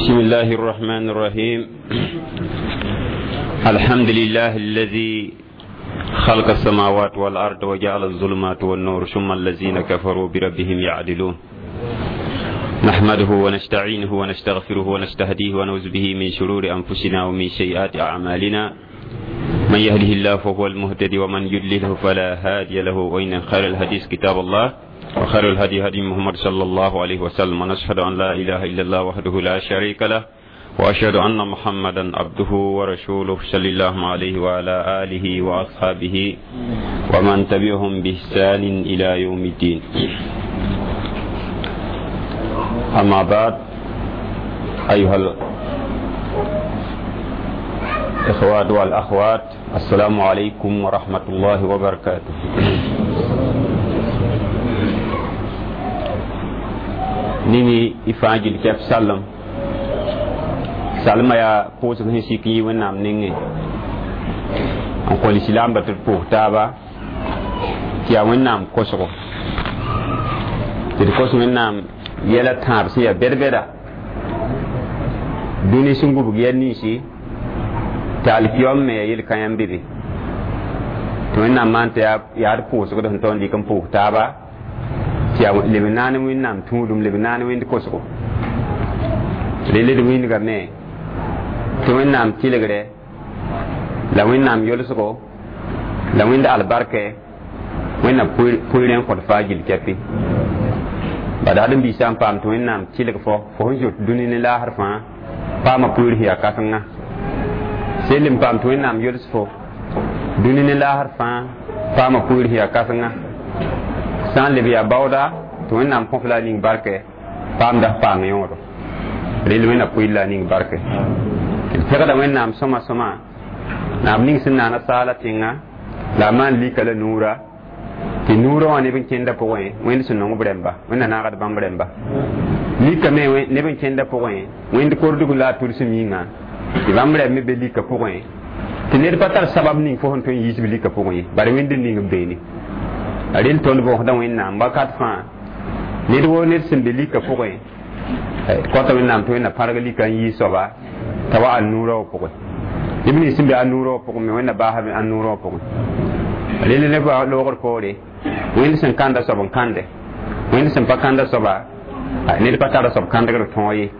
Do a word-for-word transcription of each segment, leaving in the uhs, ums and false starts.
بسم الله الرحمن الرحيم. الحمد لله الذي خلق السماوات والأرض وجعل الظلمات والنور ثم الذين كفروا بربهم يعدلون. نحمده ونستعينه ونستغفره ونستهديه ونعوذ به من شرور أنفسنا ومن سيئات أعمالنا. من يهده الله فهو المهتدي ومن يضلله فلا هادي له. وإن خير الحديث كتاب الله وخير الهدي هدي محمد صلى الله عليه وسلم. ونشهد أن لا إله إلا الله وحده لا شريك له وأشهد أن محمدا عبده ورسوله صلى الله عليه وعلى آله وأصحابه ومن تبعهم بإحسان إلى يوم الدين. أما بعد، أيها الإخوات والأخوات، السلام عليكم ورحمة الله وبركاته. Nini ifajil kef salam salma ya pʋʋsg sẽn sik yɩ wẽnnaam nengẽ n kõ lislaambã tɩ d pʋʋs taaba tɩ yaa wẽnnaam kosgo tɩ d kos wẽnnaam yɛla tãab sẽn yaa bɛd-bɛda dũni sẽn gubg yɛl ninsi tɩ alkiyom me yaa yel-kãyã n be be tɩ wẽnnaam maan tɩ yaa d pʋʋsgd sẽn tao n dɩk n pʋʋs taaba tɩ yaa leb n naane wẽnnaam tũudum leb n naane wẽnd kosgo rel d wĩndgame tɩ wẽnnaam tɩlgre la wẽnnaam yolsgo la wẽnd albarkɛ wẽnnaam pʋɩɩrẽ n kõt faa gill kɛpɩ bad ad n biisã n paam tɩ wẽnnaam tɩlg fo fo sẽn zoet dũni ne laasr fãa paama pʋɩɩr sẽn yaa kãsenga sel n paam tɩ wẽnnaam yols fo dũni ne laasr fãa paama pʋɩɩr sẽn yaa kãsenga sã n leb yaa baooda tɩ wẽnnaam kõf la a ning barkɛ paamda paam yõodo rel wẽnna pʋɩɩr la a ning barkɛ d pegda wẽnnaam sõma sõma naab ning sẽn naana saala tẽnga la a maan lika la nuura tɩ nuurã wã neb n kẽndã pʋgẽ wẽnd sẽn nong b rẽmba wẽnna naagd bãmb rẽmba lika me neb n kẽndã pʋgẽ wẽnd kordg la a tudsem yĩnga tɩ bãmb rẽmb me be lika pʋgẽ tɩ ned pa tar sabab ning fo sẽn tõe n yiisb lika pʋgẽ ye bare wẽnd n ning b beene a rel tõnd bõosda wẽnnaam wakat fãa ned woo ned sẽn be lika pʋgẽ kõta wẽnnaam tɩ wẽnna pãrg lika n yiis soaba t'a wa an-nuurã wã pʋgẽ neb nins sẽn be an-nuurã wã pʋgẽ me wẽnna baasa an-nuurã wã pʋgẽ rel neb loogr poore wẽnd sẽn kãnda soab n kãnde wẽnd sẽn pa kãnda soaba ned pa tara soab kãndgr tõog ye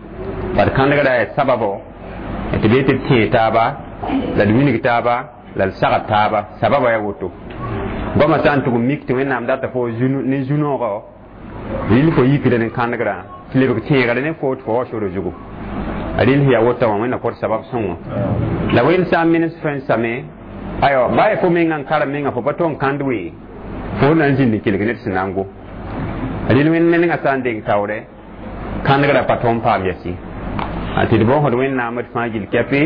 bad kãndgrã yaa sababo tɩ bee tɩ d tẽe taaba la d wilg taaba la d sagd taaba sababa yaa woto goamã sã n tʋg n mik tɩ wẽnnaam data fo ne zu-noogɔ rɩl fo yikda ne kãndgrã tɩ lebg tẽegre ne fo tɩ fo wa soro zugu a rɩl sẽn yaa wota wã wẽnna kõt sabab sõngo la wẽnd sã n menes fo n same ayo baa fo menga n karem menga fo pa tõe n kãnd wee fo na n zĩnd n kelg ned sẽn na n go rɩl wẽnd menengã sã n deng taoore kãndgrã pa tõe n paam yɛsi tɩ d bõosd wẽnnaam d fãa gill kɛpɩ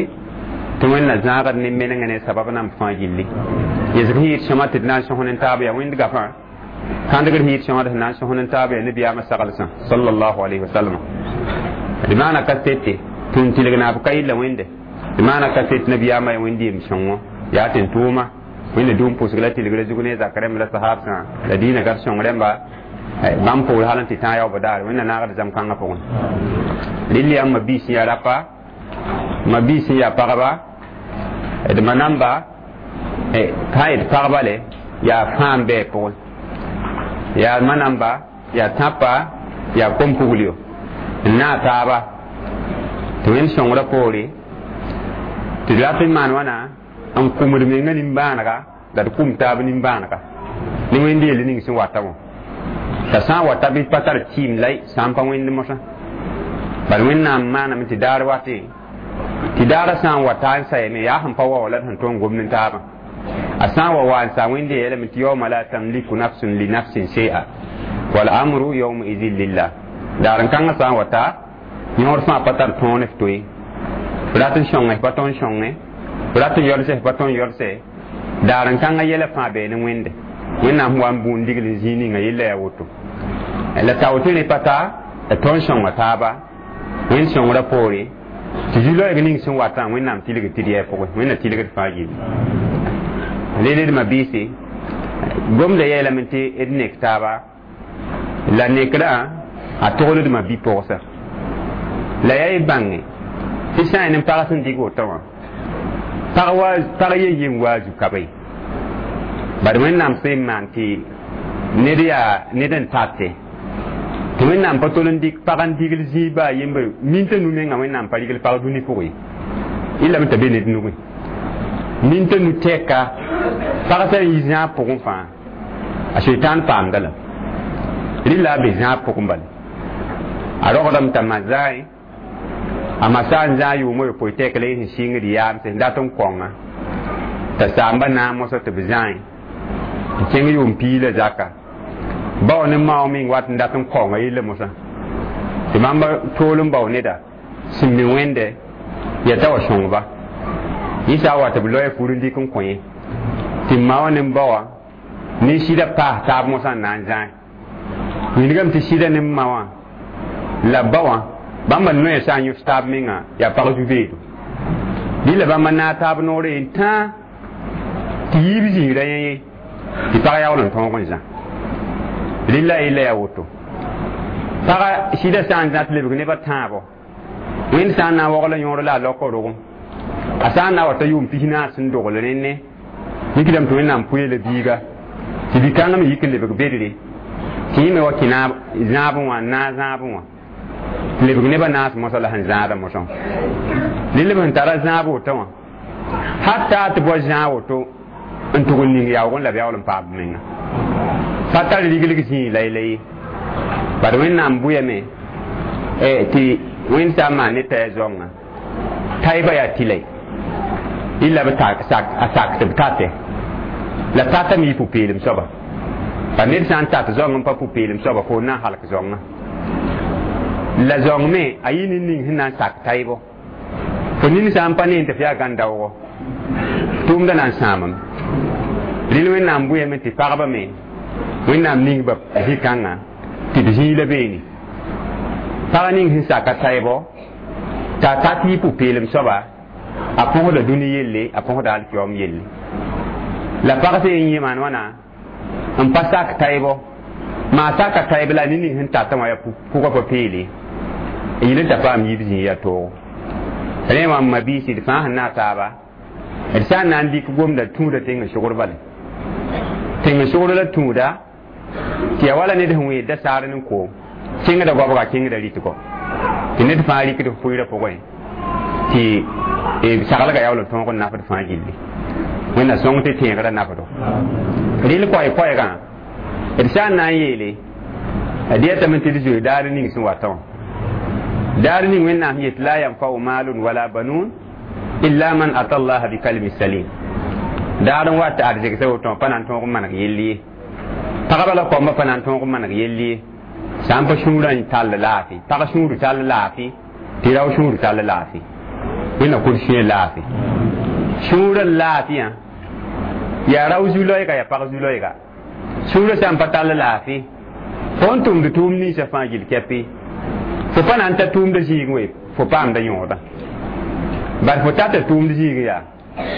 tɩ wẽnna zãagd ne menengã ne sabab namb fãa gilli yesg sẽn yɩɩd sõma tɩ d na n sõs ne taab yaa wẽnd gafã kãndgr sẽn yɩɩd sõma d sẽn na n sõs ne taab yaa nabiyaamã saglsã sallallahu alayhi wa sallam d maana kasete tɩ n tɩlg naab ka yella wẽnde d maana kaset nabiyaamã yaa wẽnd yem sõngo yaa tɩ n tʋʋma wẽnna dũum pʋsg la tɩlgrã zug ne zak rẽmb la sahaabsã la dĩinã gaf sõng rẽmba bãmb poor hal n tɩ tãag yaoobã daare wẽnna naagd zãm-kãngã pʋgẽ rɩl yaa ma biis sẽn yaa rapa ma biis sẽn yaa pagba d ma namba ka d pagba le yaa fãa n bɩ pʋgẽ yaa ma namba yaa tãpa yaa kom-puglio n naag taaba tɩ wẽnd sõngrã poore tɩ d rat n maan wãna n kũmd menga nimbãanega la d kũm taab nimbãanega ne wẽnd yell ning sẽn wata wã t'a sã n wata bɩ pa tar tɩɩm la sã n pa wẽnd mosã bal wẽnnaam maaname tɩ daar watẽ tɩ daarã sã n wa taa n sayame yaa sẽn pa wa wa la d sẽn tõe n gom ne taabã a sã n wa wa n sa wẽnd yeelame tɩ yauma la tamliku nafsun li nafsin shay'a wal amru yawma idin lillah daar n kãngã sã n wa ta yõod fãa pa tar tõog ne f to ye f rat n sõnge f pa tõe n sõnge f rat n yɔlse f pa tõe n yɔlse daar n kãngã yɛla fãa bee ne wẽnde wẽnnaam sẽn wa n bũun digl n zĩig ninga yella yaa woto la tao tɩ rẽ pa ta la tõe n sõnga taaba wẽnd sõngrã poore tɩ zu-loɛɛg ning sẽn watã wẽnnaam tɩlgd tɩ d yɛɛ pʋgẽ wẽnna tɩlgd fãa gilli leled biisi gomda yeelame tɩ d nek taaba la nekrã a togldma bi-pogsa la yaa y bãnge Tɩ sã n yẽ pag sẽn dɩg woto wã pag wa pag yen yen waa zu-ka ye bad Wẽnnaam sẽn maan tɩ ned yaa ned n tate tɩ Wẽnnaam pa tol n dɩk pag n digl zĩig baa yembre min t'a nu menga Wẽnnaam pa rigl pag dũni pʋgẽ ye lame t'a be ned nugẽ min t'a nu tɛka pag sã n yi zãab pʋgẽ fãa a seitan paamda la rɩla a be zãab pʋgẽ bala a rogdame t'a ma zaẽ a ma sã n zãag yʋʋm a yopoe tɛk la yẽ sẽn sɩngd yaamse sẽn dat n kõnga t'a saamba naam mosã tɩ b zãe n kẽng yʋʋm piig la zaka bao ne mao meng wat n dat n kõnga yella mosã tɩ bãmba tool n bao neda sẽn mi wẽnde yaa t'a wa sõngba yẽ sã n wa tɩ b loe fur n dɩk n kõ yẽ tɩ ma wã ne ba wã ne sɩda paas taab mosã n na n zãe wilgame tɩ sɩda ne ma wã la ba wã bãmba noya sã n yõs taab menga yaa pag zu-beedo bɩ la bãmba naag taab noore yen tãa tɩ yiib zĩigra yẽ ye tɩ pag yaool n tõog n zã rɩla yella yaa woto paga sɩda sã n zã tɩ lebg nebã tãabo Wẽnd sã n na n waogl yõor la a laoka rogem a sã n na wa ta yʋʋm pis naas sẽn dogl rẽnne mikdame tɩ Wẽnnaam pʋɩ la biiga tɩ bi-kãngã me yik n lebg bedre tɩ yẽ me wa kẽ zãabẽ wã n naag zãabẽ wã tɩ lebg nebã naas mosã la sẽn zãada mosã rɩl b sẽn tara zãab woto wã hatta tɩ bao zãag woto n tʋg n ning yaoog n la b yaool n paam b menga pa tar riglg zĩig la ye bad Wẽnnaam bʋyame tɩ Wẽnd sã n maan ne t'a yaa zoangã taɩba yaa tɩlɛ illa b a sak tɩ b tate la tatame yɩ pʋ-peelem soaba pa ned sã n tat zoang n pa pʋ-peelem soaba fo na n halk zoangã la zoang me a yɩ ne ning sẽn na n sak taɩbo fo nin sã n pa ne tɩ f yaa gãn-daoogo tʋʋmda na n sãamame rɩl Wẽnnaam bʋyame tɩ pagba me Wẽnnaam ning ba zĩ-kãngã tɩ d zĩig la beene pag ning sẽn saka taɩbo t'a tat yɩ pʋ-peelem soaba a põsda dũni yelle a põsda alkiyoom yelle la pag sẽn yẽ maan wãna n pa sak taɩbo maa saka taɩb la ne ning sẽn tata wã yaa pʋgã pa peele n yɩl n t'a paam yiib zĩig yaa toogo rẽ wã m mabiisi d fãa sẽn naag taaba d sã n na n dɩk gomda tũuda tẽng sogr bale tẽng sogr la tũuda tɩ yaa wala ned sẽn wẽeda saar ne koom kẽngda goabga kẽngda rɩtgɔ tɩ ned fãa rɩkd pʋɩɩrã pʋgẽ tɩ saglga yaool n tõog n nafd fãa gilli Wẽnna sõng tɩ tẽegrã nafdo rɩl koɛɛ-koɛɛgã d sã n na n yeele d yetame tɩ d zoe daar ning sẽn watã wã daar ning Wẽnnaam yet la yanfau malun wala banun illa man ata allaha bi kalbi salim daar n wat arzegsa woto pa na n tõog n maneg yell ye pagba la koambã pa na n tõog n maneg yell ye sã n pa sũurã n tall laafɩ pag sũur tall laafɩ tɩ rao sũur tall laafɩ Wẽnna kʋd sũyã laafɩ sũurã laafɩyã yaa rao zu-loɛɛga yaa pag zu-loɛɛga sũurã sã n pa tall laafɩ fo n tʋmd tʋʋm ninsã fãa gill kɛpɩ fo pa na n ta tʋʋmda zĩig we fo paamda yõoda bad fo tata tʋʋmd zĩig yaa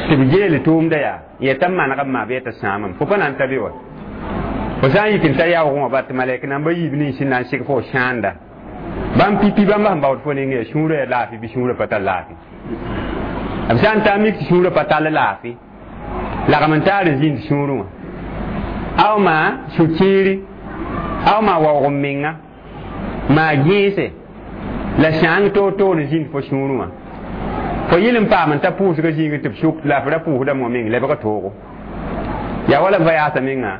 tɩ b geel tʋʋmda yaa yeta n maneg n maa bɩ yeta sãamame fo pa na n ta be wa fo sã n yik n ta yaoogẽ wã bat tɩ malɛk namba yiib nins sẽn na n seg fo sãanda bãmb pipi bãmba sẽn baood fo neng yaa sũurã yaa laafɩ bɩ sũurã pa tar laafɩ b sã n ta n mik tɩ sũurã pa tall laafɩ lagm n taar n zĩnd sũurẽ wã aw maa sũ-kiiri aw maa waoog n menga maa gẽese la sãang toor-toor n zĩnd fo sũurẽ wã fo yɩl n paam n ta pʋʋsgã zĩigẽ tɩ b sʋk la f ra pʋʋsdame wã meng lebga toogo yaa wala vayaasa menga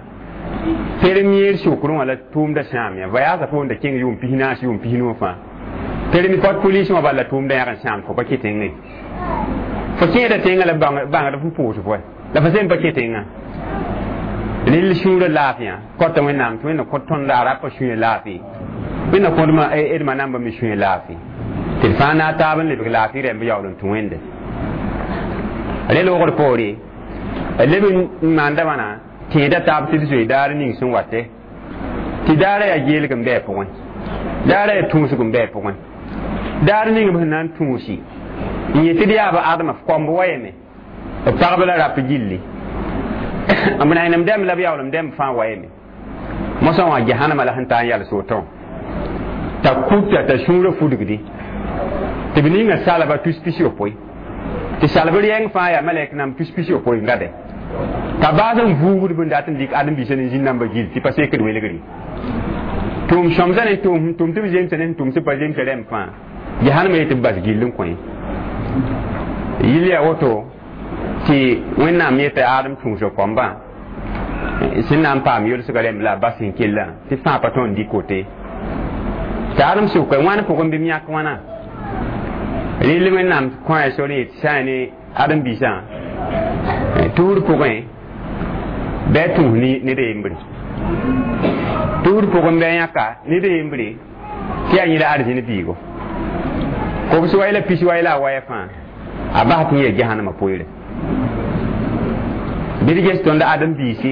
permier sʋkrẽ wã la tʋʋmda sãam ya vayaasa foonda kẽng yʋʋm pis naas yʋʋm pis nu fãa permi pot police wã bala tʋʋmda yãg n sãam fo pa kẽ tẽngẽ fo kẽeda tẽngã la bãngd f pʋʋs fo la fo sẽn pa kẽ tẽngã rɩl sũurã laafɩyã kõta Wẽnnaam tɩ Wẽnna kõt tõnd a rapa sũyã laafɩ Wẽnna kõdma d ma namba me sũyã laafɩ tɩ d fãa naag taab n lebg laafɩ rẽmb yaool n tũ Wẽnde rẽ loogr poore leb n maanda wãna tẽeda taab tɩ d zoe daar ning sẽn wate tɩ daarã yaa geelg n bɩ a pʋgẽ daarã yaa tũusg n bɩ a pʋgẽ daar ning b sẽn na n tũusi n yet tɩ d yaa b adma f koamb wa yeme b pagb la rap gilli b nainem dɛmb la b yaool n dɛmb fãa wa yeme mosã wã jahanama la sẽn taa n yals wotõ t'a kuta t'a sũurã fudgdi Tɩ b ninga salba tus pis yopoe tɩ salb rɛɛng fãa yaa malɛk nam tus pis yopoe n gade t'a baas n vuugd bn dat n dɩk ãdem-biisã ne zĩn-dãmbã gill tɩ pa sekd welgre tʋʋm sõmsã ne tʋʋm tʋm tɩ b zemsa ne sẽn tʋm sẽn pa zemsa rẽmb fãa jahannama yetɩ b bas gill n kõ yɩl yaa woto tɩ wẽnnaam yeta ãadem tũusg kõmbã sẽn na n paam yolsgã rẽmb la a bas sẽn kellã tɩ fãa pa tõnd dɩk wote tɩ ãdem sʋka wãn pʋgẽ bɩ m yãk wãna rɩl wẽnnaam kõ a sor yet sã n ne ãdem-biisã tuur pʋgẽ bɩ a tũus ned a yembre tuur pʋgẽ bɩ a yãka ned a yembre tɩ yaa yẽ la arzẽn biigo kobs wa la pis wa la a waya fãa a bas tɩ yẽ jahannama poeere bɩ d ges tõnd ãdem-biisi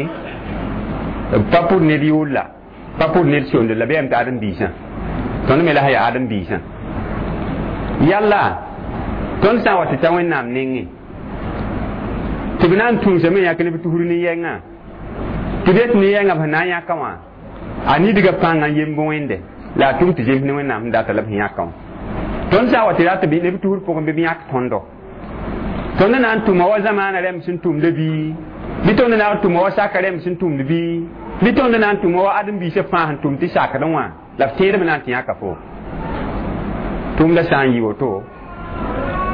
b pa pʋd ned yʋʋl la pa pʋd ned sonde la bɩ yam tɩ ãdem-biisã tõnd me la sã yaa ãdem-biisã yalla tõnd sã n wa tɩ ta wẽnnaam nengẽ tɩ b na n tũusame yãk ne b tusr ne yɛngã tɩ b yet ne yɛngã b sẽn na n yãka wã a nidga pãnga n yemb wẽnde la a tʋm tɩ zems ne wẽnnaam sẽn data la b sẽn yãka wã tõnd sã n wa tɩ rat ne b tusr pʋgẽ bɩ b yãk tõndo tõnd na n tʋma wa zamaana rẽmb sẽn tʋmda bii bɩ tõnd na n tʋma wa saka rẽmb sẽn tʋmd bii bɩ tõnd na n tʋma wa ãdem-biisã fãa sẽn tʋm tɩ sakdẽ wã la b tẽedb na n tɩ yãka fo tʋmda sã n yɩ woto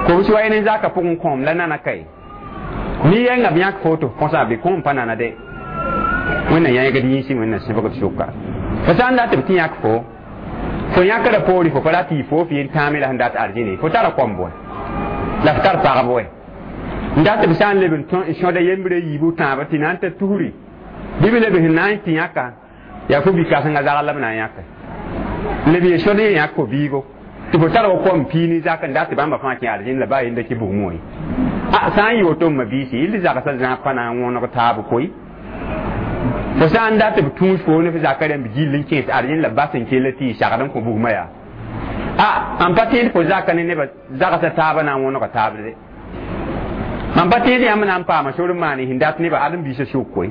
kobs wa ne zaka pʋgẽ kõom la nana kae ne yɛngã b yãk fo tɩ f põsa bɩ kõom pa nana de wẽnna yãegd yĩnsẽ wẽnna sẽbgd sʋka fo sã n dat b tɩ yãk fo fo yãkra poore fo pa rat yɩ fo f yen tãame la sẽn dat arzẽne fo tara kõmb wɛ la f tar pagb wɛ n dat b sã n leb n sõda yembrã yiibu tãabã tɩ na n ta tusri bɩ b leb sẽn na n tɩ yãka yaa fo bi-kãsengã zagl la b na n yãka leb ye sõd ye yãk fo biigo tɩ fo tar wa kom pii ne zak n dat tɩ bãmba fãa kẽ arzẽn la baa yenda kɩ bugmẽ wã a sã n yɩ woto m mabiisi yɩl zagsã zãag pa na n wõneg taab koe fo sã n dat b tũus fo ne f zaka rẽmb gill n kẽes arzẽn la bas n kell tɩ y sagd n kõ bugmã yaa a mam pa tẽed fo zaka ne nebã zagsã taabã na n wõnega taab de mam pa tẽed yãmb na n paama sor n maan sẽn dat nebã ãdem-biisã sʋk koe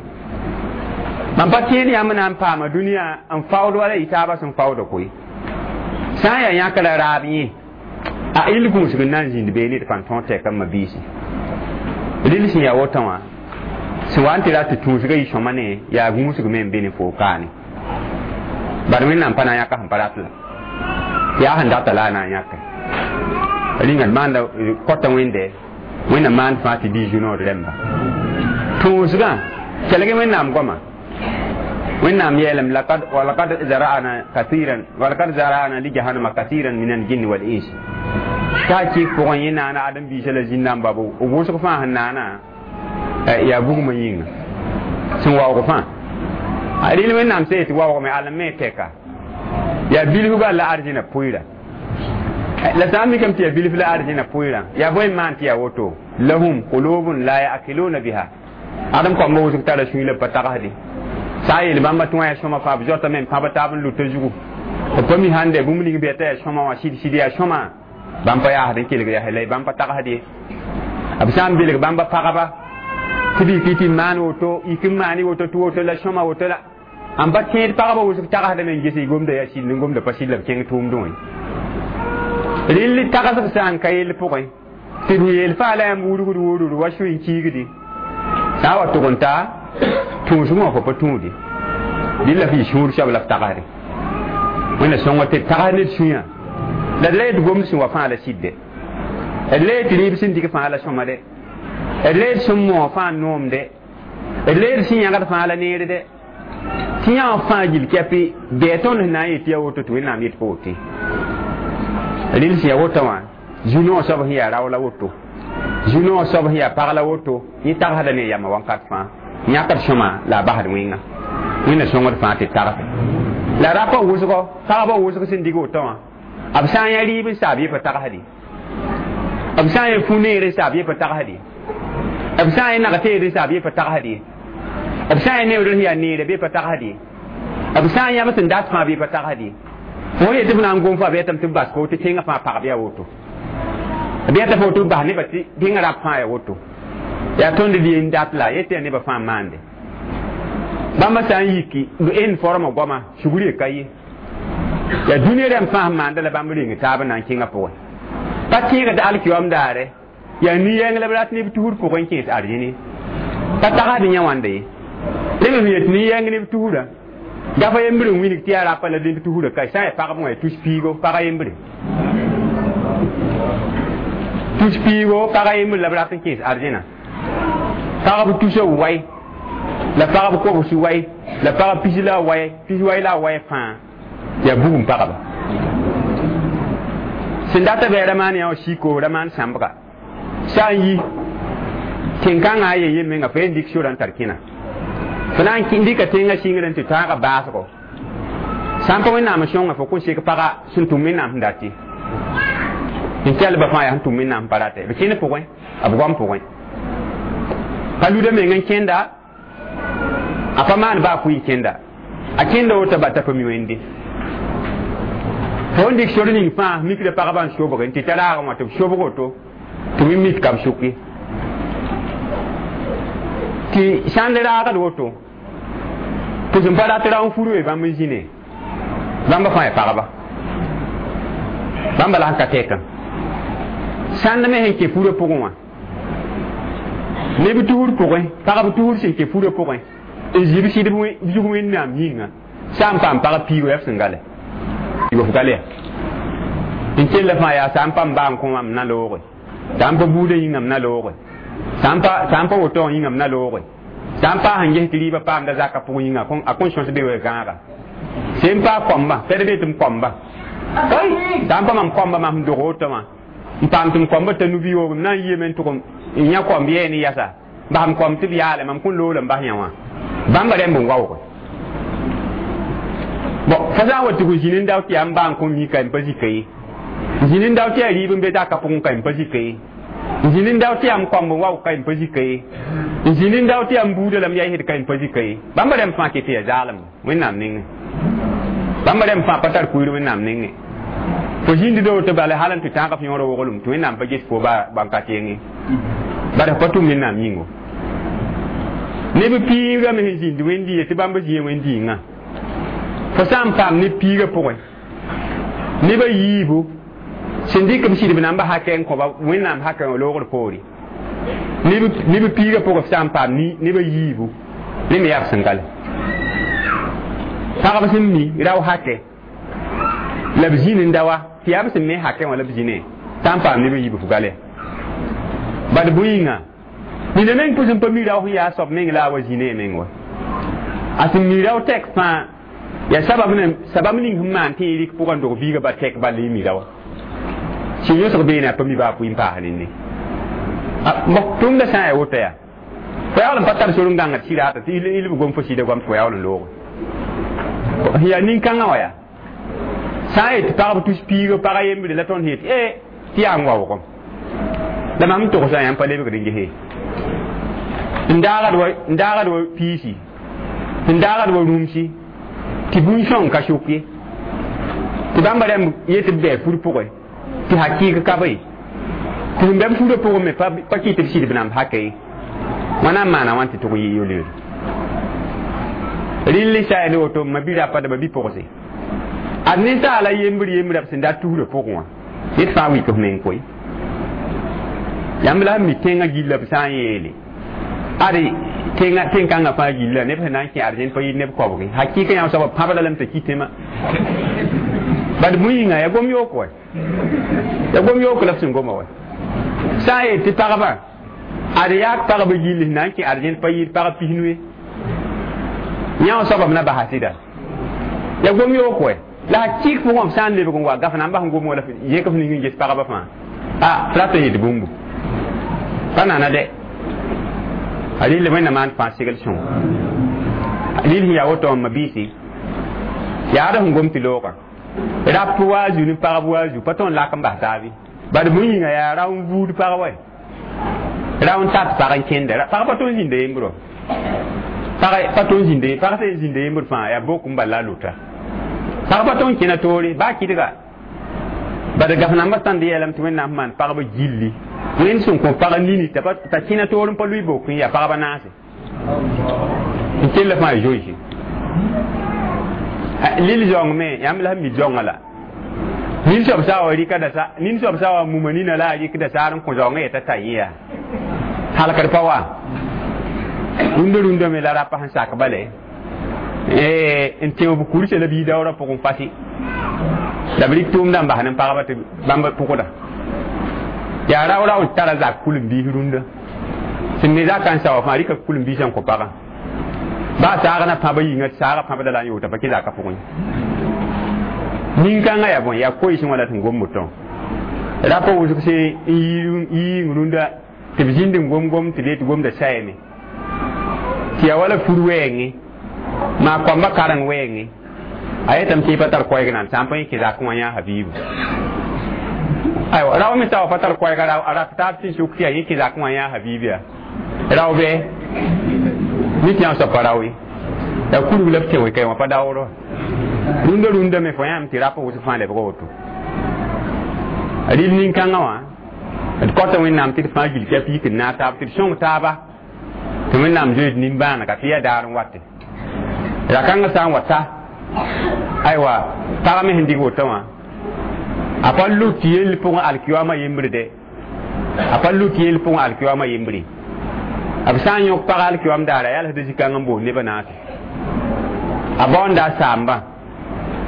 mam pa tẽed yãmb na n paama dũniyã n faood wala y taabã sẽn faooda koe sã n yaa yãk la raab yẽ a ill gũusg n na n zĩnd bee ned fãn tõog tɛka m mabiisi rɩl sẽn yaa wotã wã sẽn wa n tɩ rat tɩ tũusgã yɩ sõma ne yaa gũusg me n be ne foo kaane bad wẽnnaam pa na n yãka sẽn pa rat la yaa sẽn data la a na n yãke rĩnga d maanda kõta wẽnde wẽnnaam maand fãa tɩ bii zu-nood rẽmba tũusgã kelg wẽnnaam goama wẽnnaam yeelame lakad walakad zara'na kathiran walakad zara'na li jahannama kathiran min aljinn wal ins t'a kɩk pʋgẽ yẽ naana ãdem-biisã la zĩn-dãmba b wʋsg fãa sẽn naana yaa bugmã yĩnga sẽn waoog fãa rɩl wẽnnaam sã yetɩ waoogame alem me tɛka yaa bilf bal la arzẽna pʋɩra la sã n mikame tɩ yaa bilf la arzẽna pʋɩrã yaa bõe n maan tɩ yaa woto lahum qulubun la yaakiluna biha ãdem kõmba wʋsg tara sũy la b pa tagsde sã n yeel bãmba tɩ wã yaa sõma fãa b zoatame n pãb taab n luta zugu b pa mi sãn de bũmb ning bɩ t'a yaa sõma wã sɩd sɩd yaa sõma bãmb pa yaasd n kelg yaa la bãmb pa tagsd ye b sã n belg bãmba pagba tɩ b yik tɩ maan woto yik n maan woto tɩ woto la sõma woto la n pa tẽed pagba wʋsg tagsdame n ges y gomda yaa sɩd n gomda pa sɩd la b kẽng tʋʋmdẽ wã rɩll tagsb sã n ka yell pʋgẽ tɩ d yeel faa la yãmb wurgd wurd wa sũy n kiigdi sã n wa tʋg n ta tũusg wã fo pa tũudi dɩ la f yɩ sũur soab la f tagsde wẽnna sõngo tɩ tags ned sũyã la d la yet gomd sẽn wa fãa la sɩdde d la yet rɩɩb sẽn dɩk fãa la sõma de d la yet sẽn moog fãa noomde d la yet sẽn yãgd fãa la neerde tɩ yã wã fãa gill kɛpɩ bɩ tõnd sẽn na n yet yaa woto tɩ wẽnnaam yet pa wote rɩl sẽn yaa wotã wã zu-noog soab sẽn yaa rao la woto zu-noog soab sẽn yaa pag la woto yẽ tagsda ne yamã wãnkat fãa yãkd sõma la a basd wẽnga wẽnna sõngd fãa tɩ tagse la rapa wʋsgɔ pagba wʋsg sẽn dig wotã wã b sã n yã rɩɩb n saab yẽ pa tagsde b sã n yã fu-neer n saab yẽ pa tagsde b sã n yã nag-teed n saab yẽ pa tagsde b sã n yã neood sẽn yaa neere bɩ pa tagsde b sã n yãb sẽn dat fãa bɩ pa tagsde fo yetɩ f na n gom fo a b yetame tɩ b bas fo tɩ tẽngã fãa pagb yaa woto b yeta fo tɩ b bas nebã tɩ tẽngã rab fãa yaa woto yaa tõnd d yen dat la yetɩ yaa nebã fãa maande bãmba sã n yiki en forma goama sugr ye ka ye yaa dũniyã rãmb fãa sẽn maanda la bãmb reng taab n na n kẽngã pʋgẽ Pa tẽegd alkiyom daare yaa nin-yɛng la b rat neb tusr pʋgẽ n kẽes arzẽne pa tagsd yã wãnda ye rẽ me sẽn yet nin-yɛng neb tusrã gafa yembr n wilg tɩ yaa rapa la neb tusrã ka sã n yaa pagb wã tus piigo pag yembre tus piigo pag yembre la b rat n kẽes arzẽna pagb tusa wai la pagb kobs wai la pagb pis la wai pis wai la wai fãa yaa bugum pagba sẽn data bɩ ramaan yã wã siko ramaan sãmbga sã n yi tẽn-kãngã a yen menga fo yen dɩk sorã n tar kẽna fo na n dɩka tẽngã sɩngr n tɩ tãaga baasgo sã n pa wẽnnaam sõnga fo kõn sek paga sẽn tʋm wẽnnaam sẽn dat n kelba fãa yaa sẽn tʋm wẽnnaam pa rate b kẽnd pʋgẽ b goam pʋgẽ pa luda meng n kẽnda a pa maan baa pʋɩ n kẽnda a kẽnda woto ba t'a pa mi wẽnde fo n dɩk sor ning fãa mikda pagba n sobge n tɩ t'a raagẽ wã tɩ b sobg woto tɩ wẽ mik ka b sʋk ye tɩ sãnd raagd woto tɩ sẽn pa rat ra n furu bãmb n zĩne bãmba fãa yaa pagba bãmba la sẽn ka tɛkã sãnd me sẽn kẽ furã pʋgẽ wã neb tusr pʋgẽ pagb tusr sẽn kẽ furã pʋgẽ n zĩ b sɩdb zug wẽnnaam yĩnga sã n paam pag piigo yaa b sẽn gale f gale ya n kell fãa yaa sã n pa m baa n kõ wã m na looge sã n pa buudã yĩnga m na looge sã n pa woto wã yĩnga m na looge sã n paas n ges tɩ rɩɩbã paamda zakã pʋgẽ yĩnga a kõn sõs be wa gãaga sẽn paa koamba pɛd be tɩ m koamba sã n pa mam koamba mam sẽn dog woto wã n paam tɩ m koamba t'a nu-bi-yoog m na n yiame n tʋg n yã komb yɛɛ ne yasa bas m komb tɩ b yaale mam kõn loola n bas yã wã bãmba rẽmb n waoog bon fo sã n wa tɩ f zĩnd n dao tɩ yaa m baa n kõn mika n pa zika ye n zĩnd n dao tɩ yaa rɩɩb n be zakã pʋgẽ ka n pa zika ye n zĩnd n dao tɩ yaa m koamb n waoog ka n pa zika ye n zĩnd n dao tɩ yaa m buudã la m yaa ka n pa zika ye bãmba rẽmb fãa ket tɩ yaa zaalem wẽnnaam nengẽ bãmba rẽmb fãa pa tar kuir wẽnnaam nengẽ fo zĩnd do tɩ bala hal n tɩ tãag f yõor woglem tɩ wẽnnaam pa ges fo bãn ka tẽenge bara pa tʋm wẽnnaam yĩngo neb piigã me sẽn zĩnd wẽnd-dĩyã tɩ bãmb zĩã wẽnd-dĩngã fo sã n paam ne piigã pʋgẽ nebã yiibu sẽn dɩk b sɩdb namba hakɛ n kõba wẽnnaam hakɛ wã loogr poore neb piigã pʋgẽ f sã n paam nebã yiibu rẽ me yaa b sẽn gale pagb sẽn mi rao hakɛ la b zĩnd n da wa tɩ yaa b sẽn me hakɛ wã la b zĩne sã n paam nebã yiibu f gale bad bõe-yĩnga nina meng pʋs n pa mi rao sẽn yaa soab meng la a wa zĩne meng wa a sẽn mi rao tɛk fãa yaa sabab ne sabab ning sẽn maan tɩ y rɩk pʋgã n dog biigã ba tɛk bal y mi raoã sẽn yõsg beene a pa mi baa pʋɩ n paas nenne bõ tʋmdã sã n yaa woto yaa fo yaool n pa tar sor n gãngd sɩraata tɩ y b gom fo sɩda goam tɩ fo yaool n looge yaa nin-kãngã wã yaa sã n yet pagb tus piiga pag yembre la tõnd yet e tɩ yaa n waoogem la mam togsã yãmb pa lebgd n gese n daagd wa piisi n daagd wa rũmsi tɩ bũn-sõng ka sʋk ye tɩ bãmba rãmb yet b bɛɛ fur pʋgẽ tɩ hakɩɩg ka be tɩ sẽn bɛ b furã pʋgẽ me pa kɩ tɩ b sɩdb namb hakɛ ye wãna n maana wãn tɩ tʋg yɩ yoleer rɩll sa yaa ne woto ma bi rapa da bi pʋgse ad ninsaala yembr yembrã b sẽn dat tusrã pʋgẽ wã ned fãa wik f meng koe yãmb la sẽn mi tẽngã gilla b sã n yeele ad tẽngã tẽn-kãngã fãa gilla neb sẽn na n kẽ arzẽn pa yɩ neb koabge hakɩɩka yã soaba pãbda lame t'a kɩ tẽmã bad bõe yĩnga yaa gom yook wa yaa gom yook la b sẽn goma wa sã n yet tɩ pagba ad yaak pagba gill sẽn na n kẽ arzẽn pa yɩɩd pagb pisnu ye yã wã soaba b na basa sɩda yaa gom yook wa la hakɩɩk pʋgẽ b sã n lebg n wa gaf na n bas n gom wala yẽk f ning n ges pagba fãa a f rat n yet bũmbu pa nana dɛ a rɩl wẽnnaam maan fãa segl sõng rɩl sẽn yaa woto n mabiisi yaad sẽn gom tɩ loogã rap wa zu ne pagb wa zu pa tõnd lak n bas taabe bad bõe yĩnga yaa rao n vuud pag wa rao n tat pag n kẽnda pag pa tõnd zĩnda yembr wa pag pa tõnd zĩnda pag sẽn zĩnda yembr fãa yaa bok n bal la a lʋta pag pa tõnd kẽna toore baa kɩdga bad gaf nambã tãnd yeelame tɩ wẽnnaam maan pagba gilli wẽnd sẽn kõ pag nini t'a kẽna toor n pa lʋɩ bok n yaa pagba naase n kell fãa zoeese lil zaoong me yãmb la sẽn mi zaoongã la Nin soab sã wa rɩka da nin soab sã wa muma nina la a rɩkda saar n kõ zaoongã yeta t'a yẽ yaa halkd pa wa rũndã rũndã me la rapa sẽn sak bale n tẽo b kursa la bii daoorã pʋgẽ fasi la b rɩk tʋʋmdã n bas ne pagba tɩ bãmb pʋgda yaa rao rao tara zak kul-n-biis rũndã sẽn ne zakã n sao fãa rɩka kul-n-biisã n kõ pagã baa saagã pãbã yĩnga saagã pãbda la n yoota pa kẽ zakã pʋgẽ nin-kãngã yaa bõe yaa koeesẽ wã la sẽn gom woto rapa wʋsg sẽn n yiing rũndã tɩ b zĩnd n gom-gom tɩ b yet gomda sayame tɩ yaa wala fur wɛɛngẽ maa koamba kareng wɛɛngẽ a yetame tɩ pa tar koɛɛg nan sã n pa yẽ kẽ zakẽ wã yãa habiibu aywa rao me sa wa pa tar koɛɛga a rat taab sẽn sʋk tɩ yaa yẽ kẽ zakẽ wã yãa habiib yaa rao bɩ ne tɩ yã soab pa rao ye yaa kurg la b tẽ wɛ wã pa daoor wa rũndã rũndã me fo yãmb tɩ rap wʋsg fãa lebga woto rɩl nin-kãngã wã d kõta Wẽnnaam tɩ d fãa gil tɩ a piik n naag taab tɩ d sõng taaba tɩ Wẽnnaam zoeed nimbãanega tɩ yaa daar n wate ra-kãngã sã n wa ta aywa pag me sẽn dɩg woto wã a pa lut yell pʋgẽ alkiyoamã yembre de a pa lut yell pʋgẽ alkiyoamã yembre b sã n yõk pag alkiyoam daara yalsda zĩ-kãng n boos nebã naase a baoonda a saamba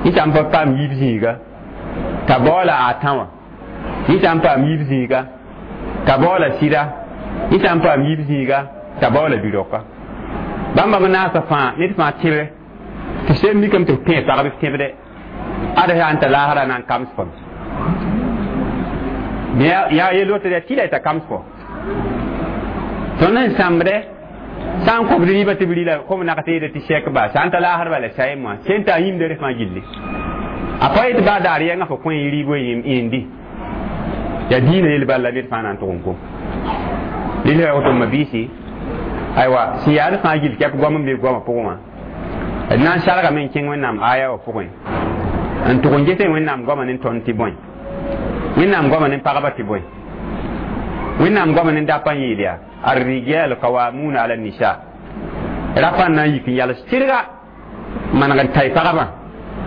yẽ sã n pa paam yiib zĩiga t'a baoola a tã wã yẽ sã n paam yiib zĩiga t'a baoola sɩda yẽ sã n paam yiib zĩiga t'a baoola bi-raoka bãmba me naasa fãa ned fãa tẽbre tɩ seem mikame tɩ f tẽ pagb f tẽbde ad sã n ta laasra na n kams fo yaa yel woto yaa tɩla t'a kams fo tõnd sẽn sãmbde sã n kõbd rɩɩbã tɩ b rɩla kom nak teeda tɩ sɛk ba sã n ta laasr bala sayem wã sẽn t'a yĩmda rẽ fãa gilli a pa yet baa daar yɛngã fo kõ yẽ rɩɩb yẽndi yaa diinã yel bala ned fãa na n tʋg n kom rɩl ya woto mabiisi aywa sẽn yaad fãa gill kɛp goam n be goamã pʋgẽ wã d na n sargame n kẽng Wẽnnaam aya wã pʋgẽ n tʋg n ges Wẽnnaam goamã ne tõnd tɩ bõe Wẽnnaam goamã ne pagba tɩ bõe Wẽnnaam goamã ne dapã n yeel yaa الرجال قوامون على النساء rapa na n yik n yals tɩrga maneg n tay pagba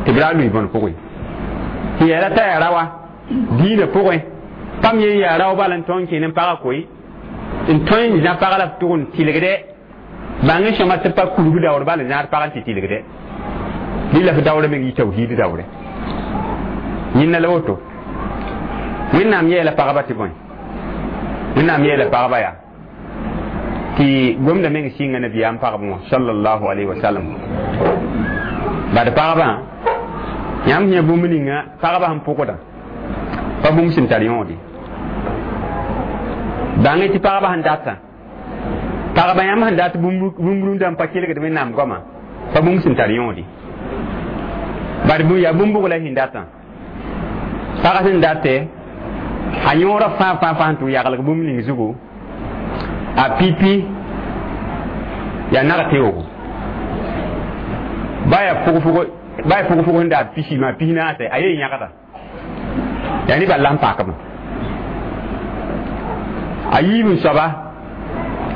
tɩ b ra lʋɩ bõn pʋgẽ tɩ yaa t'a yaa rawa diinã pʋgẽ pam ye yaa rao bal n tõe n kẽ ne pagã koe n tõe n zã pag la b tʋg n tɩlgdɛ bãng n sõma tɩ pa kurg daoor bal n zãad pag n tɩ tɩlgdɛ rɩla f daoorã meng yɩ tawhiid daoore yẽnna la woto Wẽnnaam yeela pagba tɩ bõe Wẽnnaam yeela pagba yaa tɩ gomda meng sɩnga nabiyaam pagb wã sallallahu alayhi wa sallam bad pagbã yãmb sẽn yã bũmb ninga pagba sẽn pʋgda pa bũmb sẽn tar yõode bãng tɩ pagba sẽn datã pagba yãmb sẽn dat bũmb rũndã n pa kelgd Wẽnnaam goamã pa bũmb sẽn tar yõode bad yaa bũmb la sẽn datã pag sẽn date a yõorã fãa fãa fãa sẽn tʋg yaglg bũmb ning zugu a pipi yaa nag teoogo ba yaa fʋg-fʋg ba yaa fʋg-fʋg sẽn daa pisi maa pis naase a yee yãgda yaa ne bal la n pakame a yiib n soaba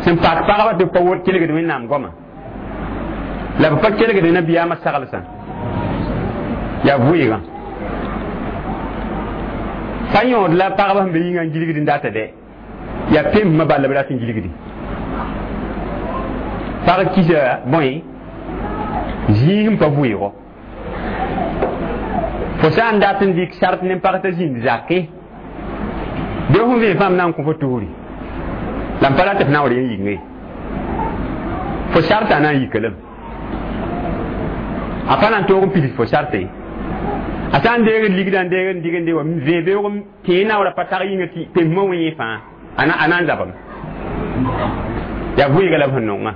sẽn pak pagba tɩ b pa kelgd Wẽnnaam goamã la b pa kelgd nabiyaamã saglsã yaa vʋɩɩgã pa yõod la pagba sẽn be yĩngã n gilgd n data dɛ yaa pemsmã bal la b rat n gilgdi pag kisa bõe zĩig n pa vʋɩɩgo fo sã n dat n dɩk sart ne pag t'a zĩnd zake bɩ fõn vẽ fãmb na n kõ fo tusri la n pa rat f naoor yẽ yĩnge fo sartã na n yika lame a pa na n toog n pids fo sarte a sã n deegd ligdã n deegd n dig n deg wa vẽ beoog tẽe naoorã pa tag yĩnga tɩ pemsmã wẽ yẽ fãa a na n zabame yaa vʋɩɩga la b sẽn nongã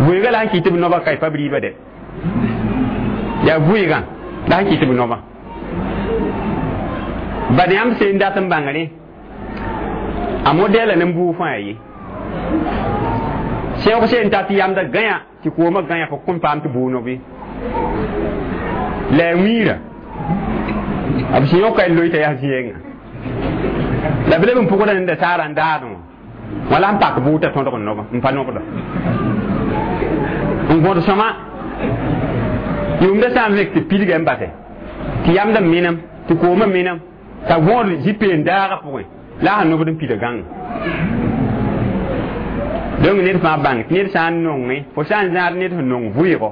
vʋɩɩga la sẽn kɩ tɩ b noba ka pa b rɩɩba dɛ yaa vʋɩɩgã la sẽn kɩ tɩ b noba bad yãmb seen dat n bãngre a modɛla ne buug fãa ye sẽog seen tat yamda gãya tɩ koomã gãya fo kõn paam tɩ bʋʋg nobe la a wiirã b sẽn yõka n loe t'a yaa zɩ-yɛngã la b leb n pʋgda nenda saara n daadẽ wã wã la n pak bʋʋg t'a tõdg n noba n pa nobda n gõd sõma yʋʋmda sã n vẽk tɩ pidga n base tɩ yamd n menem Tɩ koomã menam t'a gõod zĩ-peen daagã pʋgẽ la a sẽn nobd n pida gãnga donc ned fãa bãng tɩ ned sã n nongẽ fo sã n zãad ned sẽn nong vʋɩɩgo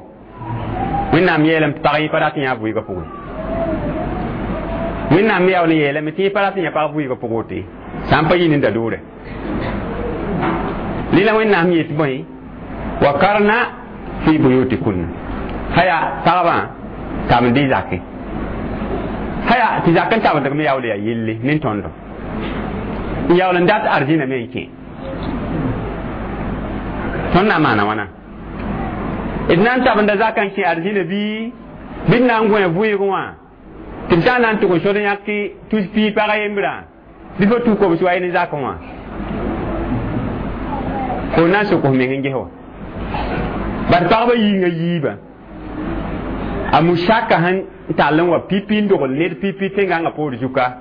Wẽnnaam yeelame tɩ pag yẽ pa rat n yã vʋɩɩgã pʋgẽ Wẽnnaam me yaool n yeelame tɩ yẽ pa rat n yã pag vʋɩɩgã pʋgẽ woto ye sã n pa yɩ nin-da-doorɛ rẽ la Wẽnnaam yet bõe wa karna fi buyutikunna haya pagbã tabend y zakẽ haya tɩ zak n tabendg me yaool yaa yelle ne tõndo n yaool n dat arzĩna me n kẽ tõnd na n maana wãna d na n tabenda zakã n kẽ arzĩna bɩ bɩ d na n gõe vʋɩɩgẽ wã tɩ b sã n na n tʋg n sod n yãk tus pii pag a yembrã bɩ fo tus kobs wa ye ne zakẽ wã fo na n sok f meng n ges wa bad pagba yĩngã yiibã a musaka sẽn tall n wa pipi n dogl ned pipi tẽngãngã poor zuka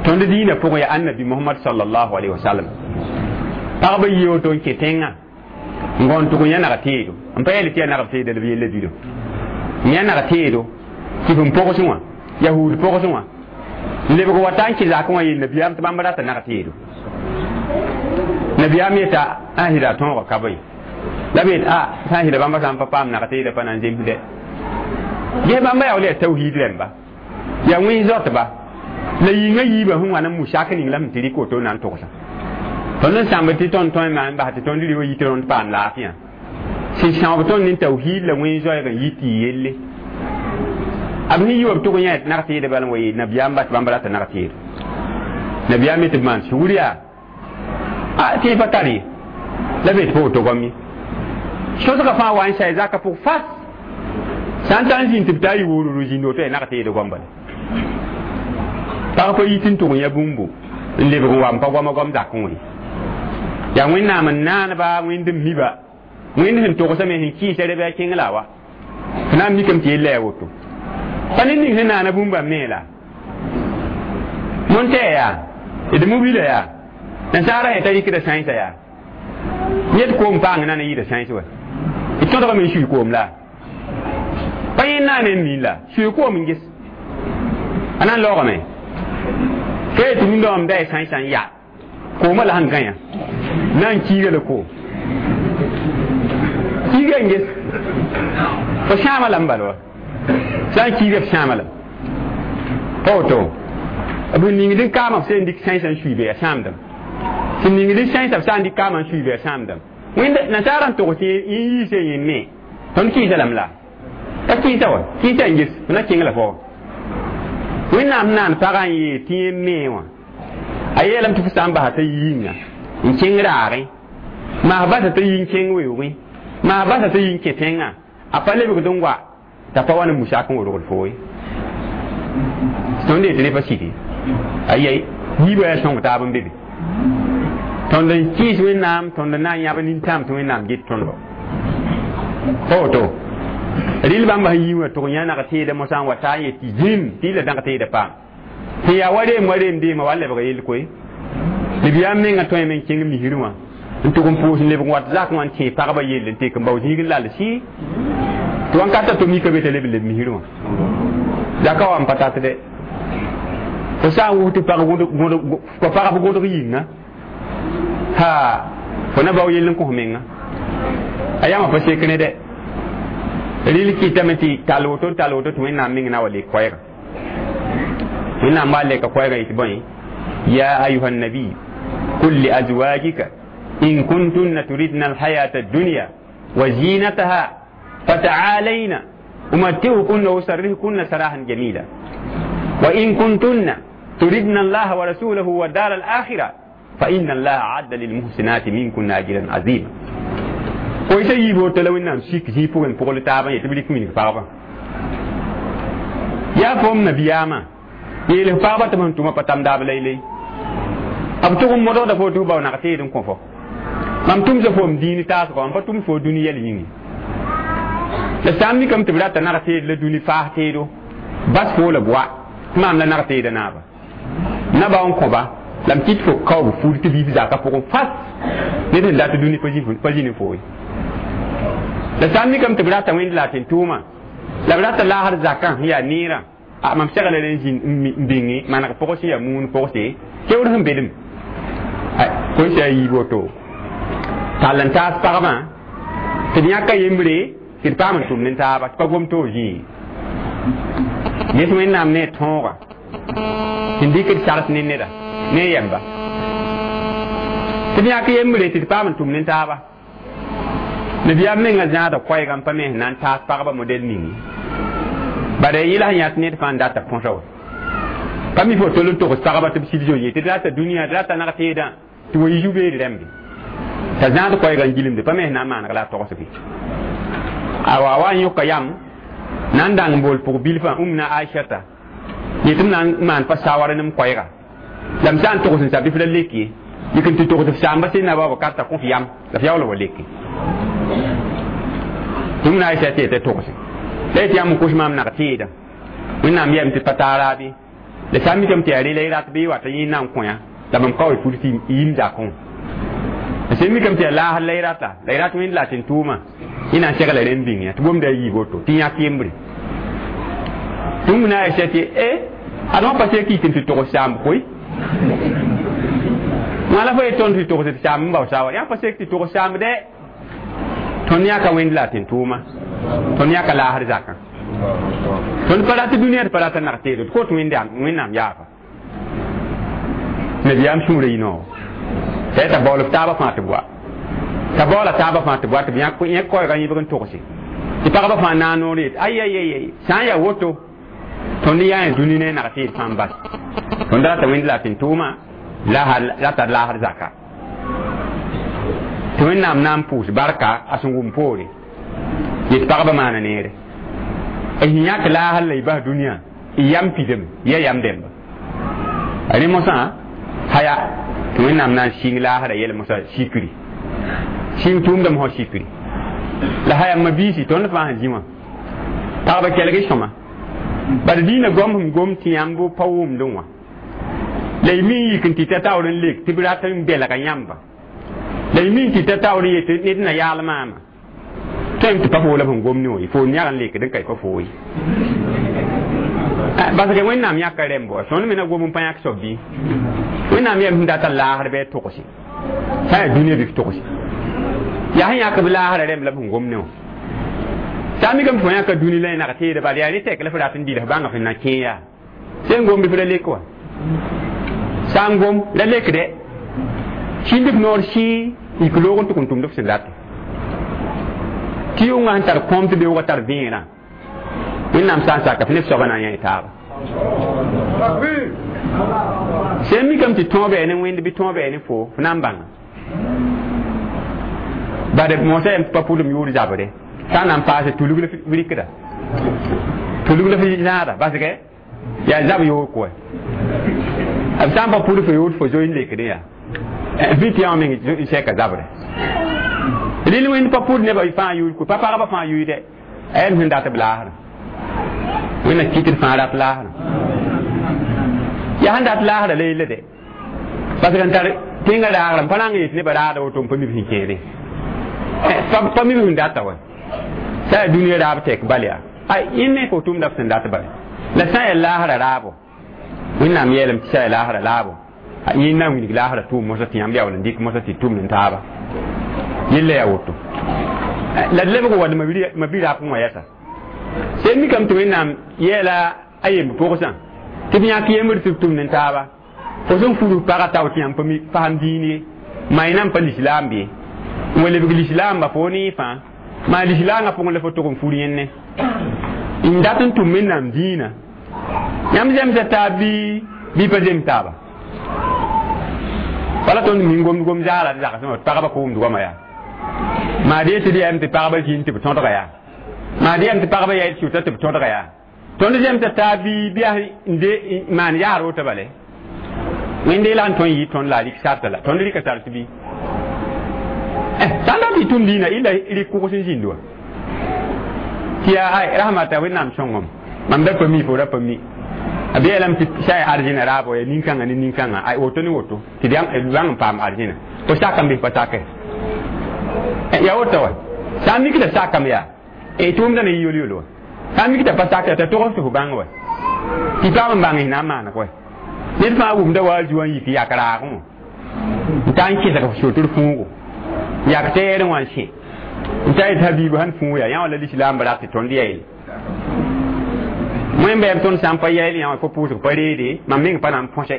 tõnd diinã pʋgẽ yaa annabi Mohamad sallallahu alaihi wasallam pagba yi woto n kẽ tẽngã n gõn tʋg n yã nag teedo n pa yɛl tɩ yaa nagb teeda la b yella bido n yã nag teedo tɩ f n pogsẽ wã yahuud pogsẽ wã n lebg wa ta n kẽ zakẽ wã yeel nabiyaam tɩ bãmb rata nag teedo nabiyaam yeta a sɩda tõoga ka bõe la b yet a sã n sɩda bãmba sã n pa paam nag teeda pa na n zemsdɛ ges bãmba yaool yaa tawhiid rẽmba yaa wẽns zoatba la yĩngã yiibã sẽn wa n musak ning la sẽn tɩ rɩk woto na n togsa tõnd n sãmb tɩ tõnd tõe n bas tɩ tõnd rɩ wa yit rõnd paam laafɩã sẽn sãoob tõnd ne tawhiid la wẽns zoɛɛg n yit tɩ yɩ yelle b sẽn yi wa b tʋg yã nag teeda bala n wa yeel nabiyaam ba tɩ bãmb rata nag teedo nabiyaam yetɩ b maan sugr yaa a tɩ pa tar ye la be tɩ pa woto goam ye sosgã fãa wa n sa zakã pʋg fas sã n ta n zĩnd tɩ b taa yɩ woororo zĩnd woto yaa nag teed goam bala pag pa yit n tʋg yã bũmbu n lebg n wa n pa goama goam zakẽ wã ye yaa Wẽnnaam n naanba wẽnd n miba wẽnd sẽn togsame sẽn kɩɩsa rɛ bɩ a kẽng la wa f na n mikame tɩ yella yaa woto pa ned ning sẽn naana bũmba me la montɛɛ yaa d mobila yaa nasaara sẽn ta rɩkda sãensã yaa yet koom paang na n yɩɩda sãens wa d tõdgame n sui koom la pa yẽ naane n miin la sui koom n ges a na n laoogame ka yetɩ rũndã wã da sãensã n ya koomã la sẽn gãyã na n kiiga la koom kiiga n ges fo sãama lame bala wa sã n kiiga f sãama lame pa woto b ningd n kaama b sẽn dɩk sãensã n suiibe yaa sãamdame sẽn ningd n sãensã b sã n dɩk kaama n suiibe yaa sãamdame wẽnd nasaara n togs tɩ yẽ yiisa yẽ me tõnd kɩɩsa lame la ka kɩɩsa wa kɩɩsa n ges f na kẽng la fo Wẽnnaam naan pagã n yee tɩ yẽ me wã a yeelame tɩ fo sã n basa t'a yĩnga n kẽng raagẽ maas basa t'a yi n kẽng weoogẽ maas basa t'a yi n kẽ tẽngã a pa lebgd n wa t'a pa wa ne musak n worgd fo ye tõnd yetɩ ne pa sike ayai yiibã yaa sõng taab n be be tõnd n kɩɩs Wẽnnaam tõnd n na n yãb nintãam tɩ Wẽnnaam get tõndo pa woto rɩl bãmba sẽn yii wã tʋg yã nag teeda mosã n wa taa n yet tɩ zĩm tɩ la dãg teeda paam sẽn yaa wa reem wa reem deema wa lebga yell koe nabiyaam mengã tõeme n kẽng misrẽ wã n tʋg n pʋʋs n lebg n wat zakẽ wã n tẽe pagba yell n tek n bao zĩig n lal sɩ tɩ wãnkata to mika be t'a leb n leb misrẽ wã zaka wa n pa tat dɛ fo sã n wus tɩ pagb gõdg yĩnga ha fo na bao yell n kõs menga a yãmã pa sek ne dɛ rɩl kɩtame tɩ tall woto n tall woto tɩ Wẽnnaam meng na wa lek koɛɛga Wẽnnaam wa leka koɛɛga yetɩ bõe ya ayuha nabiy qul li azwajika in kuntunna turidna alhayata addunya wa zinataha fata'alayna umatti'ukunna wa usarrihkunna sarahan jamila wa in kuntunna turidna allaha wa rasulahu wa dar al-akhirah fa inna allaha a'adda lilmuhsinati minkunna ajran azima koɩsa yiib woto la Wẽnnaam sik zĩig pʋgẽ n pʋgl taabã yetɩ b rɩk wilg pagba yaa fom nabiyaamã yeel f pagba tɩ b sẽn tʋma pa tam daab laylay b tʋg n modgda fo tɩ f bao nag teed n kõ fo mam tʋmsa foom dĩin taasgɔ n pa tʋms fo dũni yɛl yĩnge la sã n mikame tɩ b rata nag teed la dũni faas teedo bas fo la b wa tɩ maam la nag teeda naaba naba n kõba la m kɩt fo kaoog fur tɩ biib zaka pʋgẽ fas ned sẽn dat dũni pa zĩ ne fo ye la sã n mikame tɩ b rata wẽnd la tɩ n tʋʋma la b rata laasd zakã sẽn yaa neerã a mam segla rẽ n bĩnge maneg pʋgs sẽn yaa muun pʋgse keoor sẽn bedem kõn sã a yiib woto tall n taas pagbã tɩ d yãka yembre tɩ d paam n tʋmd n taaba tɩ pa gom toog zĩig ges Wẽnnaam ne a tõoga sẽn dɩk d sags ne neda ne yɛmba tɩ d yãk yembre tɩ d paam n tʋmd n taaba nabiyaam menga zãada koɛɛga n pa me sẽn na n taas pagba modɛl ningi bala yɩla sẽn yãt ned fãa n data põsa wa pa mi fo tol n togs pagba tɩ b sɩd zo ye tɩ d rata dũniyã d rata nag teedã tɩ wa yi zu-beed rãmbe t'a zãad koɛɛga n gilmde pa me sẽn na n maaneg la a togsge awa wa n yõka yam na n dãng n bool pʋg bilfã ũmna Aishata yetɩ m na n maan pa sawar nem koɛɛga la m sã n togs n sa bɩ f ra lek ye yik n tɩ togs f saamba sẽn na Abubakar t'a kõ f yam la f yaool wa leke tɩ ũmna Aisha tɩ yetɩ togse la yetɩ yãmb n kos maam nag teedã Wẽnnaam yeelame tɩ pa taa raabe la sã n mikame tɩ yaa rela y rat bɩ y wata yẽ na n kõ yã la mam ka wa pud tɩ yim zakẽ wã la sẽn mikame tɩ yaa laasr la y rata la y rat Wẽnd la tɩ n tʋʋma yẽ na n segla rẽnd bĩng yã tɩ gomda a yiib woto tɩ yãk yembre tɩ wũm na Aisha tɩ e ad wã pa sek yik n tɩ togs saamb koe wã la fo ye tõnd tɩ togs tɩ saamb n bao sawa yã pa sek tɩ togs saamb dɛ tõnd yãka Wẽnd la tɩ n tʋʋma tõnd yãka laasr zakã tõnd pa rat dũniyã d pa rata nag teedo d kot Wẽnnaam yaafa nabiyaam sũurã yĩnoo t'a t'a baool f taabã fãa tɩ boa t'a baoola taabã fãa tɩ boa tɩ b yãk koɛɛgã yẽbg n togse tɩ pagba fãa naag noor yet ay ay ay sã n yaa woto tõnd yaa dũni ne nag teed fãa n bas tõnd rata Wẽnd la tɩ n tʋʋma la tar laasr zaka tɩ Wẽnnaam na n pʋʋs barka a sẽn wʋm poore yet pagba maana neere y yãk laasr la y bas dũniyã y yam pidame ya yam dẽmba rẽ mosã haya tɩ Wẽnnaam na n sɩng laasra yɛl mosã sikri sɩng tʋʋmdame sã sikri la haya ma biisi tõnd fãa sẽn zĩ wã pagba kelg sõma bad dĩinã goam sẽn gom tɩ yãmb pa wʋmdẽ wã la y mi n yik n tɩ ta taoor n lek tɩ b rat n belga yãmba la y mi n tɩ ta taoor n yet ned na yaal maama tõem tɩ pa foo la b sẽn gom ne wã ye foo yãg n lekd n ka y pa foo ye parce que Wẽnnaam yãka rẽmb wa tõnd me na gom n pa yãk soab bɩ Wẽnnaam yɛm sẽn data laasr bɩ a togse sã n yaa dũniyã bɩ f togse yaa sẽn yãk b laasrã rẽmb la b sẽn gom ne wã sã n mikame tɩ fo yãka dũni la y nag teeda bala yaa ne tɛk la f rat n dɩl f bãnga f na kẽ yaa sẽn gom bɩ f ra lek wa sã n gom la lekdɛ sĩnd f noor sɩ yik loog n tʋg n tʋmd f sẽn rate tɩ yʋngã sẽn tar kõom tɩ beoogã tar vẽerã Wẽnnaam sã n saka f neb soabã na n yã taaba sẽn mikame tɩ tõog bɛɛ ne Wẽnd bɩ tõog bɛɛ ne fo f na n bãnga bad mosã yam tɩ pa pʋdem yʋʋr zabre sã n na n paase tulg la f rɩkda tulg la f zãada basgɛ yaa zab yoor kʋɛ b sã n pa pʋd fo yoor fo zoe n lekdẽ yaa bɩ tɩ yã meng n sɛka zabre rɩl Wẽnd pa pʋd nebã fãa yʋʋr kʋ pa pagba fãa yʋʋdɛ a yaa sẽn dat b laasrã Wẽnna kɩt d fãa rat laasrã yaa sẽn dat laasrã la yella dɛ parce que n tar tẽngã raagrã n pa rãng yet nebã raada woto n pa mi b sẽn kẽede pa mi b sẽn data wa sã yaa dũniyã raab tɛk bal yaa ay yẽ me fo tʋmda f sẽn dat bale la sã n yaa laasrã raabo Wẽnnaam yeelame tɩ sã yaa laasrã laabo yẽ na n wilg laasrã tʋʋm mosã tɩ yãmb yaool n dɩk mosã tɩ tʋmd n taaba yella yaa woto la d lebg wa ma bi rap wã yɛsa sẽn mikame tɩ Wẽnnaam yeela a yemb pʋgsã tɩ b yãk yembr tɩ b tʋmd n taaba fo sẽn furus pagã tao tɩ yãmb pa pasam dĩin ye maa y nan pa lislaam bɩ n wa lebg lislaamba fo ne fãa maa lislaangã pʋgẽ la fo tʋg n fur yẽnne n dat n tʋm Wẽnnaam dĩinã yãmb zemsa taab bɩ bɩ pa zems taaba wala tõnd min gomd gom zaala d zagsẽ wã pagba kʋʋmd goama yaa maa d yetɩ d yaam tɩ pagba zĩnd tɩ b tõdga yaa maa d yaam tɩ pagba yaa sʋta tɩ b tõdga yaa tõnd zemsa taab bɩ bɩ yaa n de maan yaar woto bale Wẽnde la n tõe n yɩ tõnd la a rɩk sarta la tõnd rɩka sart bɩ sã n dat tɩ tʋm dĩinã illa rɩk kʋgs n zĩnd wa tɩ yaa ay rasmata Wẽnnaam sõngem mam da pa mi fo ra pa mi b yeelame tɩ sã yaa arzẽna raabo yaa nin-kãngã ne nin-kãngã ay woto ne woto tɩ d bãng n paam arzẽna fo sakame bɩ pa sake ya woto wa sã n mikda sakame yaa tʋʋmda na yɩ yol-yol wa sã n mikda pa sake t'a togs tɩ fo bãng wa Tɩ paam n bãng na n maan koɛ ned fãa wʋmda wa a zu n yik yak raagẽ wã n ta n kɩsg sotr fũugo yak teerẽ wã n sẽ n ta yetɩ habiibu sẽn fũug yaa yã wã la lislaambã rat tɩ tõnd yaeele wẽn bɛɛb tõnd sã n pa yael yã wã fo pʋʋsg pa reede mam meng pa na n põse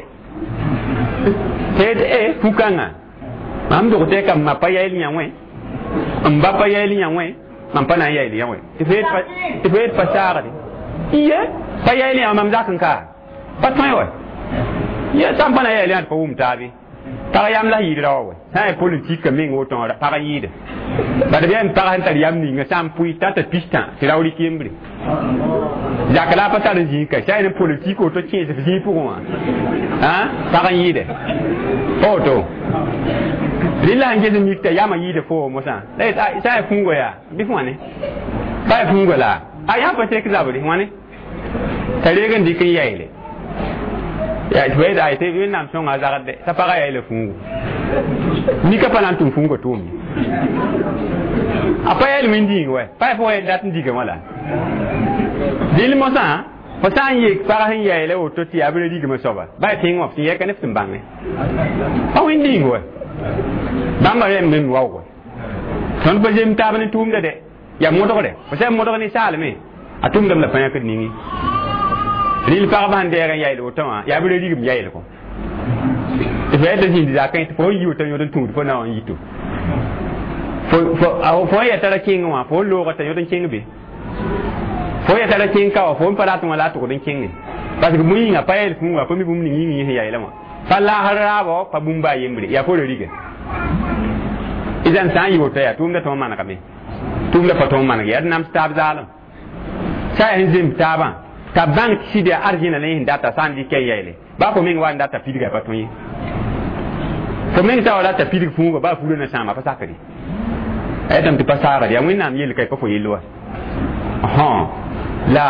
tɩ e fu-kãngã mam dog tɩ ka ma pa yael yã wẽ n ba pa yael yã wẽ mam pa na n yael yã wẽ tɩ fo yet pa saagde iye pa yael yã mam zak n ka pa tõe wɛ ye sã n pa na yael yã tɩ pa wʋm taabe pag yam la yɩɩd raoã wɛ sã n yaa politik meng woto wã pag n yɩɩda bad b yaa n pag sẽn tar yam ninga sã n pʋɩ t'a t'a pistã tɩ rao rɩk yembre zak la a pa tar n zĩig ka sã n yaa ne politik woto kẽes f zĩig pʋgẽ wã pag n yɩɩda pa woto rẽ la sẽn ges n mik t'a yamã yɩɩda fo mosã la sã n yaa fũuga yaa bɩ f wãne pa yaa fũuga la a yã pa tek zabre wãne t'a reeg n dɩk n yaeele ya tɩ fa tɩ wẽnnaam sõnga a zagd t'a pagã yaeela fũugo nika pa na n tʋm fũuga tʋʋm a pa yael wẽn-dĩig wɛ pa yaa fo dat n diga wã la dɩl mosã fo sã n yek pag sẽn yaeela woto tɩ yaa b ra rigmã soaba ba yaa tẽng wã f sẽn yɛka ne f sẽn bãnge pa wẽn-dĩig wɛ bãmba rẽmb me waoog tõnd pa zem taab ne tʋʋmda dɛ yaa modgre fo sã n modg ne saalme a tʋʋmdame la pa yãkd ningi rɩl pagba sẽn deeg n yael woto wã yaa b ra rigm yael kõ tɩ fo yɛta zĩnd zakẽ tɩ fo n yi woto yõd n tũud fo na wã n yito fo n yɛta ra kẽngẽ wã fo n looga t'a yõd n kẽng be fo yɛta ra kẽng ka wã fo n pa rat wã la a tʋgd n kẽnge parce que bũmb yĩnga pa yael fũuga pa mi bũmb ning yĩng yẽ sẽn yaeela wã pa laasr raabo pa bũmb baa yembre yaa fo ra riga idan sã n yɩ woto yaa tʋʋmda tõog manegame tʋʋmda pa tõog maneg yaa d nams taab zaalem sã yaa sẽn zemb taabã t'a bãng tɩ sɩd yaa arzẽna la yẽ sẽn data sã n dɩk n yaeele baa fo meng wa n data pidga pa tõe ye fo meng sã wa rata pidg fũuga baa furã na sãama pa sakre a yetame tɩ pa saagd yaa wẽnnaam yell ka pa fo yell wa la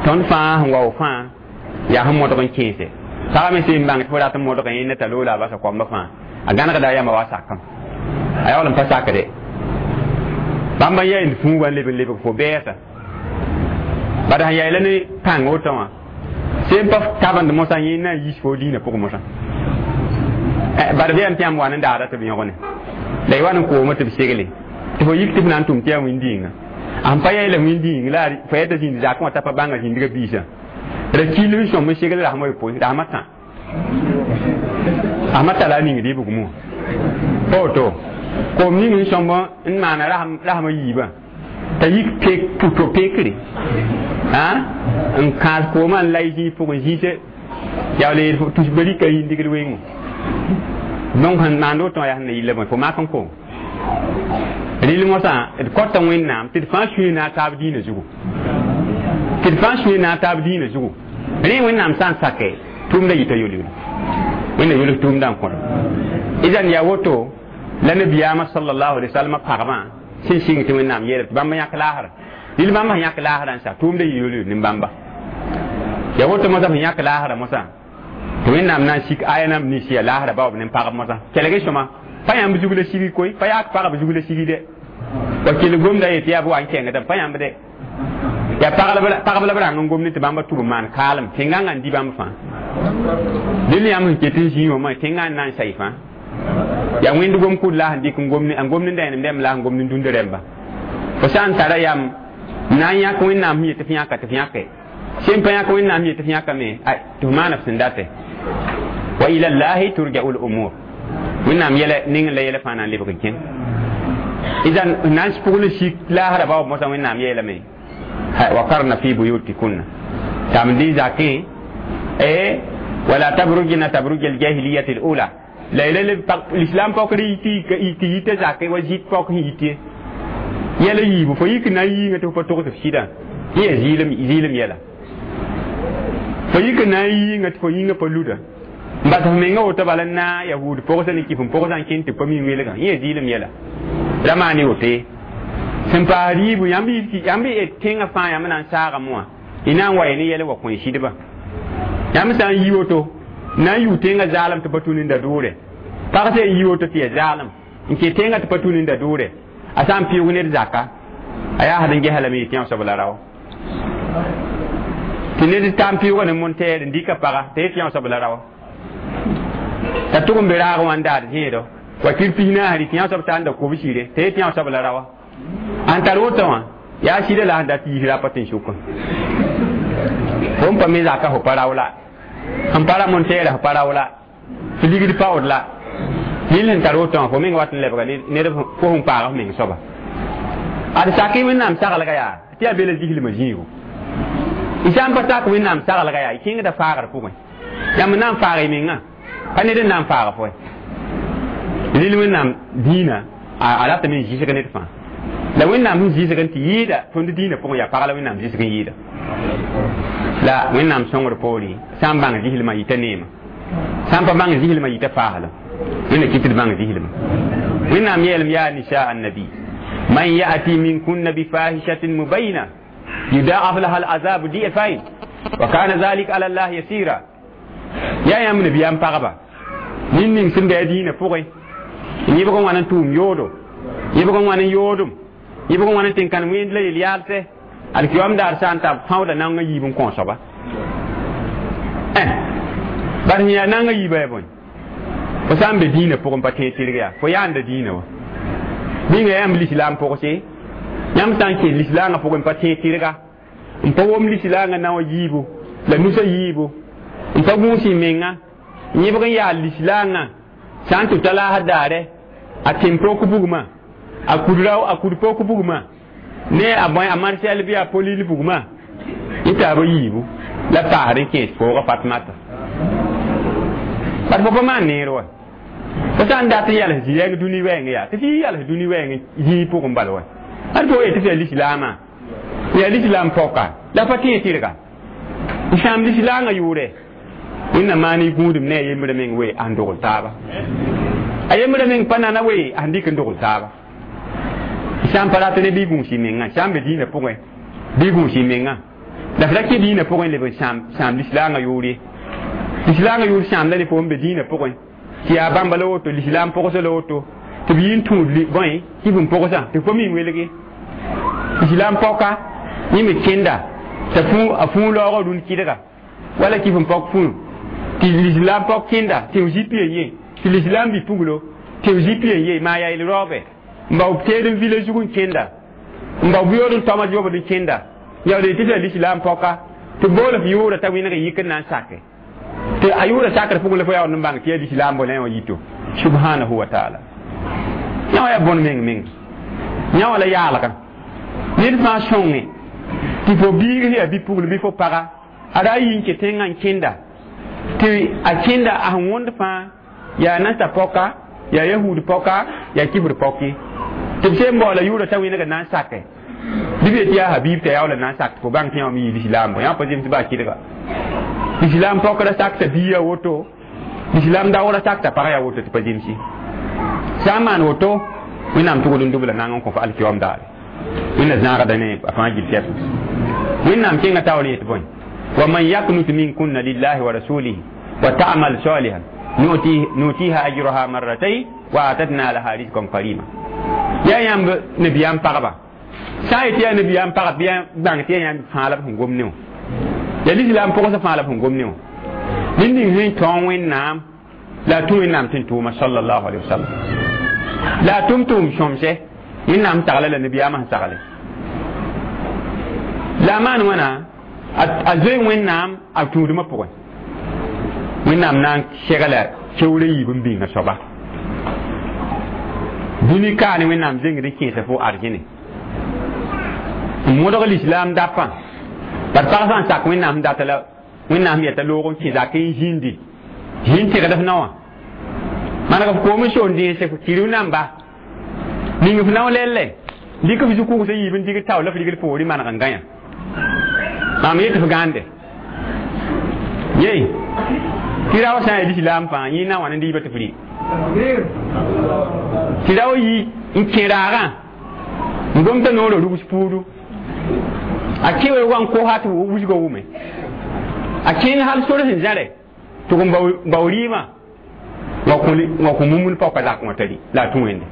tõnd fãa sẽn wao fãa yaa sẽn modg n kẽese pagã me sẽn bãng tɩ fo rat n modg yẽnda t'a loola a basa koamba fãa a gãnegda a yãmba wa sakam a yaool n pa sakde bãmba n yaeend fũuga n leb n lebg fo bɛɛsa bad sẽn yaeela ne pãng woto wã sẽn pa tabend mosã yẽ na n yis fo diinã pʋgẽ mosã bad b yam tɩ yãmb wa ne daada tɩ b yõgene la y wa n kooma tɩ b segle tɩ fo yik tɩ f na n tʋm tɩ yaa wẽn-dĩinga sẽn pa yaeela wẽn-dĩing la fo yɛta zĩnd zakẽ wã t'a pa bãnga zĩndgã biisã ra kil n sõm n segl rasmã yopoe rasmã tã rasmã tala a ningd y bugmã pa woto koom ning n sõmb n maana rasmã yiibã t'a yik puto pekre n kãas koomã n lay zĩig pʋgẽ zĩise yaa le tusba rika yĩndigd wengẽ donc sẽn maand woto yaa sẽn na yilla bõe fo mak n koom rɩl mosã d kõta wẽnnaam tɩ d fãa sũe na a taab diinã zugu tɩ d fãa sũe na a taab diinã zugu rẽ wẽnnaam sã n sake tʋʋmda yita yol-yol wẽnna yʋls tʋʋmda n kõd idan yaa woto la nabiyaamã sallallahu alaihi wasallam pagmã sẽn sɩng tɩ wẽnnaam yeela tɩ bãmb yãk laasra rɩl bãmb sẽn yãk laasrã n sa tʋʋmda yɩ yol-yol ne bãmba yaa woto mosã sẽn yãk laasrã mosã tɩ wẽnnaam na n sik aya nam nins yaa laasrã baoob ne pagb mosã kelg sõma pa yãmb zug la sigi koy pa yaak pagb zug la sigi de wa kell gomda yetɩ yaa b wa n kẽngdame pa yãmb de yaa pagb la b rãng n gomd tɩ bãmba tʋb n maan kaalem tẽngãngã n dɩ bãmb fãa dẽl yãmb sẽn ket n zĩig wã tẽngã n na n say fãa yaa wẽnd gom-kʋd la sẽn dɩk n gomd n gomd n dãenemdãmb la sẽn gomd n dũnd rẽmba fo sã n tara yam na n yãk wẽnnaam sẽn yet tɩ f yãka tɩ f yãke sẽn pa yãk wẽnnaam sẽn yet tɩ f yãkame tɩ f maana f sẽn date wa ila llahi turja'u l umur wẽnnaam yɛla ning la yɛla fãa na n lebg n kẽng idan na n pʋgl n sik laasra baoob mosã wẽnnaam yeelame وقرن في بيوتكن تامدي زاكي ايه ولا تبرجن تبرج الجاهلية الأولى لا لا الإسلام فقري تي تي تي زاكي وزيت فقري يتي يلا يبو فيك ناي نتو فتوك تفسيدا هي زيلم زيلم يلا فيك ناي نتو فيك فلودا بس menga wota bala na yahud pʋgsa ne kif n pʋgsa n kẽn tɩ pa mi weelgã yẽ zɩɩlem yɛla ra maan wote sẽn paas yiibu yãmb yãmb tẽngã fãa yãmb na n saagame wã y na n wa ne yɛl wa kõ sɩdba yãmb sã n yi woto na n yʋ tẽngã zaalem tɩ pa tũ ninda doore pag sã n yi woto tɩ ya zaalem n kẽ tẽngã tɩ pa tũ ninda doore a sã n pɩʋg ned zaka a yaa sd n gesa lame yetɩ yã soab la rao Tɩ ned tãn pɩʋʋga ne monteer n dɩka paga t'a yet yã soab la raoa t'a tʋg n be raag wã n daad zẽedo wakir pis naas tɩ yã soab tar n da kobsire t'a yet yã soab la raoa ãn tar woto wã yaa sɩda la sẽn dat yiis rapa tɩ n sʋkã fo n pa me zaka fo pa rao la sẽn pa ra monteera fo pa rao la tɩ ligd paood la yĩl sẽn tar woto wã fo meng wat n lebga ned fo sẽn paag f meng soaba ad sak wẽnnaam saglga yaa tɩ yaa be la zislmã zĩigu y sã n pa sak wẽnnaam saglga yaa y kẽngda faagr pʋgẽ yãmb na n faag y mengã pa ned n na n faag fo rɩl wẽnnaam dĩinã a ratame n zɩsg ned fãa la wẽnnaam sẽn zɩsg n tɩ yɩɩda tõnd dĩinã pʋgẽ yaa pag la wẽnnaam zɩsg n yɩɩda la wẽnnaam sõngr poore sã n bãng zislmã yita neema sã n pa bãng zislmã yita faaslem wẽnna kɩt d bãng zislmã wẽnnaam yeelem yaa nisaa annabi man yati minkunna bifahishatin mubayina yudaaf laha al'azabu di'fain wa kana zalika ala allah yasira yaa yãmb nabiyaam pagba nin ning sẽn bɩ a dĩinã pʋgẽ yẽbg n wãn n tʋʋm yoodo yẽbg n wãn n yoodem yẽbg n wãn n tɩ n kãn wẽnd la yel-yaalsɛ alkiyom daar sã n tab fãooda naongã yiib n kõ soaba bar sẽn yaa naongã yiiba yaa bõe fo sã n be dĩinã pʋgẽ pa tẽeg tɩrg yaa fo yaanda dĩinã wa ninga yãmb lislaam pʋgse yãmb sã n kẽ lislaangã pʋgẽ pa tẽeg tɩrga n pa wom lislaangã naoã yiibu la nusa yiibu n pa gũus y menga yẽbg n yaa lislaangã sã n tɩ ta laasd daare a tẽn-pok bugmã a kud rao a kud pok bugmã ne a bõe a marsɛl bɩ a polil bugmã yẽ taaba yiibu la paasd n kẽes pooga Fatmata bat fo pa maan neer wa fo sã n dat n yals zĩ-rɛng dũni wɛɛngẽ yaa tɩ f yɩ yals dũni wɛɛngẽ zĩig pʋgẽ bal wa ad fo yetɩ f yaa lislaamã yaa lislaam pɔka la pa tẽeg tɩrga n sãam lislaangã yʋʋrɛ wẽnnaam maan y gũudum ne a yembrã meng we a sẽn dogl taaba a yembrã meng pa nana we a sẽn dɩk n dogl taaba sã n pa rat ne bɩ gũus y mengã sã n be dĩinã pʋgẽ bɩ gũus y mengã la f ra kẽ dĩinã pʋgẽ leb n sãam sãam lislaangã yʋʋr ye lislaangã yʋʋr sãamda ne fo n be dĩinã pʋgẽ tɩ yaa bãmba la woto lislaam pʋgsa la woto tɩ b yɩ n tũud bõe kɩf n pʋgsã tɩ fo mi n welge lislaam pɔka yẽ me kẽnda t'a a fũu laoogã rũnd kɩdga wala kɩf n pɔk fũu tɩ lislaam pɔk kẽnda tɩ f zip yen ye tɩ lislaam bi puglo tɩ f zip yen ye maa yaa yel raoobe n bao teed n vila zug n kẽnda n bao buyood n toma yobd n kẽnda yaood tɩ f lislaam pɔka tɩ bool f yʋʋra t'a wẽneg yik n na n sake tɩ a yʋʋra sakr pʋgẽ la fo yaoond n bãng tɩ yaa lislaam bo la yã wã yito subhanahu wa taala yã wã yaa bõn meng meng yã wã la yaalgã ned fãa sõnge tɩ fo biig sẽn yaa bi-pugl bɩ fo paga a ra yi n kẽ tẽngã n kẽnda tɩ a kẽnda a sẽn wõnd fãa yaa nasa pɔka yaa yahud pɔka yaa kifr pɔke tɩ b sẽn baoola yʋʋra t'a wẽneg n na n sake bɩ b yetɩ yaa habib t'a yaoola na n sak tɩ fo bãng tɩ yã wã me yɩ lislaam bõ yã pa zems baa kɩdga lislaam pɔkra sakta bia yaa woto lislaam daoora sakta pagã yaa woto tɩ pa zemsi sã n maan woto wẽnnaam tʋgd n dubla nang n kõ fo alkiyom daare wẽnna zãagda ne a fãa gil tɛp wẽnnaam kẽngã taoor yet bõe wa man yaknut minkunna lillahi wa rasulihi wa ta'mal salihan nutiha ajraha marratayn wa atadna laha rizqan karima yaa yãmb nabiyaam pagba sã n yetɩ yaa nabiyaam pagb bɩ bãng tɩ yaa yãmb fãa la b sẽn gom ne wã yaa lislaam pʋgsa fãa la b sẽn gom ne wã ned ning sẽn tõog wẽnnaam la a tũ wẽnnaam tɩ n tʋʋma sallallahu alaihi wasallam la a tʋm tʋʋm sõmsɛ wẽnnaam sagla la nabiyaamã sẽn sagle la a maan wãna a zoe wẽnnaam a tũudmã pʋgẽ wẽnnaam na n segla keoor a yiib n bĩnga soaba dũni kaane wẽnnaam zengd n kẽesa fo arzẽne n modg lislaam dapã bat pag sã n sak wẽnnaam sẽn data la wẽnnaam yɛta loog n kẽ zak n zĩndi zĩnd tẽgd f naowã maneg f koom n soon dẽese kɩrb namba ning f nao lɛɛlɛ dɩk f zu-kʋgsã yiib n dig tao la f rigl poore maneg n gãyã maam yet f gãande yei tɩ rao sã n yaa lislaam fãa yẽ na wãn n dɩɩba tɩ f rɩ tɩ rao yi n kẽ raagã n gomta noorã rugs puudu a kẽ wa n kosa tɩ wusgã wʋme a kẽng hal sor sẽn zãre tɩ n bao rɩɩmã wa kõ mumul paoka zak wã tari la a tũ wẽnde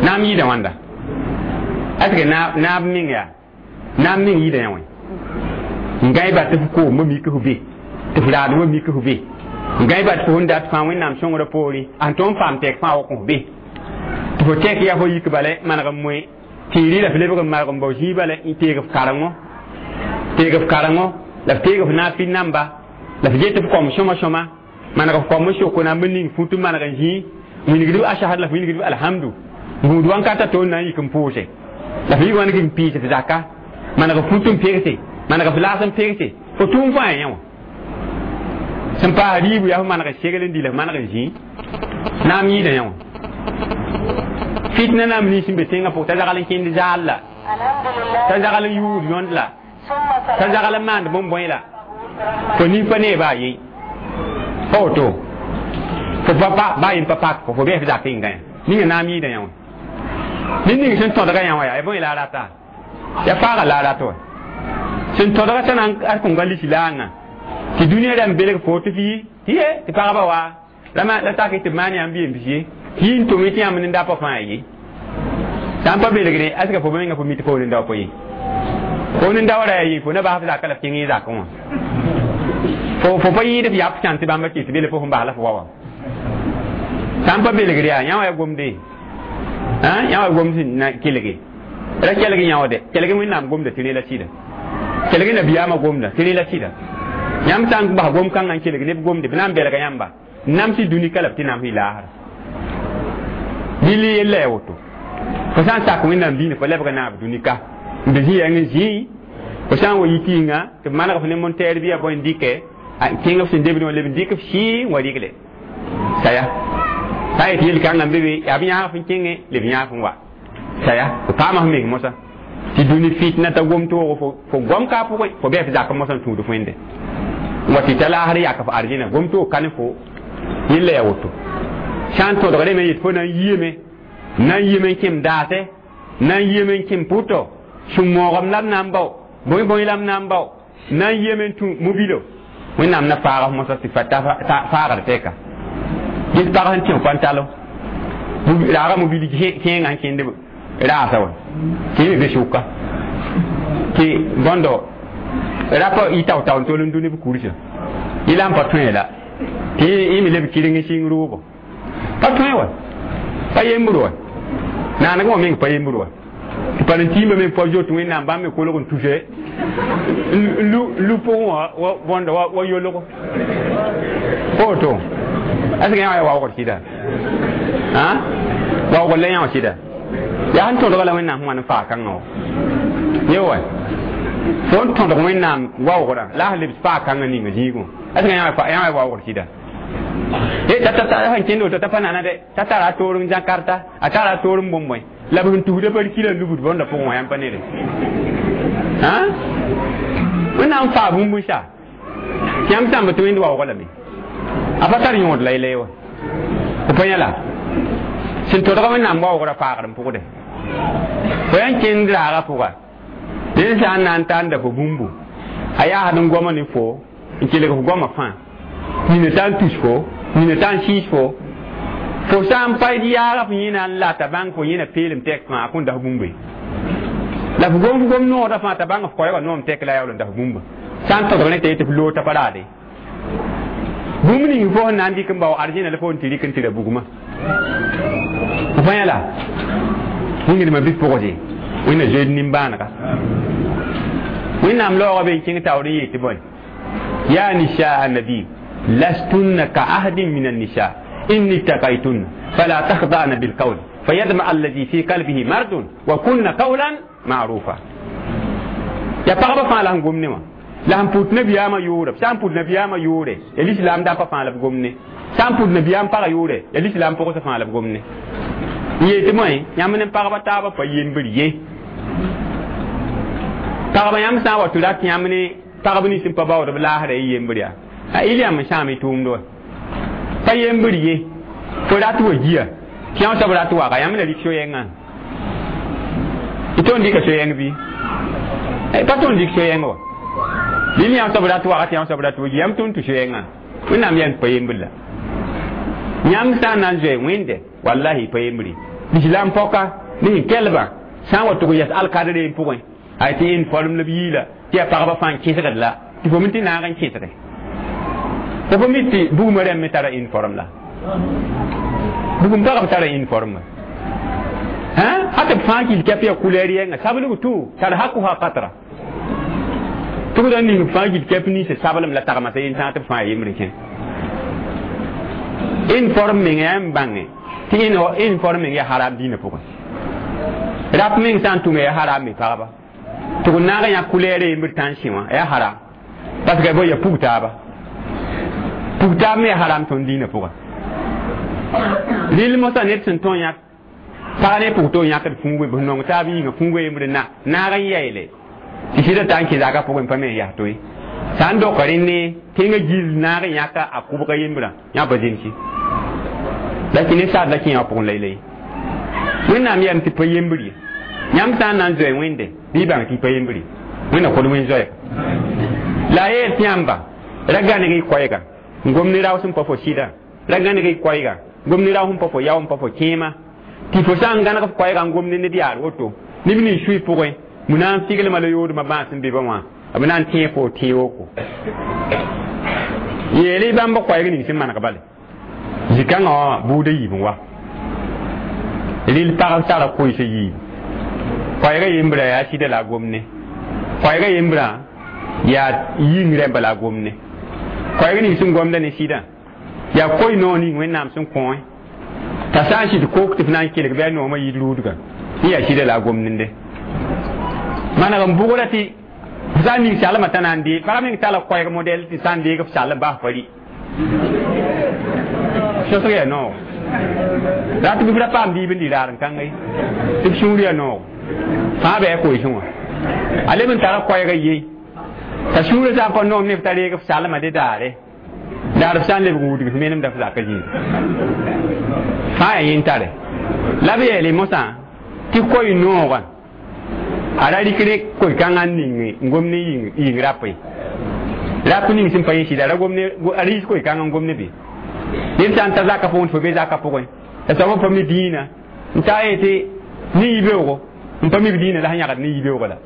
naam yɩɩda wãnda est ce que naab meng yaa naam meng yɩɩda yã wẽ N gãe ba tɩ f koom mik f be tɩ f raadmã mik f be n gãe ba tɩ fo sẽn dat fãa Wẽnnaam sõngrã poorẽ a sẽn tõog n paam tɛk fãa wa kõ f be tɩ fo tɛk yaa fo yik bala maneg n moe tɩ y rɩ la f lebg n marg n bao zĩig bala n teeg f karengo teeg f karengo la f teeg f naafɩ namba la f get f kom sõma sõma maneg f kom n sok na n ning fut n maneg n zĩig wilgd ashhad la f wilgd alhamdu gũud wãnkata to n na n yik n pʋʋse la f yik wãn n piis f zaka maneg f fut n pegse maneg f laas n pegse fo tʋʋm fãa yã wã sẽn paas riibu yaa f maneg n segl n dɩ la f maneg n zĩig naam yɩɩda yã wã fitna naam nins n be tẽngã pʋg t'a zagl n kẽnd zaal la t'a zagl n yuud yõnd la t'a zagl n maand bõn-bõe la fo nin pa nee baa ye pa woto fo pa baa yen pa pak fo fo bɩ f zak n gã ninga naam yɩɩda yã wã ned ning sẽn tõdga yã wã yaa bõe la a rata yaa faaga la a rat wa sẽn tõdga t'a na n kõn ga lisi laangã tɩ dũniyã rãmb belg fo tɩ f yi tɩ ye tɩ pagba wa la tak tɩ maan yãmb yem ye tɩ yi n tʋm tɩ yãmb nenda pa fãa ye sã n pa belgre aska fo menga fo mi tɩ fo nenda pa ye fo nenda wa ra yaa ye fo na bas f zaka la f kẽng y zakẽ wã fo fo pa yɩɩd f yap sãn tɩ bãmba kɩs bele fo sẽn bas la f wa wa sã n pa belgre yaa yã wã yaa gomde yã wa gomd sẽn na kelge ra kelg yãoode kelg Wẽnnaam gomda tɩ rẽ la sɩda kelg nabiyaamã gomda tɩ rẽ la sɩda yãmb sã n bas gom kãngã n kelg neb gomde b na n belga yãmba namsɩ dũni ka la b tɩ namsɩ laasra rɩl yella yaa woto fo sã n sak Wẽnnaam diinã fo lebga naab dũni ka n be zĩ yãng n zĩi fo sã n wa yi tɩɩngã tɩ b maneg f ne montɛɛr bɩ ya bõe n dɩkɛ kẽng f sẽn debdẽ wã leb n dɩk f sɩɩ n wa rɩgle saya sã n yet yel-kãngã n be be yaa b yãag f n kẽngẽ leb yãag n wa saya fo paama f meng mosã tɩ dũni fitna t'a gom toogo fo fo gom ka pʋgẽ fo bɩ f zak mosã n tũud f wẽnde n wa tɩ t'a laasr yak f arzẽna gom toog ka ne fo yella yaa woto sã n tõdgdame n yet fo na n yiime na n yiime n kẽm daase na n yiime n kẽm pʋtɔ sũ-moogem la b na n bao bõe bõe la b na n bao na n yiime n tũ mobilo Wẽnnaam na faag f mosã tɩ faagd tɛka ges pag sẽn tẽ pantalo raaga mobil kẽengã sẽn kẽnd raasa wa tɩ yẽ me be sʋka tɩ bõndo rapa y tao-tao n tol n dũ ne b kursã yɩ la n pa tõe la tɩ yẽ me leb kɩreng sɩng roogo pa tõe wa pa yembr wa naaneg wã meng pa yembr wa tɩ pa n tiimba meng pa zoet Wẽnnaam bãmb me kolg n tuse n lu pʋgẽ wã wa bõndo wa yolgo pa woto est ce que yã wã yaa waoogd sɩda waoogd la yã wã sɩda yaa sẽn tõdga la Wẽnnaam sẽn wa n faag kãngã wã ye wa fo n tõdg Wẽnnaam waoogrã la a sẽn lebs faag kãngã ninga zĩigẽ est ce que yã wã yaa waoogd sɩda t'a sẽn kẽnd woto t'a pa nana dɛ t'a tara a toor n Jakarta a tara a toor n bõn-bõe la b sẽn tusda pa kila n lubd bõnda pʋgẽ wã yãmb pa nede Wẽnnaam faa bũmb n sa yãmb sãmb tɩ wẽnd waoogã lame a pa tar yõod la y wa fo pa yã la sẽn tõdga Wẽnnaam waoogrã paagd n pʋgde fo yã n kẽnd raagã pʋga ned sã n na n tar fo bũmbu a yaasd n goama ne fo n kelg f goamã fãa nina t'a n tus fo nina t'a n sɩɩs fo fo sã n pa yaaga f yẽna n la t'a bãng fo yẽna peelem tɛk fãa a kõn das bũmbe la f gom f gom noodã fãa t'a bãng f koɛɛgã noom tɛk la a yaool n das bũmba sã n tõdg ne t'a yetɩ f loog t'a pa raade bũmb ning fo sẽn na n dɩk n bao arzẽna la fo n tɩ rɩk n tɩ ra bugmã f pa yã la wĩngdmã bɩ pʋgse Wẽnna zoeed nimbãanega Wẽnnaam laoogã be n kẽng taoor n yeel tɩ bõe ya nisaa nabi lastunna ka ahadin min annisa in ittaqaytunna fala takhda'na bilqawl fayadma alladhi fi qalbihi mardun wa kunna qawlan ma'rufa ya pagba fãa la sẽn gom ne wã la sẽn put nabiyaamã yʋʋre sã n put nabiyaamã yʋʋre ya lislaam dãmba fãa la b gom ne sã n put nabiyaam pagã yʋʋre ya lislaam pʋgsã fãa la b gom ne n yeel tɩ bõe yãmb ne pagba taabã pa yembr ye pagba yãmb sã n wa tɩ rat yãmb ne pagb nins n pa baood b laasra y yembr yaa a il yãmb n sãam y tʋʋmd wa pa yembr ye fo rat wa gia tɩ yã soab rat waga yãmb na rɩk so-yɛngã y tõnd dɩka so-yɛng bɩ pa tõnd dɩk so-yɛng wa rɩl yã soab rat waga tɩ yã soab rat wa gia yãmb tõnd tʋ so-yɛngã Wẽnnaam yaa pa yembr la yãmb sã n na n zoe wẽnde wallahi pa yembre lislaam pɔka ne sẽn kelbã sã n wa tʋg yɛs alkadre n pʋgẽ ay tɩ uniforme la b yiila Tɩ yaa pagba fãa n kẽsgd la tɩ fo mi tɩ naag n kẽsge fo fo mi tɩ bugmã rãmb me tara uniforme la bugum pagb tara uniforme hata b fãa kil kɛp yaa couleur yɛnga sablg tʋ tar hakuha qatra tɩ b da ning b fãa gil kɛp ninsã sablem la tagmasa yen tãag tɩ b fãa yembre kẽ uniforme meng yaa n bãnge tɩ uniforme meng yaa haram dĩinã pʋgẽ rap meng sã n tʋme yaa haram me pagba tɩ b naag n yã couleur yembr tã n sẽ wã yaa haram parce que bo ya pug taaba pug taab me yaa haram tõnd dĩinã pʋgã rɩl mosã ned sẽn tõe yãk pag ne pʋg to yãkd fũuge b nong taab yĩnga fũuge yembr na naag n yaeele tɩ sɩda t'a n kẽ zaka pʋgẽ pa me n yaa to ye sã n doka rẽnne tẽngã gill naag n yãka a kʋbga yembrã yã pa zemsi la tɩ ne saad la kẽ wã pʋgẽ laylay wẽnnaam yam tɩ pa yembr ye yãmb sã n na n zoe wẽnde bɩ y bãng tɩ y pa yembr ye wẽnna kod wẽn zoɛɛga la a yeel tɩ yãmba ra gãneg y koɛɛga n gom ne rao sẽn pa fo sɩda ra gãneg y koɛɛga gom ne rao sẽn pa fo yao n pa fo kẽema tɩ fo sã n gãneg f koɛɛga n gom ne ned yaar woto neb nins sũy pʋgẽ mu na n figlma la yoodmã bãas n be ba wã b na n tẽeg fo tẽe-woko yeele bãmb koɛɛg ning sẽn maneg bale zikãngã wã buudã yiib n wa rɩl pagb tara koɩsã yiib koɛɛgã yembrã yaa sɩda la a gomne koɛɛgã yembrã yaa yĩng rẽmba la a gomne koɛɛg ning sẽn gomda ne sɩdã yaa koy noog ning wẽnnaam sẽn kõe t'a sã n sɩd kook tɩ f na n kelg bɩ a noomã yid ruudga yẽ yaa sɩda la a gomnende maneg n bʋgra tɩ f sã n ning salmã t'a na n dee pag meng tala koɛɛg modɛl tɩ sã n deeg f sall n bas fa rɩ sõsg yaa noog rat bɩ f ra paam diib n dɩ raar n kãnga ye tɩ b sũur yaa noog fãa bɩ a koeesẽ wã a leb n tara koɛɛgã ye t'a sũurã sã n pa noom ne f t'a reeg f salmã de daare daar f sã n lebg n wudg f menemda f zaka zĩig fãa yaa yẽn tare la b yeele mosã tɩ koy noogã a ra rɩk ne koe-kãngã n ning n gom ne yĩng rap ye rap ning sẽn pa yẽ sɩda ra gom ne a rɩɩs koe-kãngã n gom ne be ned sã n ta zaka pʋgẽ tɩ fo be zaka pʋgẽ la soab pa mi dĩinã n ta yetɩ ne yibeoogo n pa mi b dĩinã la sẽn yãgd ne yibeoogã la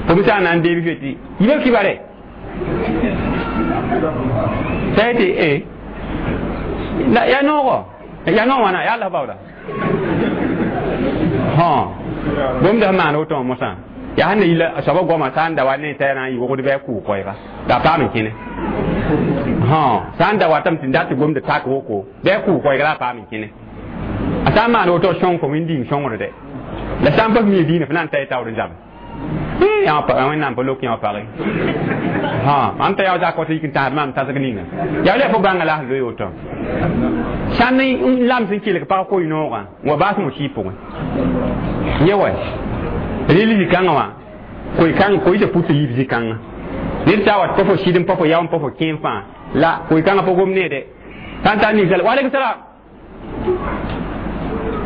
fo me sã n na n deeb fe tɩ yibeoog kibare t'a yetɩ e yaa noogo yaa noog wãna yaa Allah baooda bũmb da sẽn maan woto wã mosã yaa sẽn na yila a soabã goamã sã n da wa ne t'a na n yɩ wogd bɩ a kʋʋ koɛɛga la a paam n kẽne sã n da watame tɩ dat tɩ gomda tak woko bɩ a kʋʋ koɛɛga la a paam n kẽne a sã n maan woto sõng fo wẽn-dĩng sõngr dɛ la sã n pa mi dĩinã fo na n ta y taoor n zabe wẽnnaam pa lok yã wã pagẽ mam t'a yaa zak wa tɩ yik n tãsd maam tãsg ninga yaa la fo bãnga la sẽn loe woto sãn n lams n kelg pag koy noogã n wa baas mo sɩɩ pʋgẽ yẽ wa rɩl zĩ-kãngã wã koe-kãng koɩsã put yiib zĩ-kãngã ned sã n wat pa fo sɩd n pa fo yao n pa fo kẽem fãa la koe-kãngã pa gom neede sã n tar ninsal waaleykum salam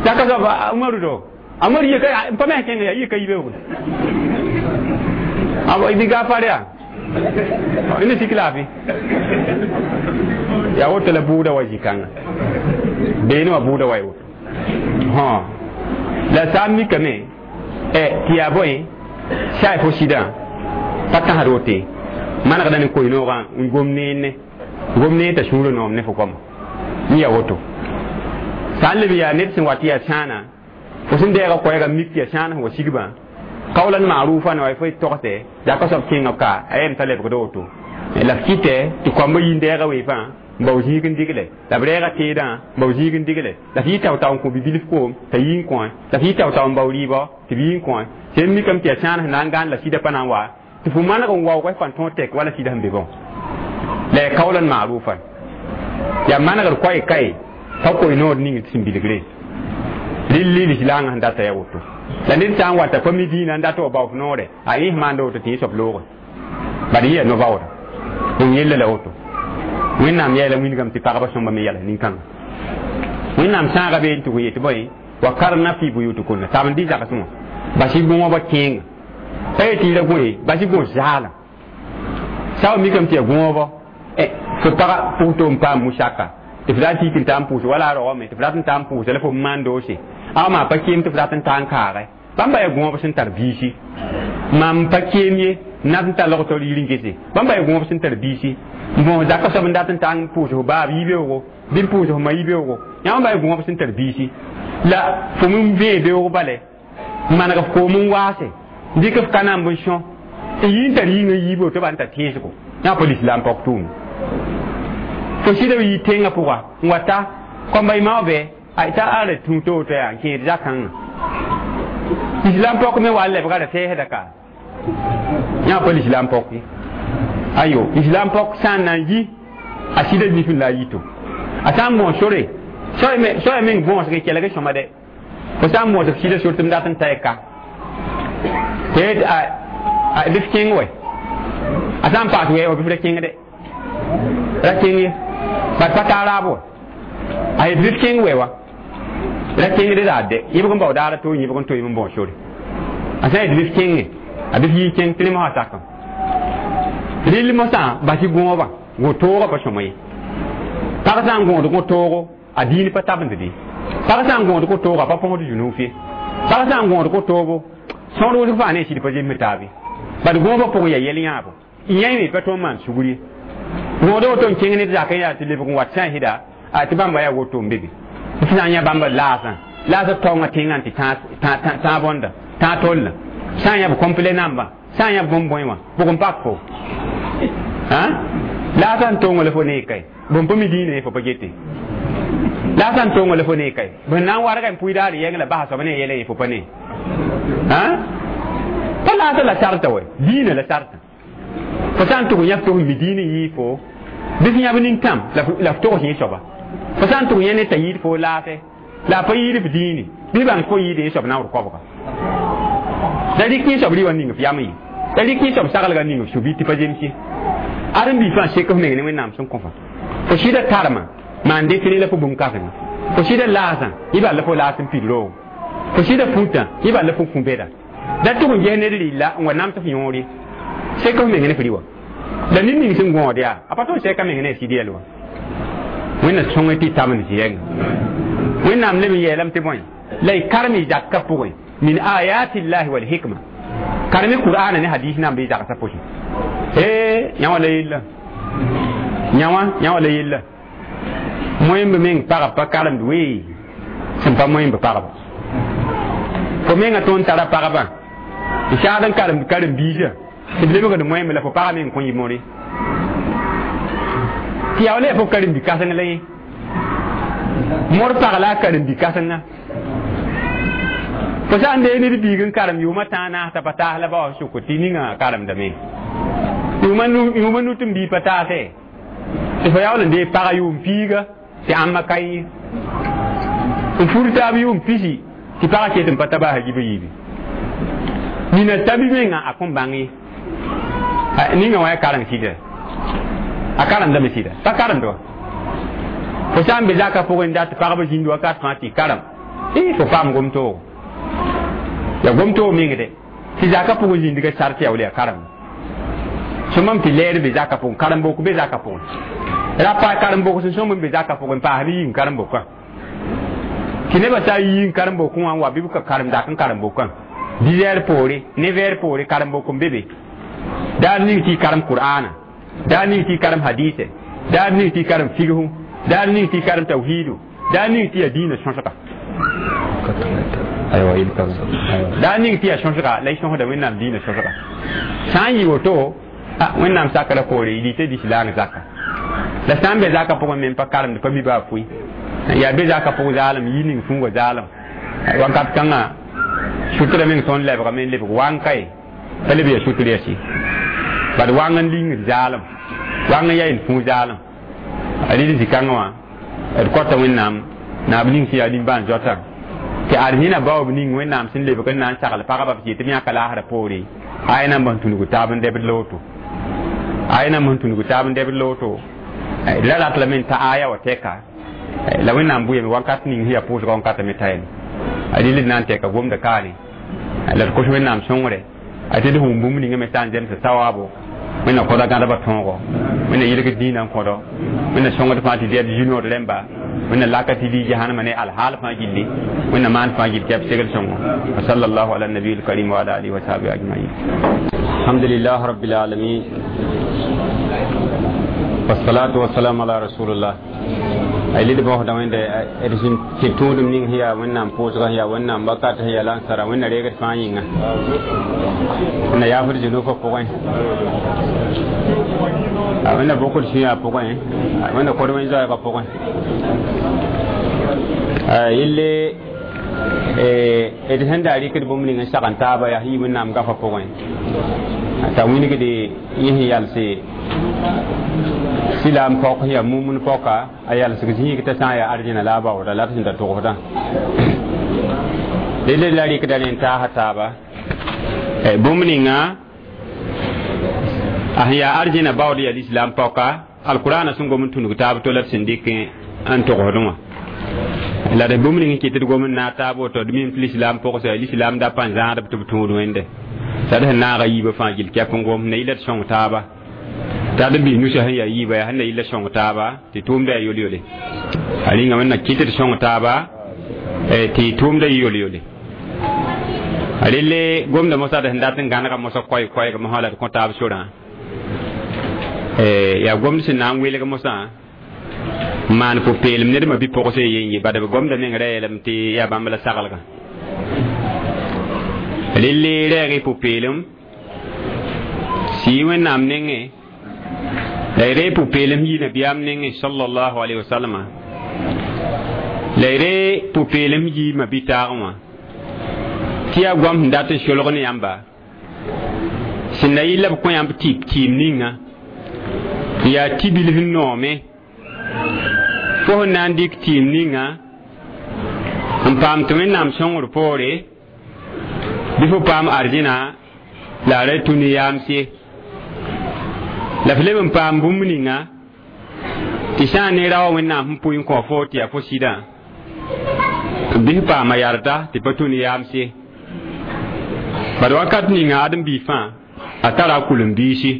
zaka soab umaru do umaru yika n pa me kẽnga yaa yika yibeoogo bɩ gafar yaa ina sik laafɩ yaa woto la buuda wa zĩ-kãngã beene wã buuda wa woto la sã n mikame tɩ yaa bõe sa fo sɩdã pa tãsd woto manegda ne koe-noogã n gom neene gom nee t'a sũurã noom ne fo goama yẽ yaa woto sã n leb yaa ned sẽn wat yaa sãana fo sẽn deega koɛɛga mik tɩ yaa sãan sẽn wa sigbã qawlan ma'rufan wa fo togse zaka soab kẽngã ka a yem t'a lebgd woto la f kɩtɛ tɩ koambã yĩn deega wee fãa n bao zĩig n digle la b reega teedã n bao zĩig n digle la f yɩ tao-tao n kõ bi-bilf koom t'a yɩ n kõ la f yɩ tao-tao n bao rɩɩbɔ tɩ b yɩ n kõ sẽn mikame tɩ yaa sãan sẽn na n gãan la sɩda pa na n wa tɩ fo maneg n waoog f pa n tõog tek wala sɩda sẽn be bõ la yaa qawlan ma'rufan yaa manegd koɛɛ kae pa koe noor ning tɩ sẽn bilgre rɩl lislaangã sẽn data yaa woto la ned sã n wata pa mi dĩinã n dat wa bao f noore a yẽs maanda woto tɩ yẽ soab loogẽ bad yẽ yaa no-baooda n yella la woto wẽnnaam yɛɛla wĩndgame tɩ pagba sõmba me yɛls nin-kãngã wẽnnaam sãaga bee n tʋg n yetɩ bõe wa karna fi buyutukunna tab n dɩ zagsẽ wã bas y gõoba kẽenga pa yetɩ y ra gõ ye bas y gõ zaalã sã wa mikame tɩ yaa gõobo fo paga pʋgto n paam musaka tɩ f rat yik n taa n pʋʋs wala a raoame tɩ f rat n taa n pʋʋsa la fo maan doose a maa pa keem tɩ f rat n taa n kaage bãmba yaa gõob sẽn tar biisi mam pa keem ye N dat n tall tol yir n gese bãmba yaa gõob sẽn tar biisi n bõos zakã soab n dat n ta n pʋʋs f baab yibeoogo bɩ n pʋʋs f ma yibeoogo yãmb ba yaa gõob sẽn tar biisi la fo m vẽe beoog bale n maneg f koom n waase n dɩk f ka namb n sõ n yi n tar yĩngã yiibo tɩ b n tar tẽesgo yã pa lislaam pɔk tʋʋm fo sɩda b yi tẽngã pʋga n wa ta kõmba y mao bɛ a t'a ara tũ to to yaa n kẽed zakãngã islam pɔk me wa lebga ra tɛɛsda ka yã pa lislaam pɔk ye ayo islam pɔk sã n na n yi a sɩda nif n la a yito a sã n bõos sore soa meng bõosg kelg sõma dɛ fo sã n bõosg sɩda sor tɩ m dat n ta y ka tɩ a bɩ f kẽng wɛ a sã n paas wɛɛgo bɩ f ra kẽng dɛ ra kẽng ye bat pa taa raab wa a yet bɩ f kẽng wɛ wa ra kẽngd raad dɛ yẽbg n bao daara to yẽbg n toeem n bõos sore a sã n yet bɩ f kẽnge a bɩ f yii kẽng tɩ rẽ mosã sakam rɩl mosã bas y gõobã gõ-toogã pa sõma ye pag sã n gõod gõ-toogo a diin pa tabend ye pag sã n gõod gõ-toogo a pa põsd zunuuf ye pag sã n gõod gõ-toogo sõor wʋsg fãa ne a sɩd pa zems taab ye bad gõobã pʋgẽ yaa yɛl yãabo yãe me pa tõe n maan sugr ye gõoda woto n kẽng ned zakã yaa tɩ lebg n wat sã n sɩda a tɩ bãmba yaa woto n be be f sã n yã bãmba laasã laasã taoongã tẽngã tɩ tãag bõnda tãag tollã sã n yã b complet namba sã n yã bõmb bõe wã bʋg n pak fo laasã n toongã la fo nee kae bõn pa mi dĩinã ye fo pa gete laasã n toongã la fo nee kae bõn na n warga n pʋɩ daar yɛng la basa soab ne yɛla ye fo pa ne pa laasã la sarta wɛ dĩinã la sarta fo sã n tʋg yã f tʋg mi dĩinã yɩɩ fo bɩ f yãb nin-tãm la f togs yẽ soaba fo sã n tʋg yã ne t'a yɩɩd fo laasɛ la a pa yɩɩd f dĩine bɩ bãng fo yɩɩd yẽ soab naoor koabga la rɩk yẽ soab rɩ ning f yam ye la rɩk yẽ soab saglga ning f su-bɩ tɩ pa zems ye ãdem-biig fãa sek f meng ne Wẽnnaam sẽn kõ fa fo sɩda tarma maan dɩk ne la fo bũmb kãsenga fo sɩda laasã yẽ bal la fo laas n pid roog fo sɩda fũtã yẽ bal la fo fũ bɛda da tʋg n ges ned rɩlla n wa nams f yõor ye sek f meng ne f rɩ wã la ned ning sẽn gõod yaa a pa tõe n sɛka meng ne a sɩd yɛl wã Wẽnna sõng tɩ tabend zɩ-yɛnga Wẽnnaam leb n yeelame tɩ bõe la y karem y zakã pʋgẽ min ayatillahi wal hikma karem qur'ana ne hadis nan bɩ zagsã pʋsẽ ee yã wã la yella yã wã yã wã la yella moẽmb meng pagb pa karemd wee sẽn pa moẽmb pagba fo mengã tõnd tara pagbã n saad n karemd karen-biisã tɩ b lebgd moẽmb la fo pagã meng kõn yɩ more tɩ yaa wala yaa fo karen-bi-kãseng la yẽ mor pag la a karen-bi-kãsenga fo sã n dee ned biig n karem yʋʋmã tãag naas t'a pa taas la ba wa sʋk tɩ ninga karemdame yʋʋmã nu tɩ m bii pa taase tɩ fo yaool n dee paga yʋʋm piiga tɩ ãmba ka yẽ n fur taab yʋʋm pisi tɩ pagã ket n pa ta baasa gibã yiibi nina tabi menga a kõn bãng ye ninga wã ya kareng sɩda a karemdame sɩda pa karemd wa fo sã n be zakã pʋgẽ n dat pagba zĩnd wakat fãa tɩ karem fo paam gom-toogo ya gom-toog mengde tɩ zakã pʋgẽ zĩndga sar tɩ ya wala ya karem sõmam tɩ lɛɛr be zakã pʋgẽ karen-bok be zakã pʋgẽ ra pa karen-bok sẽn sõm n be zakã pʋgẽ n paasd yĩng karen-bokã tɩ nebã sã n yĩng karen-bokẽ wã n wa bɩ b ka karem zak n karen-bokã dix heures poore neuf heures poore karen-bok n be be daar ning tɩ y karem qur'ana daar ning tɩ y karem hadise daar ning tɩ y karem fighu daar ning tɩ y karem tawhidu daar ning tɩ ya diinã sõsga aywa yel kam daar ning tɩ ya sõsga la y sõsda Wẽnnaam diinã sõsga sã n yɩ woto Wẽnnaam sakra poore y dɩta lislaang zaka la sã n be zakã pʋgẽ me n pa karemd pa mi baa pʋɩ yaa be zakã pʋg zaalem yi ning fũngã zaalem wakat kãngã sutra meng tõnd lebgame n lebg wãng kae pa leb yaa sutr yasi bad wãng n lingd zaalem wãng n yaa y fũ zaalem a rɩd zĩ-kãngã wã d kõta Wẽnnaam naab ning sẽn yaa nimbãan zoatã tɩ ad yẽna baoob ning Wẽnnaam sẽn lebg n na n sagl pagba b tɩ b yãka laasrã poore aya namba sẽn tũnug taab n dɛbd la woto aya namba sẽn tũnug taab n dɛbd la woto la rat lame n ta aya wa tɛka la Wẽnnaam bʋyame wakat ning sẽn yaa pʋʋsga wankata me ta yene a rɩl d na n tɛka gomda kaane la d kos Wẽnnaam sõngre a tɩ d wʋm bũmb ninga me sã n zemsa sawaabo Wẽnna kõda gãdbã tõogo wẽnna yɩlg dĩinã n kõdo wẽnna sõngd fãa tɩ d zu-nood rẽmba wẽnna laka tɩ lii jahannama ne alhaal fãa gilli wẽnna maan fãa gill tɩ b segl sõngo wa sallallahu ala nabiy الكريم وعلى آله وصحبه أجمعين. الحمد لله رب العالمين والصلاة والسلام على رسول الله. Ay lid bõosda wẽnde d sẽn tɩ tũudum ning sẽn yaa wẽnnaam pʋʋsga sẽn yaa wẽnnaam wakat sẽn yaa lansara wẽnna reegd fãa yĩnga wẽnna yaafd zũnufã pʋgẽ wẽnna bokd sũyã pʋgẽ wẽnna kod wẽn zoɛɛgã pʋgẽ yelle d sẽn daa rɩkd bũmb ning n sag n taaba yaa sẽn yi wẽnnaam gafã pʋgẽ t'a wilgde yẽ sẽn yalse silaam pɔk sẽn yaa mumun pɔka a yalsg zĩig t'a sã n yaa arjẽna la a baooda la d sẽn da togsdã delle la rɩkda rẽ n taasa taaba bũmb ninga a sẽn yaa arjẽna baood yaa lislaam pɔka alkurana sẽn gom n tũnug taab to la d sẽn dɩk n togsdẽ wã la d bũmb ning n kɩt d gom n naag taab woto d mim tɩ lislaam pʋgsa lislaam da pa n zãadb tɩ b tũud wẽnde t'a d sẽn naaga yiibã fãa gill kɛp n gom na yɩla d sõng taaba t'a d bis nusa sẽn yaa yiiba yaa sẽn na yɩla sõng taaba tɩ tʋʋmda yaa yol-yole a rĩnga wẽnna kɩt d sõng taaba tɩ tʋʋmda yɩ yol-yole a relle gomda mosã d sẽn dat n gãnega mosã koɛɛ-koɛɛg mosã la d kõ taab sorã yaa gomd sẽn na n welg mosã n maan pʋ-peelem ned ma bi-pʋgse yen ye bad b gomda meng ra yeelame tɩ yaa bãmb la saglgã relle rɛɛg y pʋ-peelem sɩ wẽnnaam nengẽ la y ree pʋ-peelem yi nabiyaam nengẽ sallallahu alayhi wa sallama la y ree pʋ-peelem yiimã bi-taagẽ wã tɩ yaa goam sẽn dat n solg ne yãmba sẽn na yɩ la b kõ yãmb tɩ kɩɩm ninga n yaa tibil sẽn noome fo sẽn na n dɩk tɩɩm ninga n paam tɩ wẽnnaam sõngr poore bɩ fo paam arzẽna la a ra tũ ne yaamse la f leb n paam bũmb ninga tɩ sã n ne ra wa wẽnnaam sẽn pʋɩ n kõ fo tɩ yaa fo sɩdã bɩ f paama yarda tɩ pa tũ ne yaamse bad wakat ninga ãdem-biig fãa a tara a kʋlem-biisi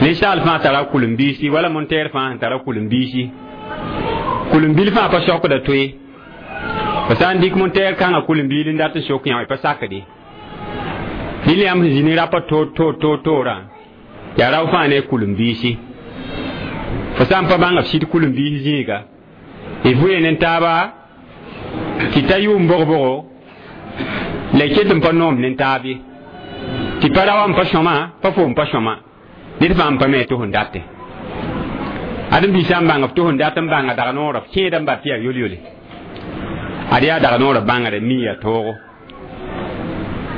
ninsaal fãa tara a kʋlem-biisi wala montɛɛr fãa sẽn tara kʋlem-biisi kʋlem-bil fãa pa sokda toe fa sã n dɩk montɛɛr kãngã kʋlem-biil n dat n sok yã pa sakde dɩl yãmb sẽn zĩ ne rapa toor toor toor toorã yaa rao fãa ne kʋlem-biisi fo sã n pa bãnga f sɩd kʋlem-biis zĩiga y vʋ ne taaba tɩ ta yʋʋm bog-bogo la y ket n pa noom ne taab ye tɩ pa ra wa n pa sõma pa foom pa sõma ned fãa n pa me tɩ sẽn date ãdem-biis sã n bãng f tɩ sẽn dat n bãnga dag noorã f kẽeda n bat tɩ yaa yol-yole ad yaa dag noorã bãngre mi yaa toogo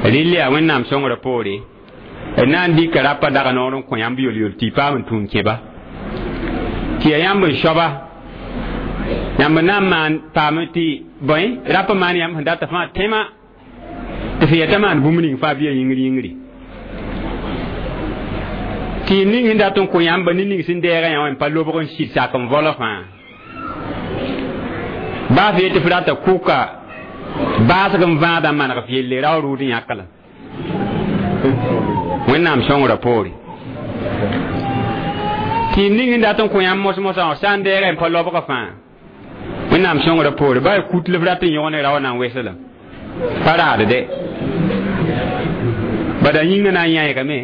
rɩl yaa wẽnnaam sõngrã poore d na n dɩka rapa dag noor n kõ yãmb yol-yol tɩ y paam n tũun kẽba tɩ yaa yãmb n soaba yãmb na n maan paam tɩ bõe rapa maan yãmb sẽn data fãa tẽma tɩ f yɛta maan bũmb ning fãa bɩ ya yĩngr yĩngri tɩ ning sẽn dat n kõ yãmba ne ning sẽn deega yã wã n pa lobg n sɩd sak n volg fãa baa f yetɩ f rata kʋka baasg n vãada n maneg f yelle rao rʋʋd n yãk la wẽnnaam sõngrã poore tɩ ning sẽn dat n kõ yãmb mos-mosã wã sã n deega n pa lobga fãa wẽnnaam sõngrã poore baa kut la f rat n yõg ne rao na n wesla pa raad de bada yĩngã na n yãegame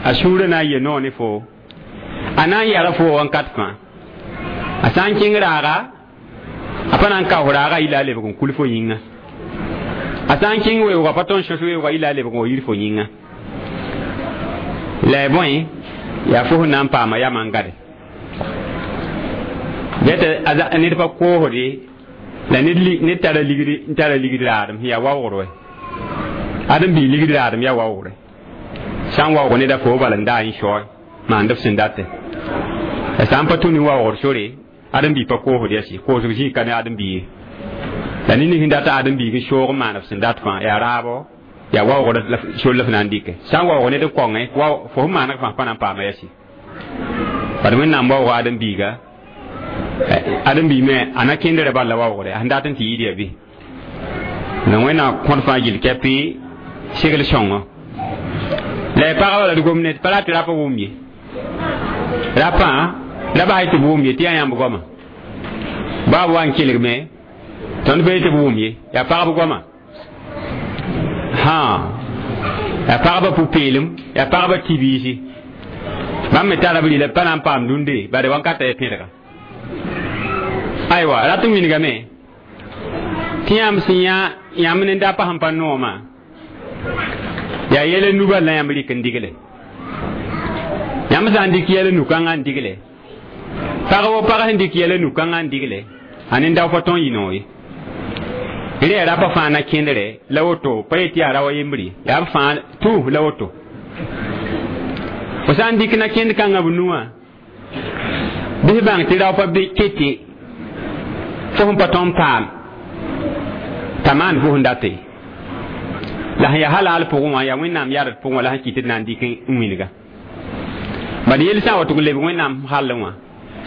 a sũurã na n ye noor ne foo a na n yara foo wãnkat fãa a sã n kẽng raaga a pa na n kaoos raaga yɩla a lebg n kul fo yĩnga a sã n kẽng weoogã pa tõnd sõs weoogã yɩla a lebg n wa yir fo yĩnga la y bõe yaa fo sẽn na n paama yamã n gade bɩ ned pa koosde la ned tara ligd n tara ligd raadem sẽn yaa waoogr wɛ ãdem-biig ligd raadem yaa waoogre sã n waoog neda fo bala n daa n saoe maand f sẽn date la sã n pa tũ ne waoogr sore ãdem-biig pa koosd yɛsi koosg zĩig ka ne ãdem-biig ye la ned ning sẽn dat ãdem-biig n soog n maan f sẽn dat fãa yaa raabo yaa waoogr sor la f na n dɩke sã n waoog ned n kõngẽ fo sẽn maaneg fãa pa na n paama yɛsi bad wẽnnaam waooga ãdem-biiga ãdem-biig me a na kẽndrã bal la waoogre a sẽn dat n tɩ yɩɩd yaa bɩ la wẽnnaam kõd fãa gill kɛpɩ segl sõngo La pagba la d gom ne pa rat tɩ rapa wʋm ye rapã la bas tɩ b wʋm ye tɩ yaa yãmb goama baa b wa n kelgme tõnd bee tɩ b wʋm ye yaa pagb goama hã yaa pagba pʋ-peelem yaa pagba tɩ-biisi bãmb me tara b rɩla pa na n paam dũnde bare wãnkata ya pẽdga aywa rat n wilgame tɩ yãmb sẽn yã yãmb ne da pa sẽn pa noomã yaa yɛla nuba la yãmb rɩk n digle yãmb sã n dɩk yɛla nu-kãngã n digle pag wo pag sẽn dɩk yɛla nu-kãngã n digle a nin-dao pa tõe n yɩ noog ye rẽ yaa rapa fãa na kẽndre la woto pa yet yaa ra wa yembr ye yaa b fãa tũ la woto fo sã n dɩk na kẽnd kãngã b nuwã bɩ bãng tɩ rao pa be kete fo sẽn pa tõe n paam t'a maan fo sẽn date la sẽn yaa halal pʋgẽ wã yaa wẽnnaam yard pʋgẽ wã la sẽn kɩt d na n dɩk n wilga bad yel sã n wa tʋg n lebg wẽnnaam hall wã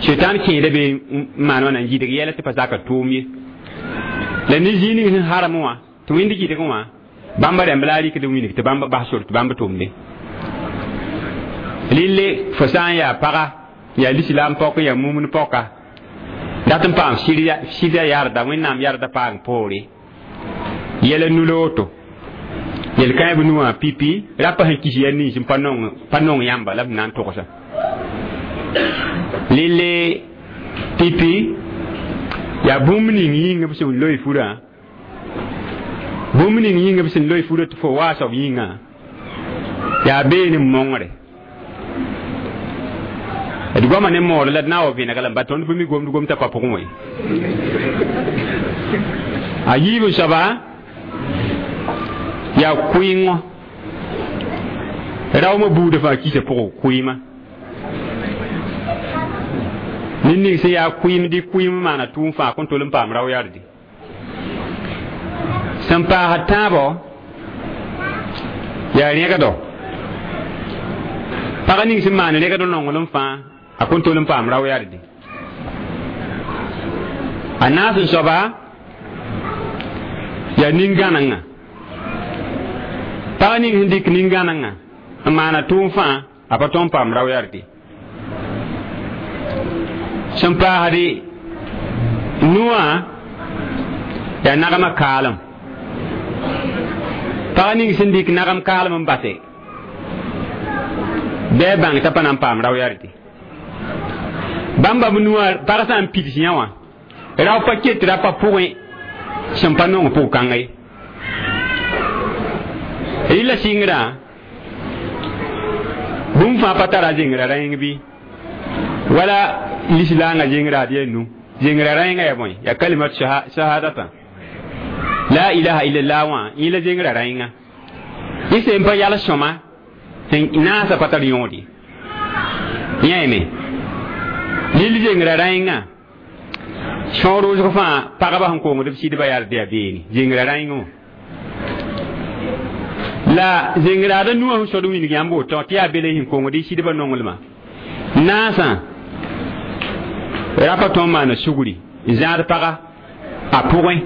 setan kẽeda be n maan wã na n gidg yɛla tɩ pa zaka tʋʋm ye la ne zĩig ning sẽn harem wã tɩ wẽnd gɩdg wã bãmba rãmb la a rɩkd n wilg tɩ bãmb bas sor tɩ bãmb tʋmde rɩlle fo sã n yaa paga yaa lislaam pɔk yaa mumn pɔka dat n paam sɩda yarda wẽnnaam yarda paam poore yɛla nu la woto yel kãe b nuwã pipi rapa sẽn kis ya nins n pa nong pa nong yãmba la b na n togsa lille pipi yaa bũmb ning yĩng b sẽn loe furã bũmb ning yĩng b sẽn loe furã tɩ fo waasb yĩngã yaa beene mongre d goama ne moor la d na n wa vẽneg la ba tõnd bɩ mi gomd gom t'a pa pʋgẽ wã a yiib n soaba yaa kʋɩngõ raoomã buudã fãa kisa pʋgẽ kʋɩɩma ned ning sẽn yaa kʋɩɩm dɩ kʋɩɩm maana tʋʋm fãa kõn tol n paam rao yarde sẽn paasd tãabɔ yaa rẽgdɔ pag ning sẽn maan rẽgd nonglem fãa a kõn tol n paam rao yarde a naas n soaba yaa nin-gãnengã pag ning sẽn dɩk nin-gãnengã n maana tʋʋm fãa a pa tõe n paam rao yarde sẽn paasde nuwã yaa nagmã kaalem pag ning sẽn dɩk nagem kaalem n base bɩ a bãng t'a pa na n paam rao yarde bãmba b nuwã pag sã n pids yã wã rao pa ket rapa pʋgẽ sẽn pa nong pʋg-kãnga ye rɩla sɩngrã bũmb fãa pa tara zengrã rãeng bɩ wala lislaangã zengrã d yaa nu zengrã rãengã yaa bõe yaa kalimat shahadata la ilaha illallah wã yẽ la zengrã rãenga yẽ sẽn pa yals sõma sẽn naasã pa tar yõod ye yãeme lil zengrã rãengã sõor wʋsg fãa pagba sẽn kongd b sɩdba yard yaa beene zengrã rãengã wã la zengraada nuwã sẽn sod wilg yãmb woto tɩ yaa bele sẽn kongd y sɩdbã nonglmã naasã rapa tõe n maana sugri n zãad paga a pʋgẽ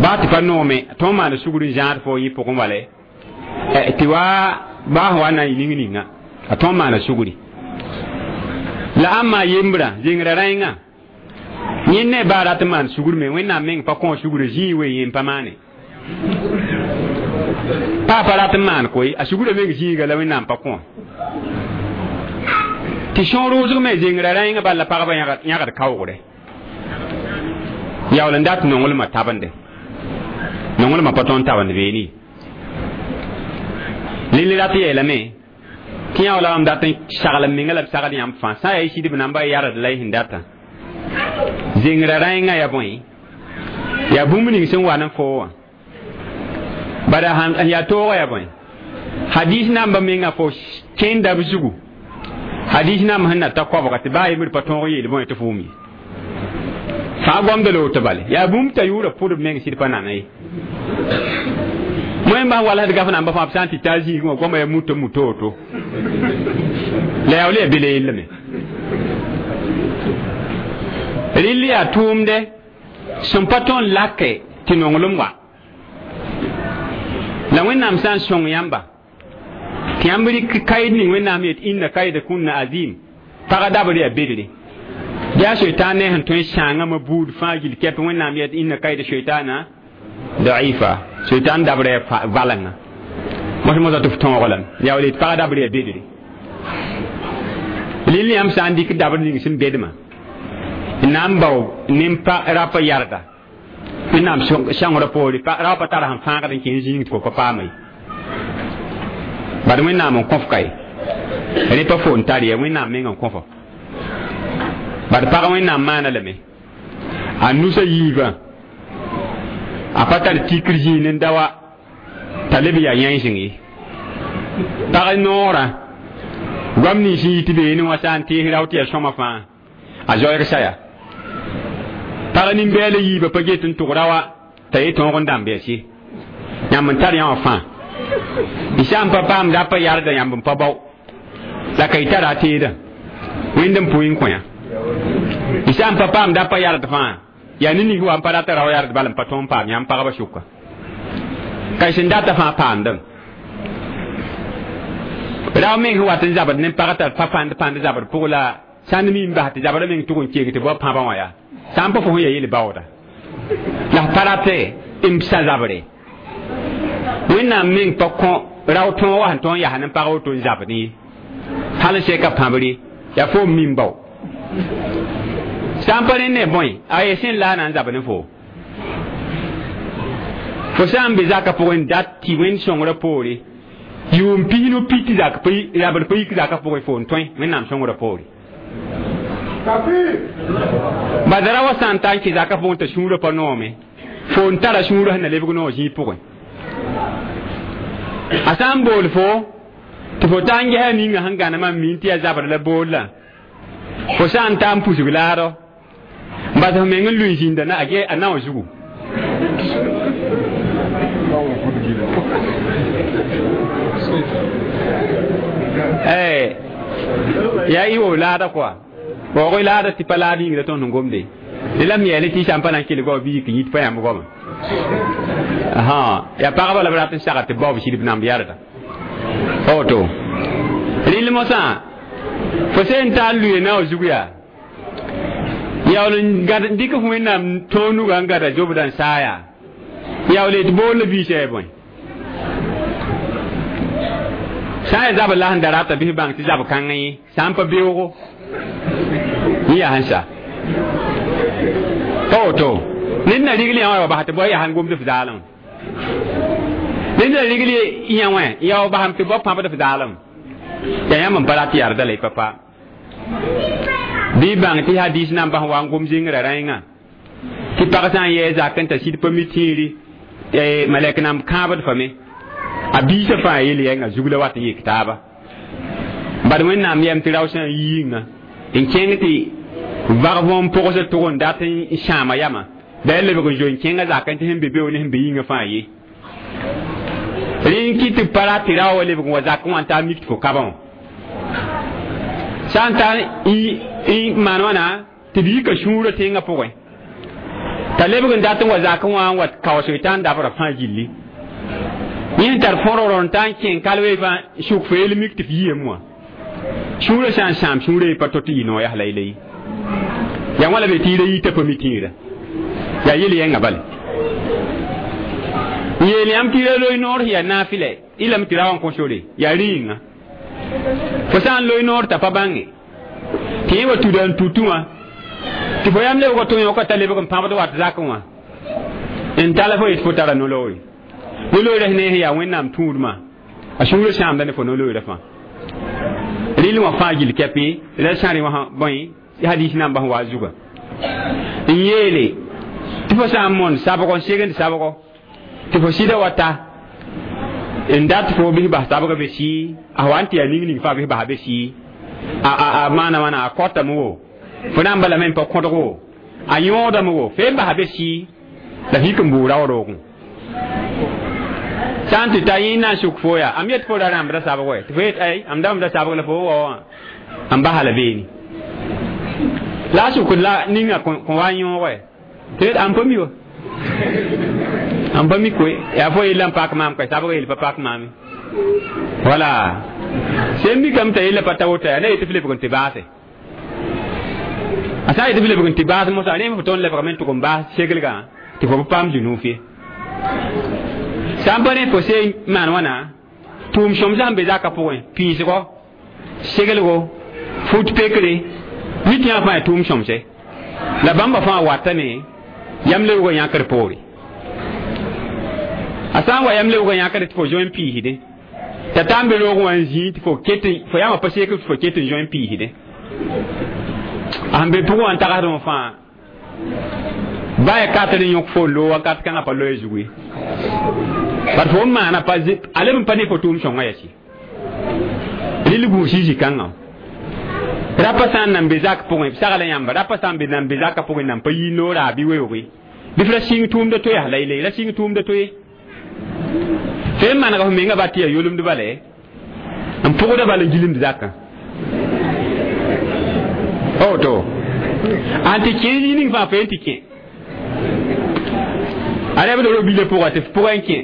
baa tɩ pa noome tõe n maana sugri n zãad fo yẽ pʋgẽ wala tɩ wa baa sẽn wa na n yɩ ning ninga a tõe n maana sugri la ãmba yembrã zengrã rãengã yẽ ne baa rat n maan sugr me wẽnnaam meng pa kõ sugr zĩig we yẽ n pa maane paa pa rat n maan koe a sugrã meng zĩiga la wẽnnaam pa kõ tɩ sõor wʋsg me zengrã rãengã bal la pagba yãgd kaoogre yaool n dat nonglmã tabende nonglmã pa tõe n tabend beene lille rat yeelame tɩ yã wala mam dat n sagl n menga la b sagl yãmb fãa sã n yaa y sɩdb namba yard la y sẽn data zengrã rãengã yaa bõe yaa bũmb ning sẽn wa ne foo wã bala yaa toogã yaa bõe hadis namba menga fo kẽnda b zugu hadis namba sẽn na ta koabga tɩ baa yembr pa tõog yeel bõe tɩ fo wʋm ye fãa goamda la woto bale yaa bũmb t'a yʋʋra pʋdb meng sɩd pa nana ye wẽn bas wala d gaf namba fãa b sã n tɩ taa zĩigẽ wã goama yaa muto muto woto la yaa wala yaa bele yellame rɩll yaa tʋʋmdɛ sẽn pa tõe n lake tɩ nonglem wa la wẽnnaam sã n sõng yãmba Tɩ yãmb rɩk kaɩd ning Wẽnnaam yet inna kaida kunna azim pagã dabr yaa bedre yaa shaitan ne sẽn tõe n sãangame buud fãa gill kɛp Wẽnnaam yet inna kaida shaitana daifa shaitan dabr yaa valenga mos mosa tɩ f tõog lame yaa wala tɩ pagã dabr yaa bedre lil yãmb sã n dɩk dabr ning sẽn bedmã n na n bao nin-pa rapa yarda Wẽnnaam sõngrã poore rao pa tara sẽn fãagd n kẽ zĩig tɩ fo pa paama ye bad Wẽnnaam n kõf kae rẽ pa fo n tar ya Wẽnnaam meng n kõfo bad pag Wẽnnaam maana lame a nusa yiibã a pa tar tikr zĩig n da wa t'a leb yaa yãenseng ye pag noorã goam nins sẽn yit beene wã sã n tees rao tɩ yaa sõma fãa a zoeeg saya pag nin-bɛɛla yiibã pa get n tʋg rawa t'a ye tõog n dãmb yaa se yãmb n tar yã wã fãa y sã n pa paam rapa yarda yãmb n pa bao la ka y tara a teedã wẽnd n pʋɩ n kõ yã y sã n pa paam rapa yard fãa yaa ne ning wa n pa rata rao yard bal n pa tõog n paam yãmb pagba sʋka ka y sẽn data fãa paamdame rao meng sẽn wat n zabd ne pag t'a pa pãnd pãnd zabd pʋg la sã n mi n bas tɩ zabra meng tʋg n keeg tɩ bao pãbã wã yaa sã n pa fo sẽn yaa yel baooda la f pa rate n sa zabre Wẽnnaam meng pa kõ rao tõog wa sẽn tõog n yaa ne pag woto n zabd ye hal n sɛka pãbre yaa fo n mi n bao sã n pa rẽ ne bõe a ye sẽn la a na n zab ne fo fo sã n be zakã pʋgẽ n dat tɩ Wẽnd sõngrã poore yʋʋm pisnu pi tɩ zak rabd pa yik zakã pʋgẽ fo n tõe Wẽnnaam sõngrã poore badara wa sã n ta n kẽ zakã pʋgẽ t'a sũurã pa noome fo n tara sũurã sẽn na lebg noog zĩig pʋgẽ a sã n bool fo tɩ fo ta n gesa ninga sẽn gãnemã n min tɩ yaa zabr la bool la fo sã n ta n pusg laadɔ n bas f meng n lʋɩ zĩnda na a nao zugu yaa y wo laada kɔa waoog y laada tɩ pa laad yĩng la tõnd sẽn gomde la m yeele tɩ sã n pa na n kelg wa bɩ yik n yit pa yãmb goama yaa pagba la b rat n sagr tɩ bao b sɩd b namb yarda pa woto rɩl mosã fo sẽn ta n lʋɩ nao zug yaa yaool n dɩk f Wẽnnaam tõog nugã n gada zobdã n saa yaa yaool tɩ bool la biisã yaa bõe sã n yaa zabr la sẽn da rata bɩ f bãng tɩ zab kãngã yẽ sã n pa beoogo yẽ yaa sẽn sa pa woto ned na rigl yã wã wa bas tɩ bao yaa sẽn gomd f zaalem ned na rigl yã wã yaa wa basam tɩ bao pãbd f zaalem yaa yãmb n pa rat yarda la y pa paam bɩ bãng tɩ hadis nan bas wa n gom zĩngrã rãengã tɩ pag sã n yɛɛ zak n t'a sɩd pa mi tĩiri malɛk nam kãabd fame a biisã fãa yel yɛnga zug la wat n yik taaba bad Wẽnnaam yɛm tɩ rao sã n yi yĩnga n kẽng tɩ vag võom pʋgsd tʋg n dat n sãama yama da lebg n zoe n kẽngã zak n tɩ sẽn be beoog ne sẽn be yĩngã fãa ye rẽ n kɩ tɩ pa rat tɩ rao wa lebg n wa zakẽ wã n taa mik tɩ fo kabã wã sã n ta n maan wãna tɩ b yika sũurã tẽngã pʋgẽ t'a lebg n dat n wa zakẽ wã n wa kaoosg t'a n dabra fãa gilli yẽ sẽn tar fõrgr n ta n kẽng kalwee fãa sʋk fo yel mik tɩ f yiyame wã sũurã sã n sãam sũurã ye pa to tɩ yɩ noog yaa la y la ye yaa wã la be tɩ y ra yita pa mi tĩirã yaa yel yɛngã bale n yeel yãmb tɩ ra loe noor sẽn yaa naafɩlɛ y lame tɩ ra wã n kõ sore yaa rĩinga fo sã n loe noor t'a pa bãnge tɩ yẽ wa tuda n tutu wã tɩ fo yam lebg tɩ yõka t'a lebg n pãbd wat zakẽ wã n tala fo yet fo tara no-loore no-looorã sẽn ne sẽn yaa Wẽnnaam tũudmã a sũurã sãamda ne fo no-looorã fãa rɩl wã fãa gill kɛpɩ la sã rẽ wã bõe hadis nambã sẽn wa zugã n yeele tɩ fo sã n mon sabgo n segend sabgo tɩ fo sɩda wa ta n dat fo bɩs bas sabga be sɩ a wa n tɩ yaa ning ning fãa bɩs bas be sɩ a a maana wãna a kɔtame wo fo na n balame n pa kõdg wo a yõodame wo fee n basa be sɩ la f yik n bʋʋ rao roogẽ sã n tɩ ta yẽ na n sʋk fo yaa am yet fo ra rãmbda sabg wɛ tɩ fo yet ay am dãmbda sabg la fo wa wã n basa la beene la a sʋkd la ninga kõ wa n yõog wɛ tɩ yet am pa mi wa am pa mi koe yaa fo yella n pak maam ka sabg yel pa pak maame wala Sẽn mikame t'a yella pa ta woto yaa ne yetɩ f lebg n tɩ baase a sã n yetɩ f lebg n tɩ baas mosã rẽ f tõnd lebgame n tʋg n baas seglgã tɩ fo pa paam zũnuuf ye sã n pa rẽ fo seen maan wãna tʋʋm sõm sã n be zakã pʋgẽ pĩisgo seglgo fut pekre mi tɩ yã fãa yaa tʋʋm sõmse la bãmba fãa watame yam lebgã yãkr poore a sã n wa yam lebgã yãkr tɩ fo zoe n piisdẽ t'a taa n be roogẽ wã n zĩig tɩ fo ket fo yãmba pa seek tɩ fo ket n zoe n piisdẽ a sẽn be pʋgẽ wã n tagsdẽ wã fãa ba ya kat n yõk fo lo wakat kãngã pa loe zugu ye bat fo n maana pa a leb n pa ne fo tʋʋm sõngã yaa sɩ rɩl gũus y zĩ-kãngã rapa sã n nan be zak pʋgẽ b sagla yãmba rapa sã n be nan be zakã pʋgẽ nan pa yi noora bɩ weooge bɩ f ra sɩng tʋʋmda to yaa laylay ra sɩng tʋʋmda to ye fo n manega f menga ba tɩ yaa yolemd bala n pʋgda bala n gilemd zakã oto an tɩ kẽ zĩ ning fãa fo yen tɩ kẽ a rɛbd ro bila pʋga tɩ f pʋgã n kẽ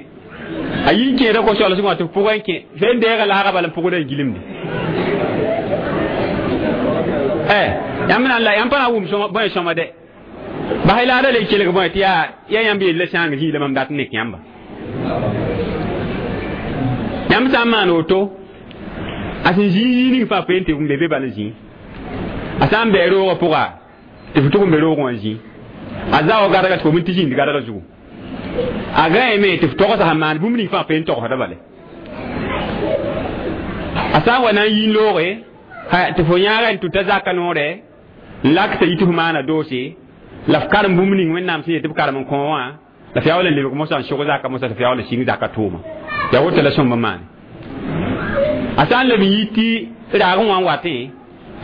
a yi n kẽeda ko-soalsgã wã tɩ f pʋgã n kẽ fo n deega laaga bala n pʋgda n gilemde eh yãmb na n la yãmb pa na n wʋm bõe sõma dɛ bas y laada le kelg bõe tɩ yaa yaa yãmb yella sãang zĩig la mam dat n nek yãmba yãmb sã n maan woto a sẽn zĩig zĩig ning fãa fo yen tɩ n be be bal n zĩig a sã n bɩ roogã pʋga tɩ f tʋg n be roogẽ wã zĩig a zaoog gadga tɩ fo min tɩ zĩnd gadga zugu a gãeme tɩ f togsa sẽn maan bũmb ning fãa fo yen togsda bale a sã n wa na n yi n looge tɩ fo yãaga n tʋta zaka noorɛ n lak t'a yit f maana doose la f karem bũmb ning Wẽnnaam sẽn yet tɩ b karem n kõ wã la f yaa wala n lebg mosã n sog zaka mosã tɩ f yaa wala n sɩng zaka tʋʋma yaa woto la sõmb n maane a sã n leb n yi tɩ raagẽ wã n watẽ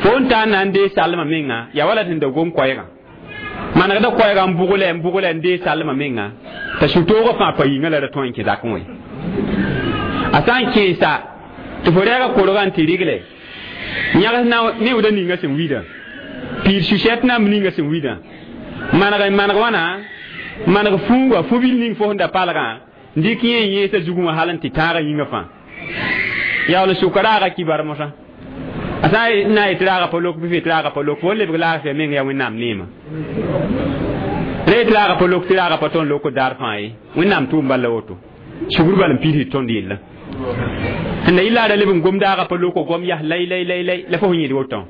fo n taa n na n dee salmã menga yaa wala tɩ da gom koɛɛgã manegda koɛɛgã n bʋglɛ n bʋglɛ n dee salmã menga t'a sũ-toogã fãa pa yĩngã la ra tõe n kẽ zakẽ wã ye a sã n kẽesa tɩ fo rɛɛga korgã n tɩ rigle yãgs neooda ninga sẽn wilã piir su-sɛt namb ninga sẽn wilã maneg n maneg wãna maneg fũuga fu-bil ning fo sẽn da palgã n dɩk yẽ n yẽesa zugẽ wã hal n tɩ tãagã yĩngã fãa yaool n sʋka raaga kibar mosã a sã n na n yetɩ raaga pa lok bɩ f yetɩ raaga pa lok fo n lebg laafɩa meng yaa Wẽnnaam neema ra yetɩ raaga pa lok tɩ raaga pa tõnd lok daar fãa ye Wẽnnaam tʋʋm bal la woto sugr bal n piisd tõnd yella sẽn da yɩ la leb n gom daaga pa loko gom yas lay lay lay lay la fo sẽn yẽd woto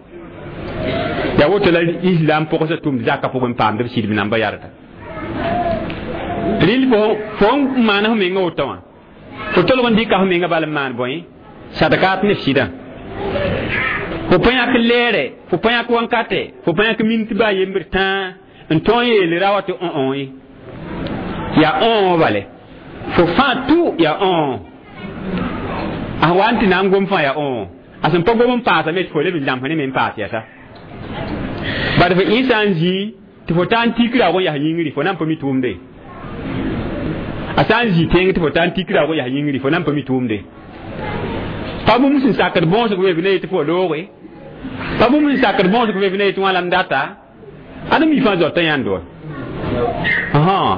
yaa woto la islam pʋgsa tʋmd zakã pʋgẽ n paamd b sɩdb namba yarda rɩl fo fo n maan f menga woto wã fo tolg n dɩka f menga bal n maan bõe sadkat ne f sɩdã fo pa yãk lɛɛrɛ fo pa yãk wãnkatɛ fo pa yãk min tɩ baa yembr tãa n tõe n yeel ra wa tɩ õ ye yaa õ bale fo fãa tʋ yaa õ a wa n tɩ na n gom fãa yaa õ a sẽn pa gom n paasame tɩ fo leb n zãmsẽ ne me n paas yɛsa bad fo ẽ sã n zĩ tɩ fo taa n tik raoog n yas yĩngri fo na n pa mi tʋʋmde a sã n zĩ tẽng tɩ fo taa n tik raoog n yas yĩngri fo na n pa mi tʋʋmde pa bũmb sẽn sakd bõosg weeb ne yetɩ fo looge pa bũmb sẽn sakd bõosg weeb ne yetɩ wã la m data ad mi fãa zoata yãnd wa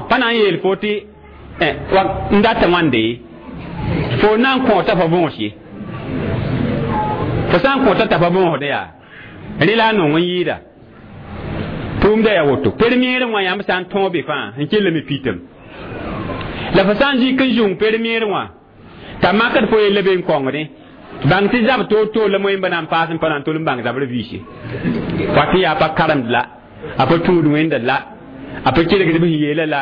pa na n yeel fo tɩ n data wãnde fo na n kõota fa võos ye fo sã n kõota t'a fa võosdẽ yaa rẽ la a nong n yɩɩda tʋʋmda yaa woto permeerẽ wã yãmb sã n tõog be fãa n kellame pitem la fo sã n zĩk n zũng permeerẽ wã t'a makd fo yella be n kõngdẽ bãng tɩ zab toor-toor la moẽmba na n paas n pa na n tol n bãng zabr viise wa tɩ yaa pa karemd la a pa tũud wẽnda la a pa kelgd b sẽn yeela la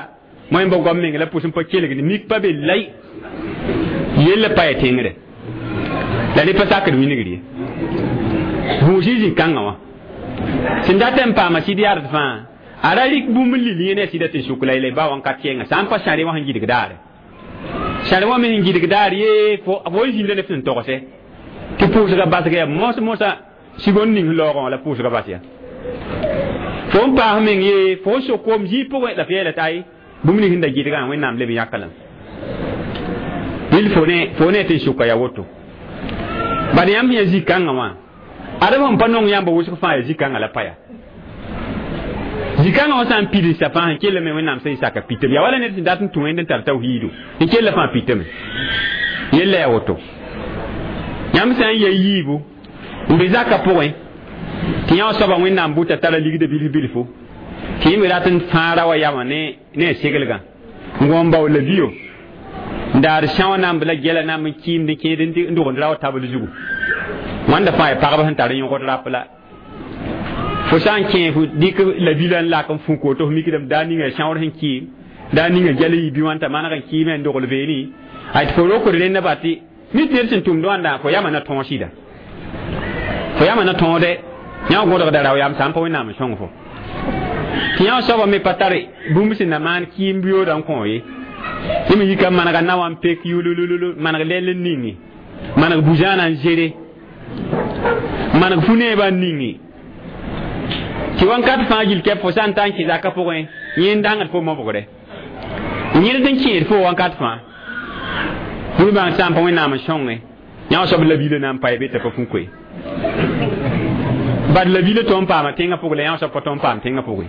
moẽmba goam meng la pʋs n pa kelgd mik pa be lay yella pa ya tẽngre la rẽ pa sakd wingr ye gũus y zĩ-kãngã wã sẽn dat n paama sɩd yard fãa a ra rɩk bũmb n lil yẽ ne a sɩda tɩ sʋk laylay ba wãn-kat kẽenga sã n pa sãre wã sẽn gɩdg daare sãre wã me sẽn gɩdg daar ye fo n zĩnda ne f sẽn togse tɩ pʋʋsga basga yaa mos mosã sigond ning laoogã wã la pʋʋsga bas ya fo n paas meng ye fo n sok koom zĩig pʋgẽ la f yeela t'a ay bũmb ning sẽn da gɩdgã Wẽnnaam leb n yãka lame rɩl fo ne fo ne tɩ n sʋka yaa woto bad yãmb sẽn yaa zĩ-kãngã wã adem sẽn pa nong yãmba wʋsg fãa yaa zĩ-kãngã la pa yaa zĩ-kãngã wã sã n pidsa fãa sẽn kellame Wẽnnaam sẽn saka pitame yaa wala ned sẽn dat n tũ wẽnd n tar tawhiidu n kella fãa pitame yella yaa woto Yãmb sã n ya yiibu n be zakã pʋgẽ tɩ yã soabã Wẽnnaam bʋta tara ligdã bilf bilfu tɩ yẽ me rat n fãa ra wa yamã ne ne a seglgã n gõ n bao la bio n daad sãoã namb la gɛla namb n kɩɩmd n kẽed n dogend ra wa tabl zugu wãnda fãa ya pagb sẽn tar yõgd rap la fo sã n kẽ fo dɩk la bila n lak n fũ koto fo mikdame daa ninga sãoor sẽn kɩɩm daa ninga gɛl n yi bɩ wãn t'a maneg n kɩɩme n dogl veeni ay tɩ fo rokd rẽnda ba tɩ nit ned sẽn tʋmd wãnda fo yama na tõog sɩda fo yama na tõode yã gõdgda rao yam sã n pa Wẽnnaam n sõng fo tɩ yã soabã me pa tar bũmb sẽn na maan kɩɩm biooda n kõ ye yẽ me yika manega na wa n pek yulululu maneg lɛll n ningi maneg bu-zãana n zere maneg fu-neebã n ningi tɩ wãnkat fãa gill kɛp fo sã n ta n kẽ zakã pʋgẽ yẽ n dãngd fo mobgre yẽd n kẽed fo wãnkat fãa bũmb sã n pa Wẽnnaam n sõnge yã soab la biila na n pa ye be t'a pa fũ koe bad la biila tõnd paama tẽngã pʋgẽ la yã soab pa tõnd paam tẽngã pʋgẽ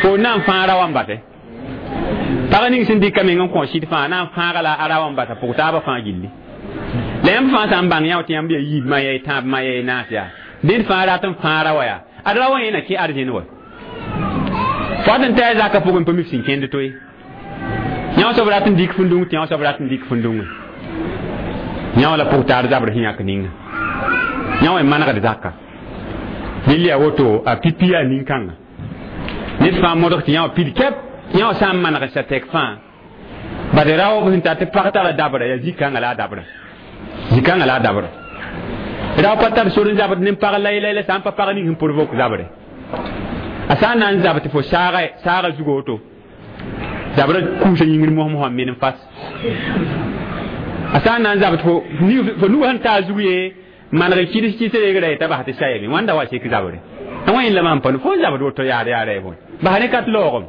fo na n fãag ra wa n bate pag ning sẽn dɩka meng n kõ sɩd fãa na n fãaga la a ra wa n bata pʋg taabã fãa gilli la yãmb fãa sã n bãng yã tɩ yãmb yaa yiib ma yaa y tãab ma yaa y naas yaa dẽnd fãa rat n fãag ra wa yaa ad ra wa yẽ na kẽ arzẽn wa fo wat n ta a zakã pʋgẽ pa mi f sẽn kẽnd to ye yã soab rat n dɩk fũndung tɩ yã soab rat n dɩk fũndungẽ yã la pʋg taar zabr sẽn yãk ninga yã wã manegd zaka dẽl yaa woto a pipi yaa nin-kãnga ned fãa modg tɩ yã wã pid kɛp yã wã sã n maneg n sa tɛk fãa bad raoob sẽn tar tɩ pag tara dabra yaa zĩ-kãngã la a dabra zĩ-kãngã la a dabra rao pa tar sor n zabd ne pag lai-lai la sã n pa pag ning sẽn provoke zabre a sã n na n zab tɩ fo saaga saaga zugu woto zabra kuusa yĩngr mos-mosã men n fas a sã n na n zabd fo fo nug sẽn taa zug ye maneg n kɩds kɩs reegra ye t'a bas tɩ sayame wãnda wa sek zabre a wã yẽn la maan pa fo n zabd woto yaar yaara ye bõe bas ne ka tɩ laoogem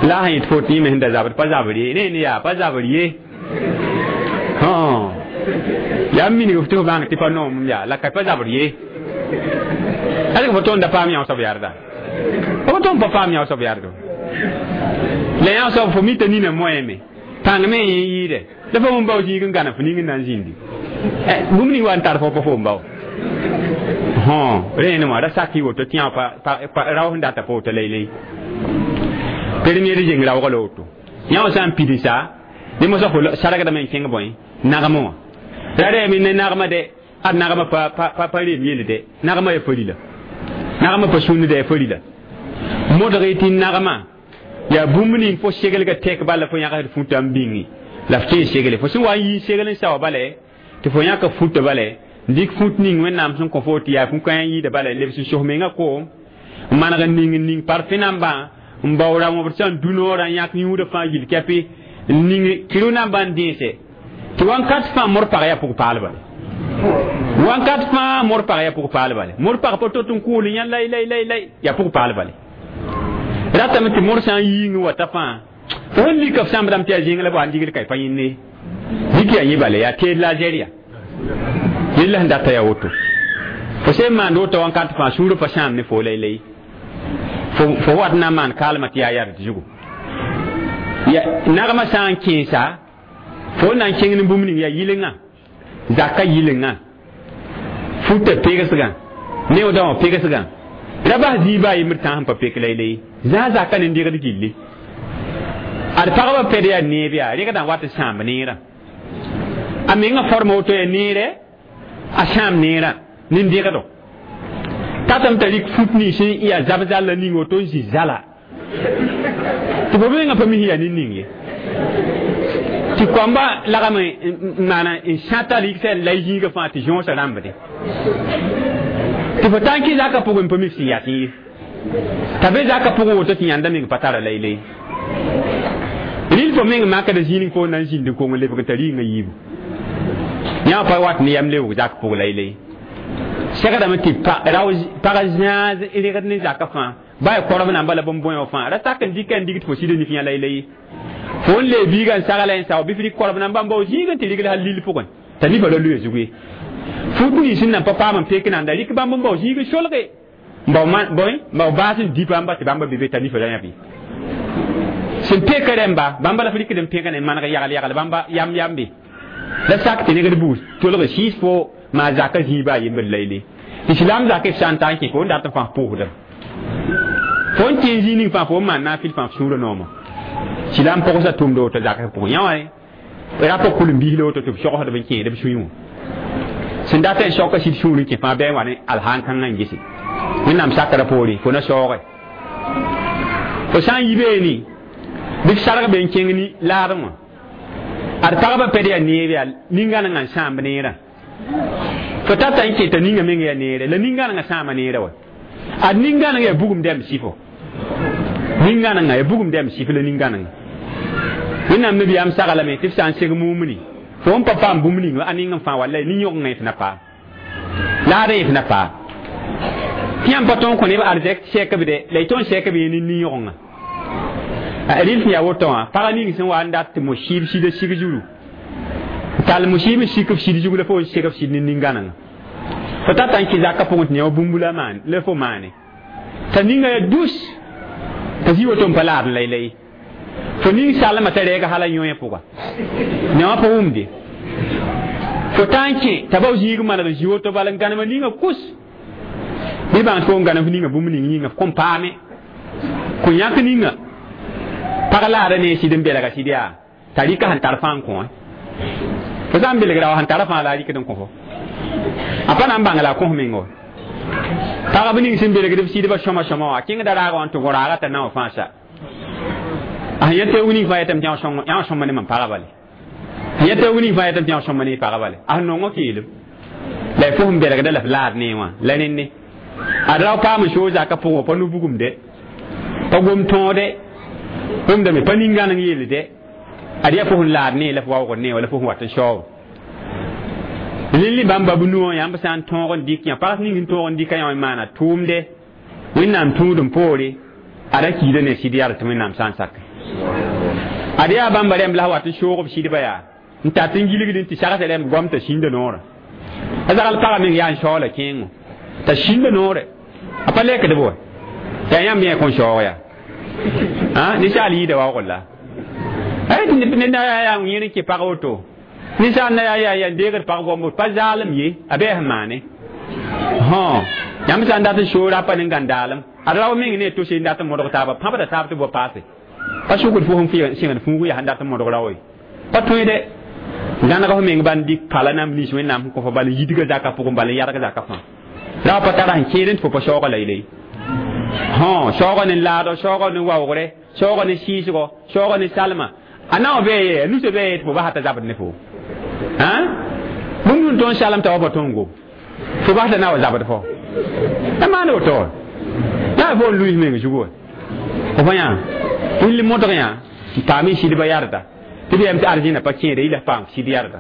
la sã yẽ tɩ fo tɩ yẽ me sẽn da zabd pa zabr ye ne ne yaa pa zabr ye yaa n minig f tɩ f bãng tɩ pa noomem yaa la ka pa zabr ye ãdg fo tõnd da paam yã soab yarda fo tõnd pa paam yã soab yardo la yã soab fo mita nina moɛɛme pãng me yẽ yɩɩde la fo n bao zĩig n gãna fo ning n na n zĩndi bũmb ning wa n tar fo pa fo n bao rẽene wã ra sak y woto tɩ yã rao sẽn data pa woto laylay premier zeng raoog la woto yã wã sã n pidsa ne mosã fo sargdame n kẽng bõe nagmã wã ra rɛɛme ne nagmã dɛ ad nagmã pa pa pa reem yell dɛ nagmã ya farila nagmã pa sũnd dɛ farila modg y tɩ nagmã yaa bũmb ning fo seglga tɛk bala fo yãgsd fũta n bĩngi la f kẽ segle fo sẽn wa n yii segl n saoa bala tɩ fo yãka fũta bala n dɩk fũt ning Wẽnnaam sẽn kõ fo tɩ yaa fũ-kãyã yɩɩda bala lebs n sos menga koom n maneg n ning n ning parfẽ nambã n bao ra-wõbd sã n du noorã n yãk yũudã fãa gill kɛpɩ n ning kɩrʋ nambã n dẽese tɩ wãnkat fãa mor pag yaa pʋg paal bale wãnkat fãa mor pag yaa pʋg paal bale mor pag pa tot n kʋʋl n yã lay lay lay lay yaa pʋg paal bale ratame tɩ mor sã n yiing wata fãa fo sẽn lika f sãmbdame tɩ yaa zẽng la b wa n digl ka pa yẽnne dɩk yaa yẽ bale yaa teed la Algérie yella sẽn data yaa woto fo sẽn maand woto wãnkat fãa sũurã pa sãam ne fo lay-lay fo wat na n maan kaalmã tɩ yaa yard zugu nagmã sã n kẽesa fo na n kẽng ne bũmb ning yaa yɩlenga zaka yɩlenga futa pegsgã neoodã wã pegsgã ra bas zĩig a yembr tã sẽn pa pek laylay zã zaka ne degd gilli ad pagba pɛd yaa neeb yaa regdã wat n sãamb neerã a menga forma woto yaa neerɛ a sãam neerã nin-degdo tatame t'a rɩk fut nins sẽn yaa zab zalla ning woto n zĩ zala tɩ fo mengã pa mis yaa nin-ning ye tɩ koamba lagame n maana n sãta rɩgsã la y zĩigã fãa tɩ zõosã rãmbde tɩ fo taa n kẽ zakã pʋgẽ n pa mi sẽn yat ye t'a be zakã pʋgẽ woto tɩ yãnda meng pa tara laylay rɩl fo meng makda zĩig fo na n zĩnd n kong n lebg n t'a rɩɩngã yiibu yã pa wat ne yam lebg zak pʋg laylay segdame tɩ pag zãag regd ne zakã fãa ba ya korb namba la bõn-bõe wã fãa ra sak n dɩka n digd fo sɩd nif yã laylay fo n lee biigã n sagla n sao bɩ f rɩk korb namba n bao zĩig n tɩ rigl hal lil pʋgẽ t'a nifa la luya zug ye fut nins sẽn nan pa paam n pek nanda rɩk bãmb n bao zĩig n solge n bao bõe n bao baas n dɩ bãmba tɩ bãmba be be t'a nifa la yãb ye sẽn peka rẽmba bãmba la f rɩkd n pẽgã ne maneg yagl yagl bãmba yam yambe La sak tɩ neg d buus tolg siis fo maa zaka zĩiba a yembr layle tɩ silaam zak f sã n ta n kẽ fo n dat n fãa pʋʋsdem fo n kẽ zĩig ning fãa fo n maan naafɩl fãa f sũurã nooma silaam pʋgsa tʋmd woto zak f pʋgẽ yã wã rap kul-n-biis la woto tɩ b sogsdb n kẽed b sũyẽ wã sẽn dat n soka sɩd sũur n kẽ fãa bɩ n wa ne alhaan kãngã n gese wẽnnaam sakra poore fo na saooge fo sã n yi beene bɩ f sarg be n kẽng ni laadẽ wã ad pagba pɛd yaa neeb yaa nin-gãnengã n sãamb neerã fo tata n kẽ t'a ninga meng yaa neere la nin-gãnengã sãama neerã wa ad nin-gãnengã yaa bugum dɛm sɩfo nin-gãnengã yaa bugum dɛm sɩf la nin-gãnengã wẽnnaam nabiyaam saglame tɩ f sã n seg mumni fo n pa paam bũmb ning a ning n fãa wallay nin-yõgengã f na paam laadẽ f na paam tɩ yãmb pa tõog n kõ neb arzɛk sɛk b de la y tõe n sɛk b yẽ ne nin-yõgenga rɩl sẽn yaa woto wã pag ning sẽn wa n dat tɩ mo-sɩɩb sɩda sig zuru tall mo-sɩɩb n sik f sɩd zug la fo n seg f sɩd ne nin-gãnengã fo tata n kẽ zakã pʋgẽ tɩ ne wa bũmb la maan la fo maane t'a ninga yaa dus t'a zĩ woto n pa laad n laylay fo ning salma t'a rɛɛga hala yõe pʋga ne wã pa wʋmde fo tã n kẽ t'a bao zĩig maneg n zĩ woto bala n gãnema ninga kus bɩ bãng tɩ fo n gãnem f ninga bũmb ning yĩnga f kõn paame kõ yãk ninga pag laada ne sɩd n belga sɩd yaa t'a rɩka sẽn tar fãa n kõ fo sã n belgra wa sẽn tara fãa la a rɩkd n kõ fo a pa na n bãng la a kõs meng wa pagb ning sẽn belgd b sɩdbã sõma sõma wã kẽngda raaga wã n tʋg raaga t'a na wã fãa sa a sẽn yã teoog ning fãa yetame tɩ yã wã sõma ne mam pagã bale sẽn yã teoog ning fãa yetame tɩ yã wã sõma ne pagã bale a sẽn nongã keelem la y fo sẽn belgda la f laad ne wã la rẽnne ad rao paam n soog zakã pʋgẽ pa nu-bugumde pa gom tõode wʋmdame pa nin-gãneng yeelde ad yaa fo sẽn laad ne la f waoogd ne wala fo sẽn wat n saoog rẽnd bãmb ba b nuwã yãmb sã n tõog n dɩk yã pags ning n tõog n dɩka yã n maana tʋʋmde wẽnnaam tũudem poore ada kiida ne sɩd yaa tɩ wẽnnaam sã n sak ad yaa bãmba rẽmb la wat n soog b sɩdba yaa n tat n gilgd n tɩ sagsã rẽmb goam t'a sĩnda noorã a zagl pagã meng yaa n saoola kẽengo t'a sĩnda noore a pa lekd b wa yaa yãmb yẽ kõn saoog yaa ninsaal yɩɩda waoogr la ned na yaa yaa yẽr n kẽ pag woto ninsaal na yaa yaa yaa n deegd pag goambo pa zaalem ye a bɩ sẽn maane yãmb sã n dat n soor a pa ne gãndaalem ad rao meng ne tose n dat n modg taaba pãbda taab tɩ b wa paase pa sʋkd fo sẽn sẽngd fuugu yaa sẽn dat n modg rao ye pa tõe de gãneg f meng bãn dɩk pala nam nins wẽnnaam sẽn kõ fo bal n yidga zakã pʋgẽ bal n yadg zakã fãa rao pa tara sẽn kẽed n tɩ fo pa saooga laylay saooga ne laado saooga ne waoogre saooga ne sɩɩsgo saooga ne salma a na wã bɩ ye a nusa bɩ ye tɩ fo basa t'a zabd ne fo bũmb sẽn tõnd salem t'a wa pa tõngo fo basa na wa zabd fo a maan woto wa yaa fo n luis meng zugu wa fo pa yã rɩl modg yã n paam y sɩdbã yardã tɩ b yam tɩ arzẽna pa kẽeda yɩ la paam sɩd yardã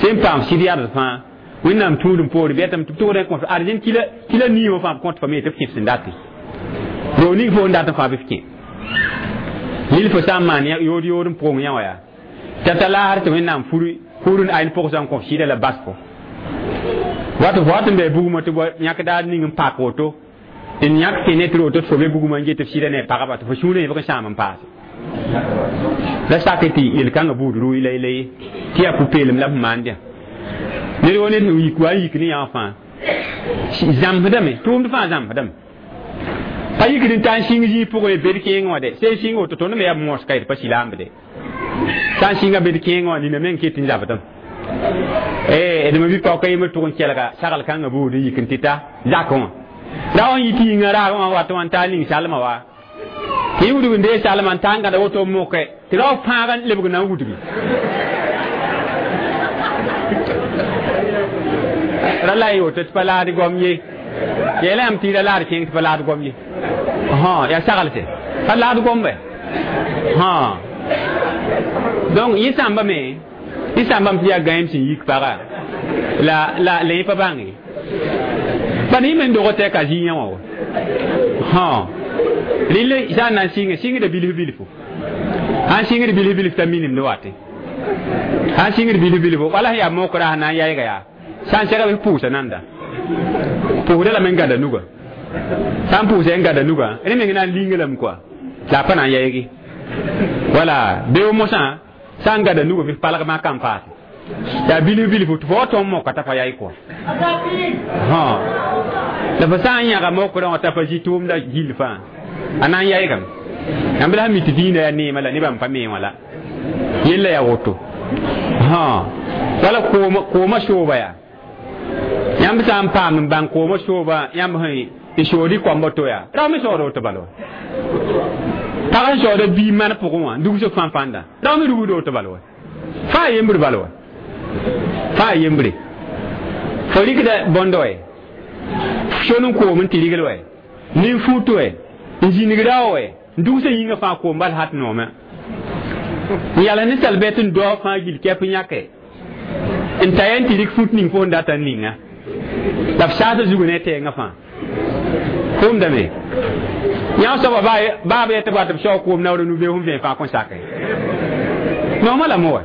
sẽn paam sɩd yard fãa wẽnnaam tũudem poore bɩ yetame tɩ b tʋgd n kõt arzẽn kila kila nii wã fãa b kõt fa me tɩ b kẽ f sẽn date roo ning fo n dat n fãa bɩ f kẽ lil fo sã n maan yood yood n pʋgẽ yã wã yaa t'a ta laasr tɩ wẽnnaam furi fur n ayn pʋgsã n kõ f sɩda la bas fo wat fo wat n bɩ bugmã tɩ yãk daar ning n pak woto n yãk tɩ ne tɩ roto tɩ fo be bugmã n get f sɩda ne pagba tɩ fo sũurã yẽbg n sãam n paase la sak tɩ yel-kãngã buud rʋʋ laylay tɩ yaa pu-peelem la f maand yã ned wo ned sẽn yik wa n yik ne yã wã fãa zãmsdame tʋʋmd fãa zãmsdame pa yikd n ta n sĩng zĩig pʋgẽ bed kẽeng wã de sẽn sĩng woto tõnd me yaa moska d pa silaamde sã n sĩnga bed kẽeng wã nina meng ket n zabdem d me bɩ paoka yembr tʋg n kelga sagl kãngã buud n yik n tɩ ta zakẽ wã ra wã n yit yĩngã raag wã wat wã n taa ning salma wa tɩ y wudg n dee salma n taa n gãda woto n moke tɩ rao fãag n lebg na n wudgi ra la y woto tɩ pa laad goam ye yeela yãmb tɩ y ra laad kẽeng tɩ pa laad goam ye yaa saglse pa laad gombe donc yẽ sãmbame yẽ sãmbame tɩ yaa gãeem sẽn yik paga la la la yẽ pa bãng ye bad yẽ me n dog tɩ ka zĩ yã wã wa rɩl sã n na n sɩnge sɩngda bilf bilfo sãn sɩngd bilf bilf t'a minemd wate sãn sɩngd bilf bilfo wala sẽn yaa mokra sẽn na n yaɩga yaa sã n sɛga bɩ pʋʋsa nanda pʋʋsda lame n gãda nuga sã n pʋʋsa n gãda nuga rẽ meng na n linga lame koa la a pa na n yaɩge wala beo mosã sã n gãda nuga bɩ palg maa kan paase Yaa bilf bilf tɩ fo wa tõnd moka t'a pa yaay kɔa la fo sã n yãga mokrã wã t'a pa zĩ tʋʋmda gill fãa a na n yaygame yãmb la sẽn mi tɩ dĩinã yaa neemã la nebã n pa me wã la yella yaa woto wala koomã sooba yaa yãmb sã n paam n bãng koomã sooba yãmb sẽn n sood y koamba to yaa rao me soooda woto bala wa pag n soooda bii man pʋgẽ wã n dugs fãn-fãnda rao me rugda woto bala wa fãa yembre bala wa fãa yembre fo rɩkda bõndo wɛ son n koom n tɩ rigl wɛ nin-fut wɛ n zĩnig rao wɛ n dugsã yĩngã fãa koom bal hat noomã n yals ninsal bɛt n daoog fãa gill kɛp n yãke n ta yaa n tɩ rɩk fut ning fo n data n ninga la f saasã zugu ne tɛɛngã fãa kʋʋmdame yã soaba baab yetɩ b wat b saoog koom naoor nu-beoog sẽn vẽen fãa kõn sake noomã lame wa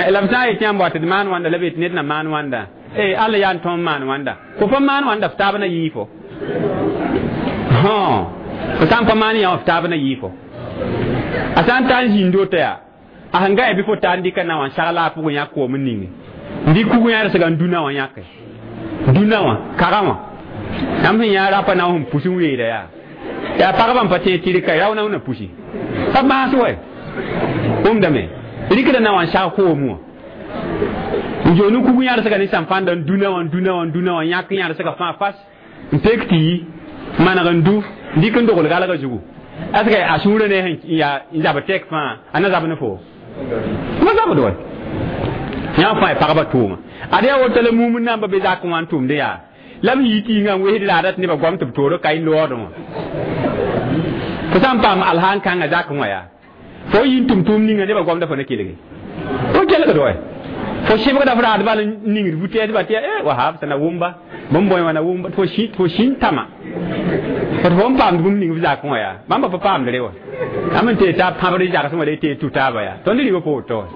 la b sã n yet yãmb wa tɩ d maan wãnda la b yetɩ ned na maan wãnda eh alla yaa n tõem maan wãnda fo pa maan wãnda f taab na yɩɩ fo fo sã n pa maan yã wã f taab na yɩɩ fo a sã n ta n zĩnd woto yaa a sẽn ga bɩ fo ta n dɩka na wã n sagla a pʋgẽ yã koom n ninge n dɩk kug yãrsga n dũnã wã yãke dũnã wã kagã wã yãmb sẽn yã rapa na wã sẽn pus n weeda yaa yaa pagba n pa tẽeg tɩ rɩka rao na wã na pusi pa maas wɛ wʋmdame rɩkda na wã n sag koom wã n zoon n kug yãrsga ne sãn-fãnda n dũnã wã n dũnã wã n dũnã wã yãk yãrsga fãa fas n pek tɩ yi maneg n du n dɩk n dogl galgã zugu est-ce que a sũurã ne sẽn yaa n zab tɛk fãa a na zab ne fo ma zabd wa yã fãa y pagba tʋʋma ad yaa woto la mumd namba be zak wã n tʋmd yaa la b yɩ tɩ yĩngã n wesd laada tɩ nebã goam tɩ b toor ka y loodẽ wã fo sã n paam alhaan kãngã zakẽ wã yaa fo yi n tʋm tʋʋm ninga nebã goamda fo na kelge fo kelgd wa fo sɩbgda f raad bal n ningd vu-tɛɛsba tɩ eh wahab sã na wʋmba bũmb bõe wã na wʋmba tɩ fo sĩn tãma fo tɩ fo n paamd bũmb ning f zakẽ wã yaa bãmba pa paamd re wa yãmb n tee t'a pãbd zagsẽ wã la y tee tu taaba yaa tõnd rɩba pa woto wa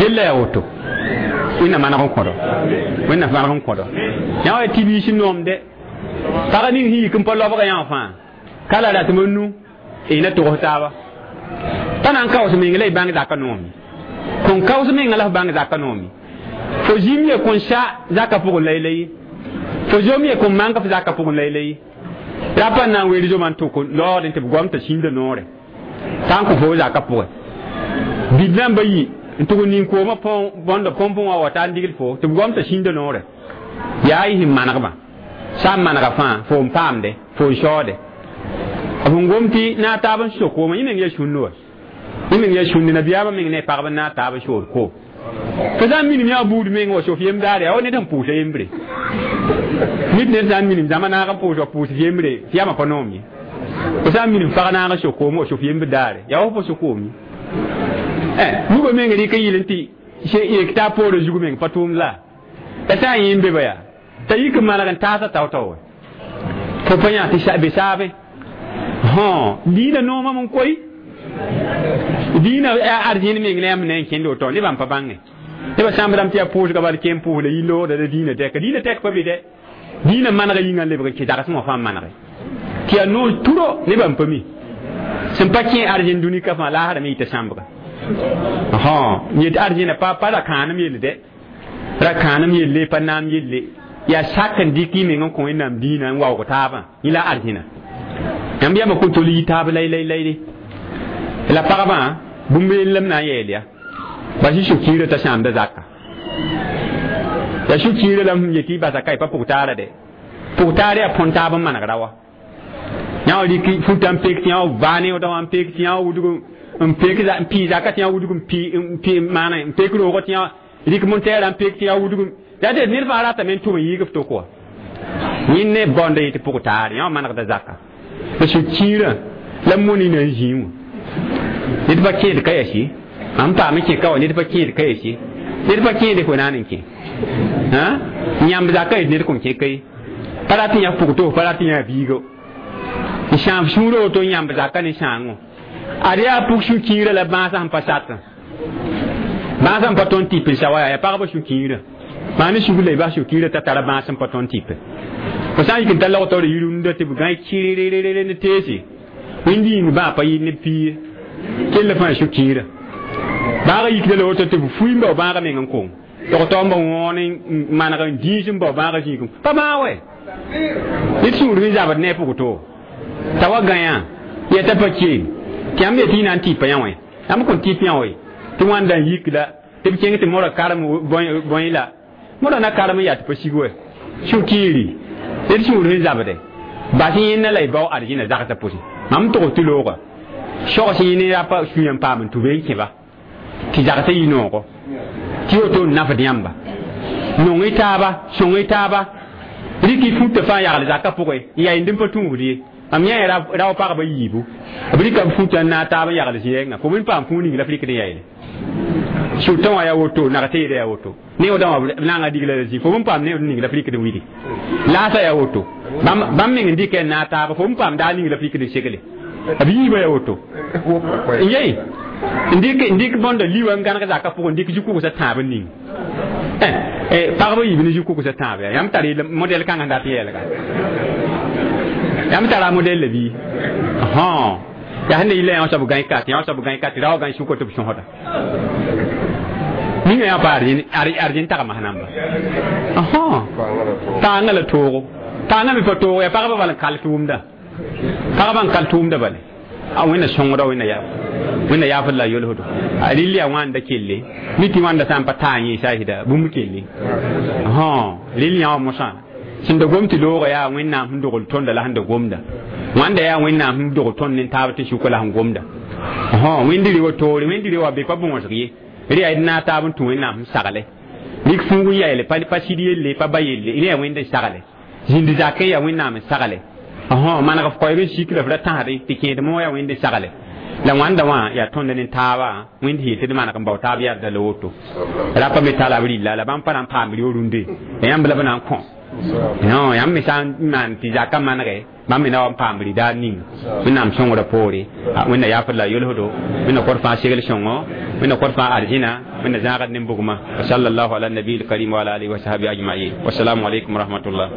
yella yaa woto wẽnna maneg n kõdo wẽnna maneg n kõdo yã wa tɩ biis noomde pag ning sẽn yik n pa lobga yã wã fãa ka la ratem n nu y na togs taaba pa na n kaoos meng la y bãng zaka noome kõn kaoos menga la f bãng zaka noome fo zĩm ye kõn sa zaka pʋgẽ laylay fo zom ye kõn mang f zaka pʋgẽ laylay rapa n na n weel zoma n tʋk lood n tɩ b goam t'a sĩnda noore t'a n kõ fo zaka pʋgẽ bid namba yi n tʋg n ning koomã bõnda põmpẽ wã wa t'a n digl fo tɩ b goam t'a sĩnda noore yaa y sẽn manegmã sã n manega fãa fo n paamde fo n saoode b sẽn gom tɩ naag taab n so koomã yẽ meng yaa sũnd wa yẽ meng yaa sũnd nabiyaamã meng ne pagb n naag taab n sood koom fo sã n minim yã buud meng wa sof yem daare yaa wa ned sẽn pʋʋsa yembre nit ned sã n minim zãma naag n pʋʋs wa pʋʋs yembre tɩ yamã pa noom ye fo sã n minim pag naag n so koom wa sof yembr daare yaa wa fo pa so koom ye nugã meng rɩk n yɩl n tɩ yek t'a poorã zug meng pa tʋʋmd la la sã n yẽ n be ba yaa t'a yik n maneg n taasa tao-tao wa fo pa yã tɩ be saabẽ dĩinã noomame n koe dĩinã arzẽn meng la yãmb na n kẽnd woto nebã n pa bãnge nebã sãmb rãmb tɩ yaa pʋʋsga bal kẽem pʋʋs la yi-loogda la dĩinã tɛka dĩinã tɛk pa be dɛ dĩinã manega yĩngã n lebg n kẽ zagsẽ wã fãa n manege tɩ yaa noor turo nebã n pa mi sẽn pa kẽ arzẽn dũnika fãa laasrame yɩta sãmbga yet arzẽna pa pa ra kãanem yell dɛ ra kãanem yelle pa naam yelle yaa sak n dɩk y meng n kõ wẽnnaam dĩinã n waoog taabã yẽ la arzẽna yãmb yãmba kõn tol yi taab lay lay layre la pagbã bũmb yell m na n yeel ya bas y sũ-kiirã t'a sãamda zaka yaa sũ-kiirã la m yetɩ y basa ka y pa pʋg-taara dɛ pʋg-taar yaa põn taab n maneg ra wa yã wã rɩk futa n pek tɩ yã wã vaa neoodã wã n pek tɩ yã wã wudg n pek n pii zaka tɩ yã wudg n pii n pii maana n pek roogã tɩ yã rɩk montɛɛrã n pek tɩ yã wudg yaa tɩ ned fãa ratame n tʋm n yiig f toko wa yẽnd ne baoonda yetɩ pʋg-taar yã wã manegda zaka la sũ-kiirã la moni na n zĩig wã ned pa kẽed ka yasi mam paam n kẽ ka wa ned pa kẽed ka yasi ned pa kẽede fo naan n kẽ yãmb zaka yet ned kõn kẽ ka ye pa rat n yã pʋg-toos pa rat n yã biigo n sãam sũurã woto n yãmb zaka ne sãango ad yaa pʋg sũ-kiirã la bãasã sẽn pa satã bãasã sẽn pa tõnd tɩp n sa wa yaa pagba sũ-kiirã maa ne sugr la y bas sũ-kiirã t'a tara bãas sẽn pa tõnd tɩpe fo sã n yik n ta log taoor yirunda tɩ b gãe kɩrɩrɩrɩ ne teese wẽnd yĩng bãa pa yɩ ne piiye kell fãa sũ-kiirã Bãagã yikda la woto tɩ b fui n bao bãagã meng n kong tog-tog n ba wõon n maneg n dĩis n bao bãagã zĩigẽ pa bãag wɛ ned sũur sẽn zabd ne a pʋg to t'a wa gãyã yɛta pa keem tɩ yãmb yetɩ y na n tɩpa yã wẽ yãmb kõn tɩp yã wɛ tɩ wãnda n yik la tɩ b kẽng tɩ modã karem bõe la modã na karem n yaa tɩ pa sig wɛ sũ-kiiri ned sũur sẽn zabde bas yẽnna la y bao arzĩna zagsã pʋsẽ mam tog tɩ looga sogs yẽne ra pa sũyã n paam n tʋ n kẽba tɩ zagsã yɩ noogo tɩ woto n nafd yãmba nong y taaba sõng y taaba rɩk y futã fãa yagl zakã pʋgẽ n yaa yẽnd n pa tũusd ye mam yã rao pagba yiibu b rɩka b futã n naag taab n yagl zĩ-rẽngã fo b paam fũu ning la f rɩkd n yaeele sʋtã wã yaa woto nag teeda yaa woto neoodã wã b naanga digla la zĩ fo b paam neood ning la f rɩkd n widi laasã yaa woto bãmb meng n dɩka n naag taaba fo b paam daar ning la f rɩkd n segle b yiibã yaa woto n yei n dɩk bõnda liwã n gãneg zakã pʋgẽ n dɩk zu-kʋgsã tãab n ning pagba yiib ne zu-kʋgsã tãab yaa yãmb tar modɛl kãngã dat n yɛɛlga yãmb tara modɛl la bɩ yaa sẽn da yɩla yã soab gãe kat yã soab gãe kat rao gãe sʋka tɩ b sõsda ninga yã pa arjẽn tagma namba paangã la toogo paangã me pa toogo yaa pagba bal n kal tʋʋmda pagba n kal tʋʋmda bale a wẽnna sõngda wẽnna yaa wẽnna yaafd la yolsdo a rɩl yaa wãnda kelle mi tɩ wãnda sã n pa taa yẽesa sɩda bũmb kelle rɩl yã wã mosã sẽn da gom tɩ looga yaa wẽnnaam sẽn dogl tõnda la sẽn da gomda wãnda yaa wẽnnaam sẽn dogl tõnd ne taab tɩ sʋka la sẽn gomda wẽnd rewa toore wẽnd rewa be pa bõosg ye rɩ yaa d naag taab n tũ wẽnnaam sẽn sagle rɩk fuug n yaeele pa sɩd yelle pa ba yelle rẽ yaa wẽnd n sagle zĩnd zakẽ yaa wẽnnaam n sagle maneg f koɛɛg n sik la f ra tãsdẽ tɩ kẽed moog yaa wẽnd n sagle la wãnda wã yaa tõnd ne taaba wẽnd sẽn yetɩ d maneg n bao taab yarda la woto rapa me tala b rɩlla la bãmb pa na n paam reo rũnde ya yãmb la b na n kõ non yãmb me sã n maan tɩ zakã manege bãmb me na wa n paam rɩdaar ning wẽnnaam sõngrã poore wẽnna yaafd la yolsdo wẽnna kõt fãa segl sõngo wẽnna kõt fãa arzĩna wẽnna zãagd ne bugmã wa sallallahu ala nabiil karim wa ala alihi wa sahbihi ajmain wassalamu alaikum wa rahmatullah.